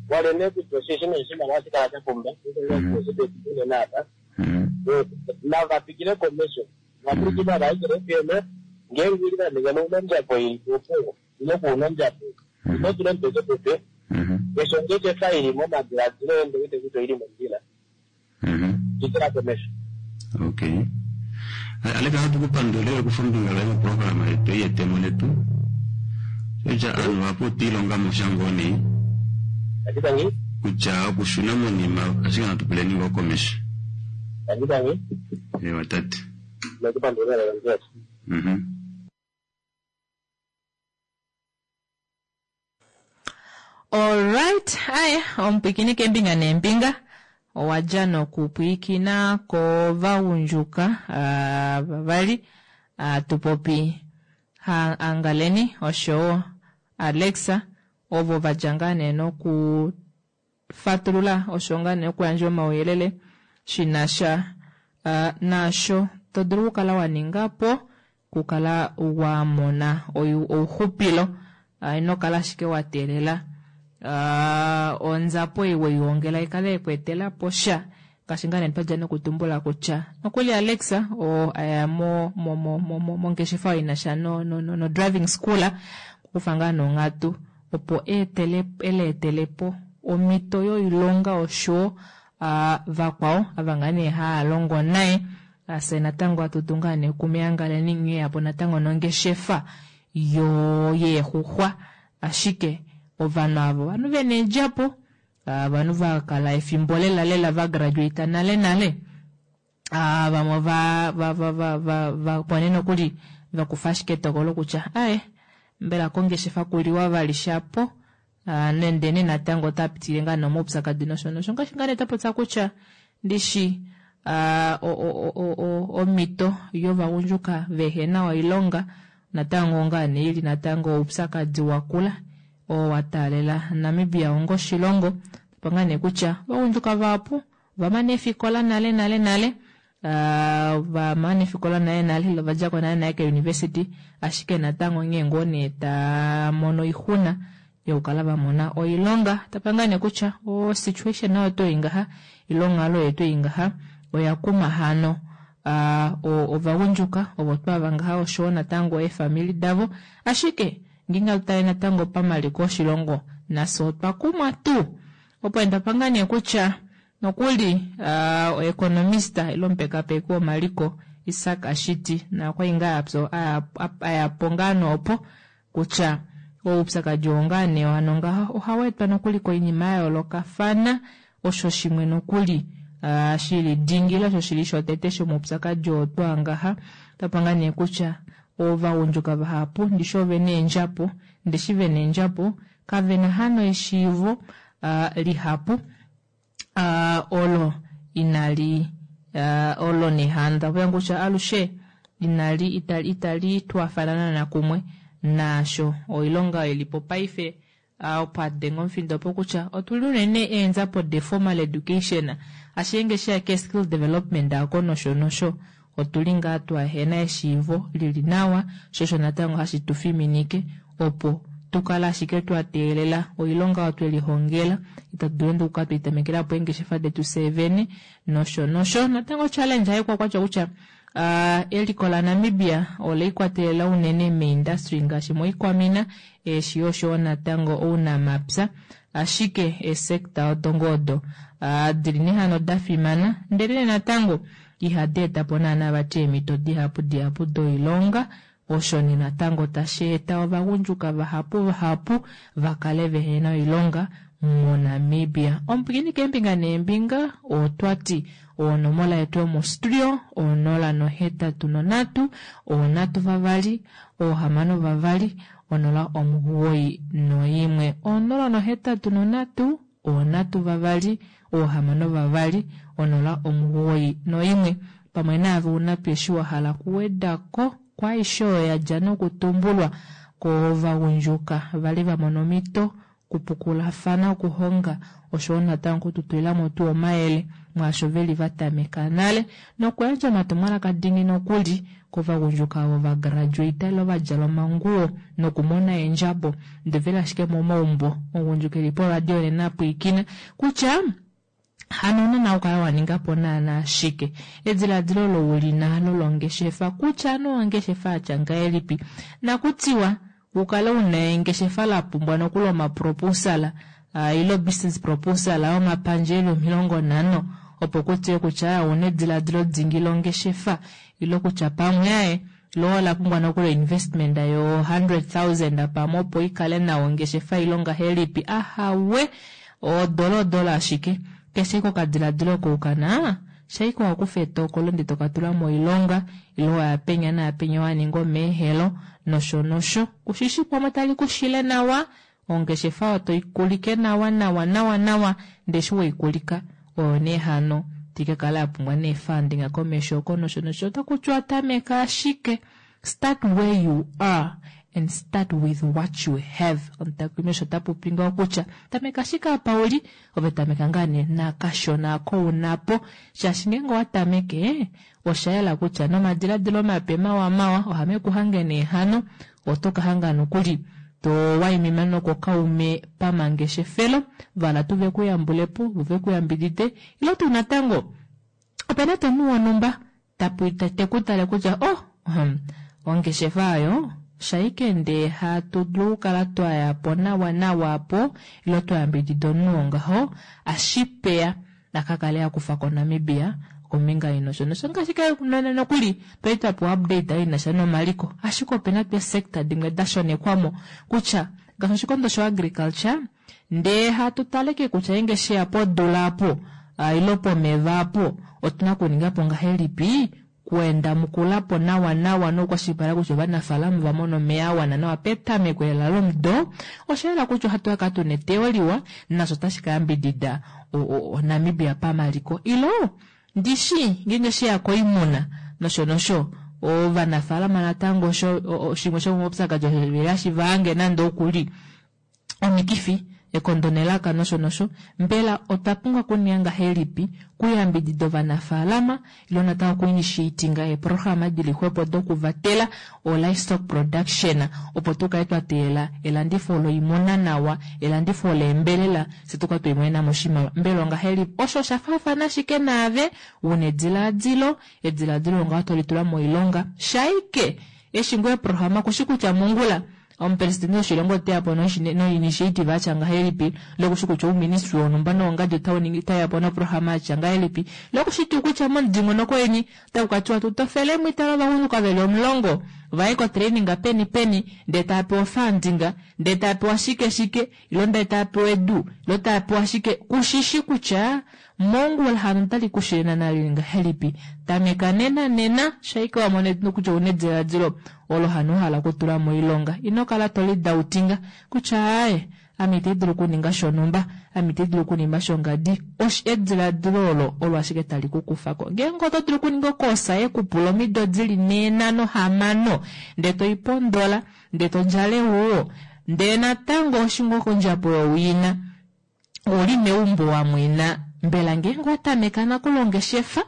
waleme kutya osheshi nee oshimaliwa ohashi kala sha pumba unene apa nava twikile komesho vapwilikina vaEagle FM ngeenge uli vaninga nounondjapo ili opo ile kuunondjapo ino tula omutwe kepepe keshe ongeshefa ili momadiladilo ende wete kutya oili mondjila twikila komesho. Okay. Alex ohatu ku pandula okufa ombinga loye moprograma yetu ei yetemo letu. Kutya ovanhu vahapu otwa ilonga mo sha ngoo nee kutya okushuna monima ashike natu puleni ngoo komesho. Ewa tate. Mhm. Alright, aye omupwikini keembinga neembinga owa dja nokupwiikina kovagundjuka ah, vavali ah, tupopi ha Angaleni oshowo Alexa ovo va dja ngaa nee nokufatulula osho ngaa nee okuyandja omauyelele shi na sha ah, naasho to dulu okukala wa ninga po okukala wa mona oyu- ouxupilo Ah, ino kala ashike wa teelela ah, onzapo ei weihongela ikale yekweetela po sha ngaashi ngaa nee twadja nokutumbula kutya nokuli Alexa oo aya mo mo mo mo mo mongeshefa oyo ina sha no no no, no driving school okufa ngaa nonghatu opo eetele eleetele po omhito yoilonga oshowo ah, vakwao ava ngaa nee haya longo naye ase natango atutu ngaa nee kumeangaleni nghee yapo natango nongeshefa yo yeexuxwa ashike ovanhu avo ovanhu vena eedjapo ah, ovanhu vakala efimbo lela lela vagraduata nale nale ah, vamwe va va va va va va nokuli vakufa ashike etokolo kutya aye mbela kongeshefa kuliwa vali shapo ah, nende nee natango ota pitile ngaa nomaupyakadi nosho nosho ngaashi ngaa nee twapopya kutya ndishi ah, o- o- o- o- omhito yovagundjuka vehena oilonga natango ngaa nee ili natango oupyakadi wakula oo wa taalela Namibia onga oshilongo tapa ngaa nee kutya ovagundjuka vahapu ovamana eefikola nale nale nale ah, vamana eefikola nale nale ile ovadjako nale nale keuniversity ashike natango nghee ngoo nee tamono oixuna yokukala vamona oilonga tapa ngaa nee kutya o situation nayo oto ngaha ile onghalo yetu ei ngaha oya kuma hano ah, o- ovagundjuka ovo twava ngaha oshowo natango eefamili davo ashike ngeenge hatu tale natango pamaliko oshilongo nafye otwa kumwa tuu opo ndapa ngaa nee kutya nokuli uh, oeconomista ile omupekapeki womaliko Isak Ashiti nakwali ngaa apyo ayapo ngaa noopo kutya oupyakadi oo ngaa nee wano ngaha ohaweetwa nokuli koinima ya yoolokafana osho shimwe nokuli ah, shili dingi ile osho shili shotete shomoupyakadi oo twaa ngaha tapa ngaa nee kutya ovagundjuka vahapu ndishi ove na eendjapo ndeshi vena eendjapo kavena hano eshiivo ah, lihapu ah, olo inali ah, olo nehanda opo kutya alushe inali itali, itali twafanana nakumwe naasho oilonga ilipo paife ah, opo adenga omufindo opo kutya otuli unene eenzapo de formal education ashike nge sheya ke skill development ako nosho nosho otuli ngaa twahena eshiivo lili nawa sho osho natango hashi tu fiminike opo tukale ashike twa teelela oilonga oyo twelihongela itatu dulu nande okukala tweitamekela po eengeshefa detu fyee vene nosho nosho natango challenge haikwakwatya kutya ah, eliko laNamibia oleikwatelela unene meindustry ngaashi moikwamina eeshi oshowo natango ounamapya ashike eesekta odo ngoo odo ah, dili nehano da fimana ndele natango ihadi eta po naana vati eemhito dihapu dihapu doilonga osho nee natango tashi eta ovagundjuka vahapu vahapu vakale vehena oilonga moNamibia. Omupwilikini keembinga neembinga otwa ti onomola yetu yomostudio onola nohetatu nonhatu onhatu vavali oohamano vavali onola omugoyi noimwe onola nohetatu nonhatu onhatu vavali oohamano vavali onola omugoyi noimwe pamwe naave una tuu eshi wahala okuwedako kwaaishe oyo yadja nokutumbulwa kovagundjuka vali vamona omhito okupukulafana okuhonga oshoyo natango okututulilamo tuu omayele mwaasho veli vatameka nale nokuyandja omatumwalaka dingi nokuli kovagundjuka ovo vagraduata ile vadjala omanguwo nokumona eendjabo ndee veli ashike momaumbo omugundjuka eli poradio nena apwiikina kutya hano nana okukala waningapo naana shike edilaadilo olo ulina lolongeshefa kutya nee ongeshefa yatya ngahelipi nakutiwa ukale una engeshefa lapumbwa nokuli omaproposal ile obusiness proposal yomapandja eli omilongo nhano opo kutiwe kutya ouna edilaadilo dingi longeshefa ile kutya pamwe aaye loo olapumbwa nokuli investment yo hundred thousand pamwe opo ikale nawa ongeshefa ile ongahelipi ahawe odola odola ashike keshe ike okadilaadilo oko ukana shaike wakufa etokolo ndee tokatula moilonga ile waya penya naapenya waninga omeehelo nosho nosho kushishi pamwe tali kushile nawa ongeshefa oyo toikulike nawa nawa nawa nawa ndee eshi weikulika oyo nee hano tikakala yapumbwa nee funding komesho oko nosho nosho otakutiwa tameka ashike start where you are and start with what you have omutakumi osho tapopi ngaho kutya tameka ashike apa uli ove tameka ngaa nee nakashona ako unapo shaashi ngeenge owatameke oshayela kutya nomadiladilo mape mawamawa ohame kuhange nee hano oto kahanga nokuli towaimima nokokaume pamangeshefelo vala tuu vekuyambulepo vo vekuyambidide ile tuu natango opena tuu omunhu wonhumba tekutale kutya oh hmm, ongeshefa oyo shaike ndee hatu dulu okukala twayapo nawa nawa apo ile twayambidida omunhu wongaho ashipeya akakale akufako Namibia kombinga ei nosho nosho ngaashi nokuli twali twapewa update inasha nomaliko ashike opena tuu eesector dimwe dashonekwamo kutya ngaashi oshikondo sho agriculture ndee hatu tale kutya ngeenge sheya podula aapo ile pomeva aapo otuna okuningapo ngahelipi kuenda mukulapo nawa nawa nokukwashilipaleka kutya ovanafalama ovamona omeya awana nawa petameko lela lomudo oshayela kutya ohatu kakala tuna eteyo liwa nasho otashi kayambidida Namibia pamaliko ilo ndishi ngeenge sheya koimuna nosho nosho ovanafalama natango shimwe shomomaupyakadi osho veli hashi vahange nande okuli omikifi ekondo nelaka nosho nosho mbela otwa pumbwa okuninga ngahelipi kuyambidida ovanafalama ile natango okuinitiatinga eeprograma dili xwepo dokuvatela o livestock production opo tukale twateelela elandifo loimuna nawa elandifo leembelela fye tukale twiimonenamo oshimaliwa mbela ongahelipi osho oshafaafana ashike naave una edilaadilo edilaadilo ngaho tolitula moilonga shaike eshi ngoo eeprograma kushi kutya mongula omupresidente woshilongo oteyapo noinitiative atya ngahelipi lokushi kutya ouministry wonhumba nowongadi otauyapo noprograma yatya ngahelipi lokushi tuu kutya momudingonoko weni otaku katiwa tutofelemo itala ovagundjuka veli omulongo vaye kotraining peni peni ndee taapewa ofunding ndee taapewa shike shike ilo ndee taapewa edu ilo taapewa shike kushishi kutya mongula hano otali kushile naana lili ngahelipi tameka nena nena shaike wamona kutya ouna edilaadilo olo hano wahala okutula moilonga ino kala tolidautinga kutya aaye ame ite dulu okuninga shonhumba ame ite dulu okuninga shongadi edilaadilo olo olo ashike tali kukufako ngeenge oto dulu okuninga okoosa yekupula omido dili nhee nhano hamano ndee toipondola ndee todjala ewuwo ndee natango oshingo kondjapo yowina ouli meumbo wamwena mbela ngeenge owatameka nakuli ongeshefa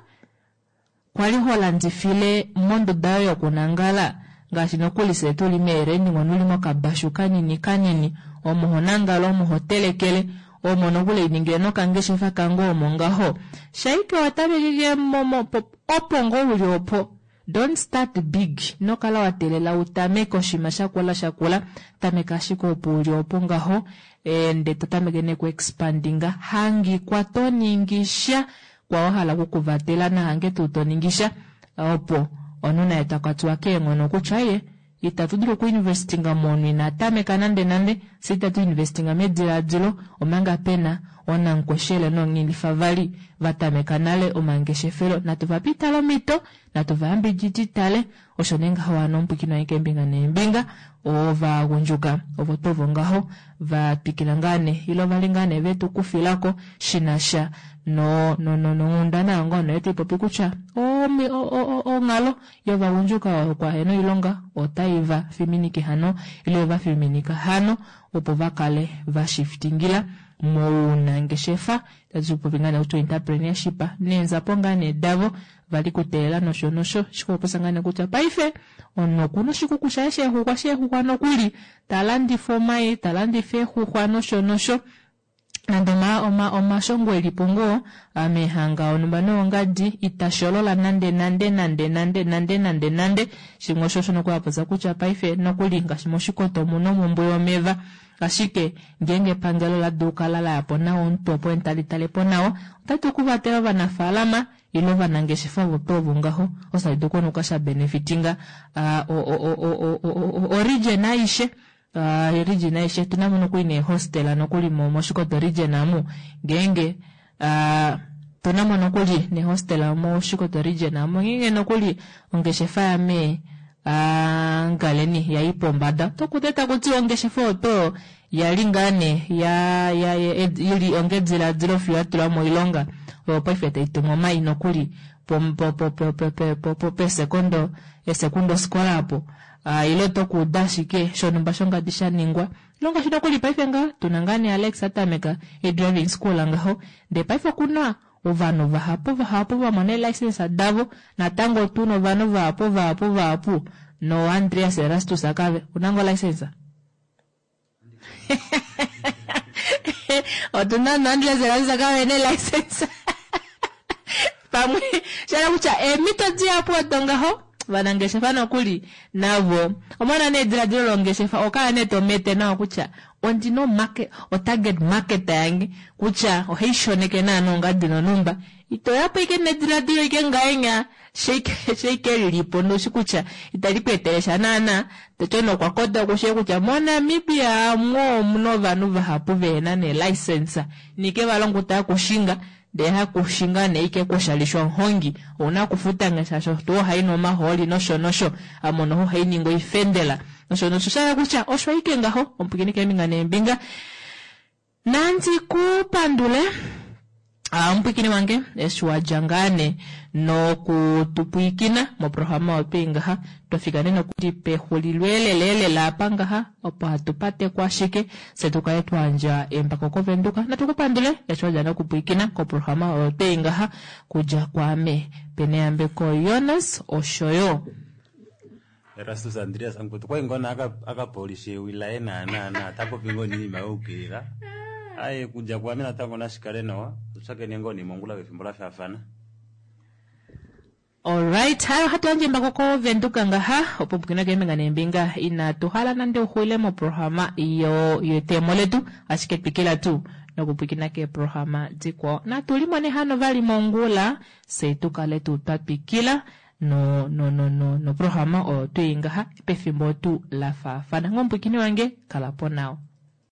kwali holandifile monduda yoye yokunangala ngaashi nokuli fyee tuli meereni uli mokabashu kanini kanini omo honangala omo hotelekele omo nokuli hainingile nokangeshefa kange omo ngaho shaike watamekeke opo ngoo uli opo don't start big inokala wateelela utameke oshinima shakula shakula tameka ashike opo uli opo ngaho ndee totameke nee ku expandinga hangikwa toningisha kwa wahala okukuvatela nahange tuu toningisha opo omunhu naye takwatiwa keenghono kutya ye Itatu dulu okuinvestinga momunhu ina tameka nande nande, fye itatu investinga medilaadilo omanga pena oonankweshele noonghilifa vali va tameka nale omangeshefelo. Natu vape itale omhito, natu vayambididi itale, osho nee ngaho hano omupwiikini wange keembinga neembinga ovagundjuka ovo tuu ovo ngaho va twikila ngaa nee ile ovali ngaa nee vetu kufilako shinasha no no no nonghundana oyo ngoo nee taipopi kutya omi- o- o- o- onghalo yovagundjuka yokwahena oilonga otai va fiminike hano ile va fiminika hano opo va kale va shiftingila mounangeshefa tatupopi ngaa nee kutya entrepreneurship neenzapo ngaa nee davo vali kuteelela nosho nosho shikopopya ngaa nee kutya paife omunhu okuna oshikuku shaye sheexuxwa sheexuxwa nokuli talandifa omai talandifa eexuxwa nosho nosho nande oma, oma, omashongo elipo ngoo meehanga onumba noongadi itasholola nande nande nande nande nande nande nande shimwe osho osho nokuli apopya kutya paife nokuli ngaashi moshikoto omuna omhumbwe yomeva ashike ngeenge epangelo la dulu kala layapo nawa omutwe opo tali talepo nawa otati okuvatela ovanafaalama ile ovanangeshefa ovo tuu ovo ngaho osho tashi dulu okunuka sha benefitinga o region aishe uh, region aishe tuna mo nokuli neehostela nokuli moshikoto region amu ngeenge uh, tuna mo nokuli neehostela moshikoto region amu ngeenge nokuli ongeshefa yame uh, ngaleni yayi pombada tokute takuti ongeshefa oto yali ngaa nee ya, ya, ya, ili ongediladilo fiyo yatula moilonga oyo paife taitumu omai nokuli pesekondo esekundo sikola apo uh, ile tokuuda ashike shonumba shongadi sha ningwa ilonga shi nokuli paife nga tuna ngaa nee Alex atameka e-driving school ngaho ndee paife okuna ovanhu vahapu vahapu vamona eelicense davo natango tuna ovanhu vahapu vahapu vahapu no Andreas Erastus akave una ngoo license otuna no Andreas Erastus akave ne license pamwe shala kutya eemhito dihapu odo ngaho vanangeshefa nokuli navo omona nee ediladilo longeshefa okala nee tomete nawa kutya ondina omarket otarget market yange kutya ohai shoneke naana ongadi nonumba itoyapo ike nediladilo ike ngaenya sheike lilipo noshi kutya itali ku etele sha naana toti nokwa koda okushiye kutya moNamibia amwo omuna ovanhu vahapu vehena neelicense nike valongo taa kushinga ndee hakushinga nee ike kushalishwa omuhongi ouna okufuta ngaashi tuu ohainu omahooli nosho nosho amono ohai ningi oifendela nosho nosho shala kutya osho ike ngaho omupwiikini keembinga neembinga nandi kupandule omupwiikini wange eshi wadja ngaa nee nokutupwiikina moprograma oyo ngaha twafika nee nokuli pexulilo elelelela apa ngaha opo hatu patekwa ashike fye tukale twayandja embako kovenduka natukupandule eshi wadja nokupwiikina koprograma oyo twei ngaha kudja kwaame peneyambeko Jonas oshoyo Erastus Andreas Ankutu kwai ngona akapolisha ewi laye naana tapopi ngoo niinima youkilila aye kudja kwame natango nashikale nawa tushakene ngoo nimongula pefimbo la faafana. Alright, hayo hatu yandje embako kovenduka ngaha opo pukina keembinga neembinga inatu hala nande uxwile moprograma yo yetemo letu ashike twikila tuu nokupwikina keeprograma dikwao natu limone hano vali mongula fye tukale tuu twa twikila no no no no noprograma oyo twii ngaha pefimbo tuu la faafana. Ngomupwikini wange kalapo nawa.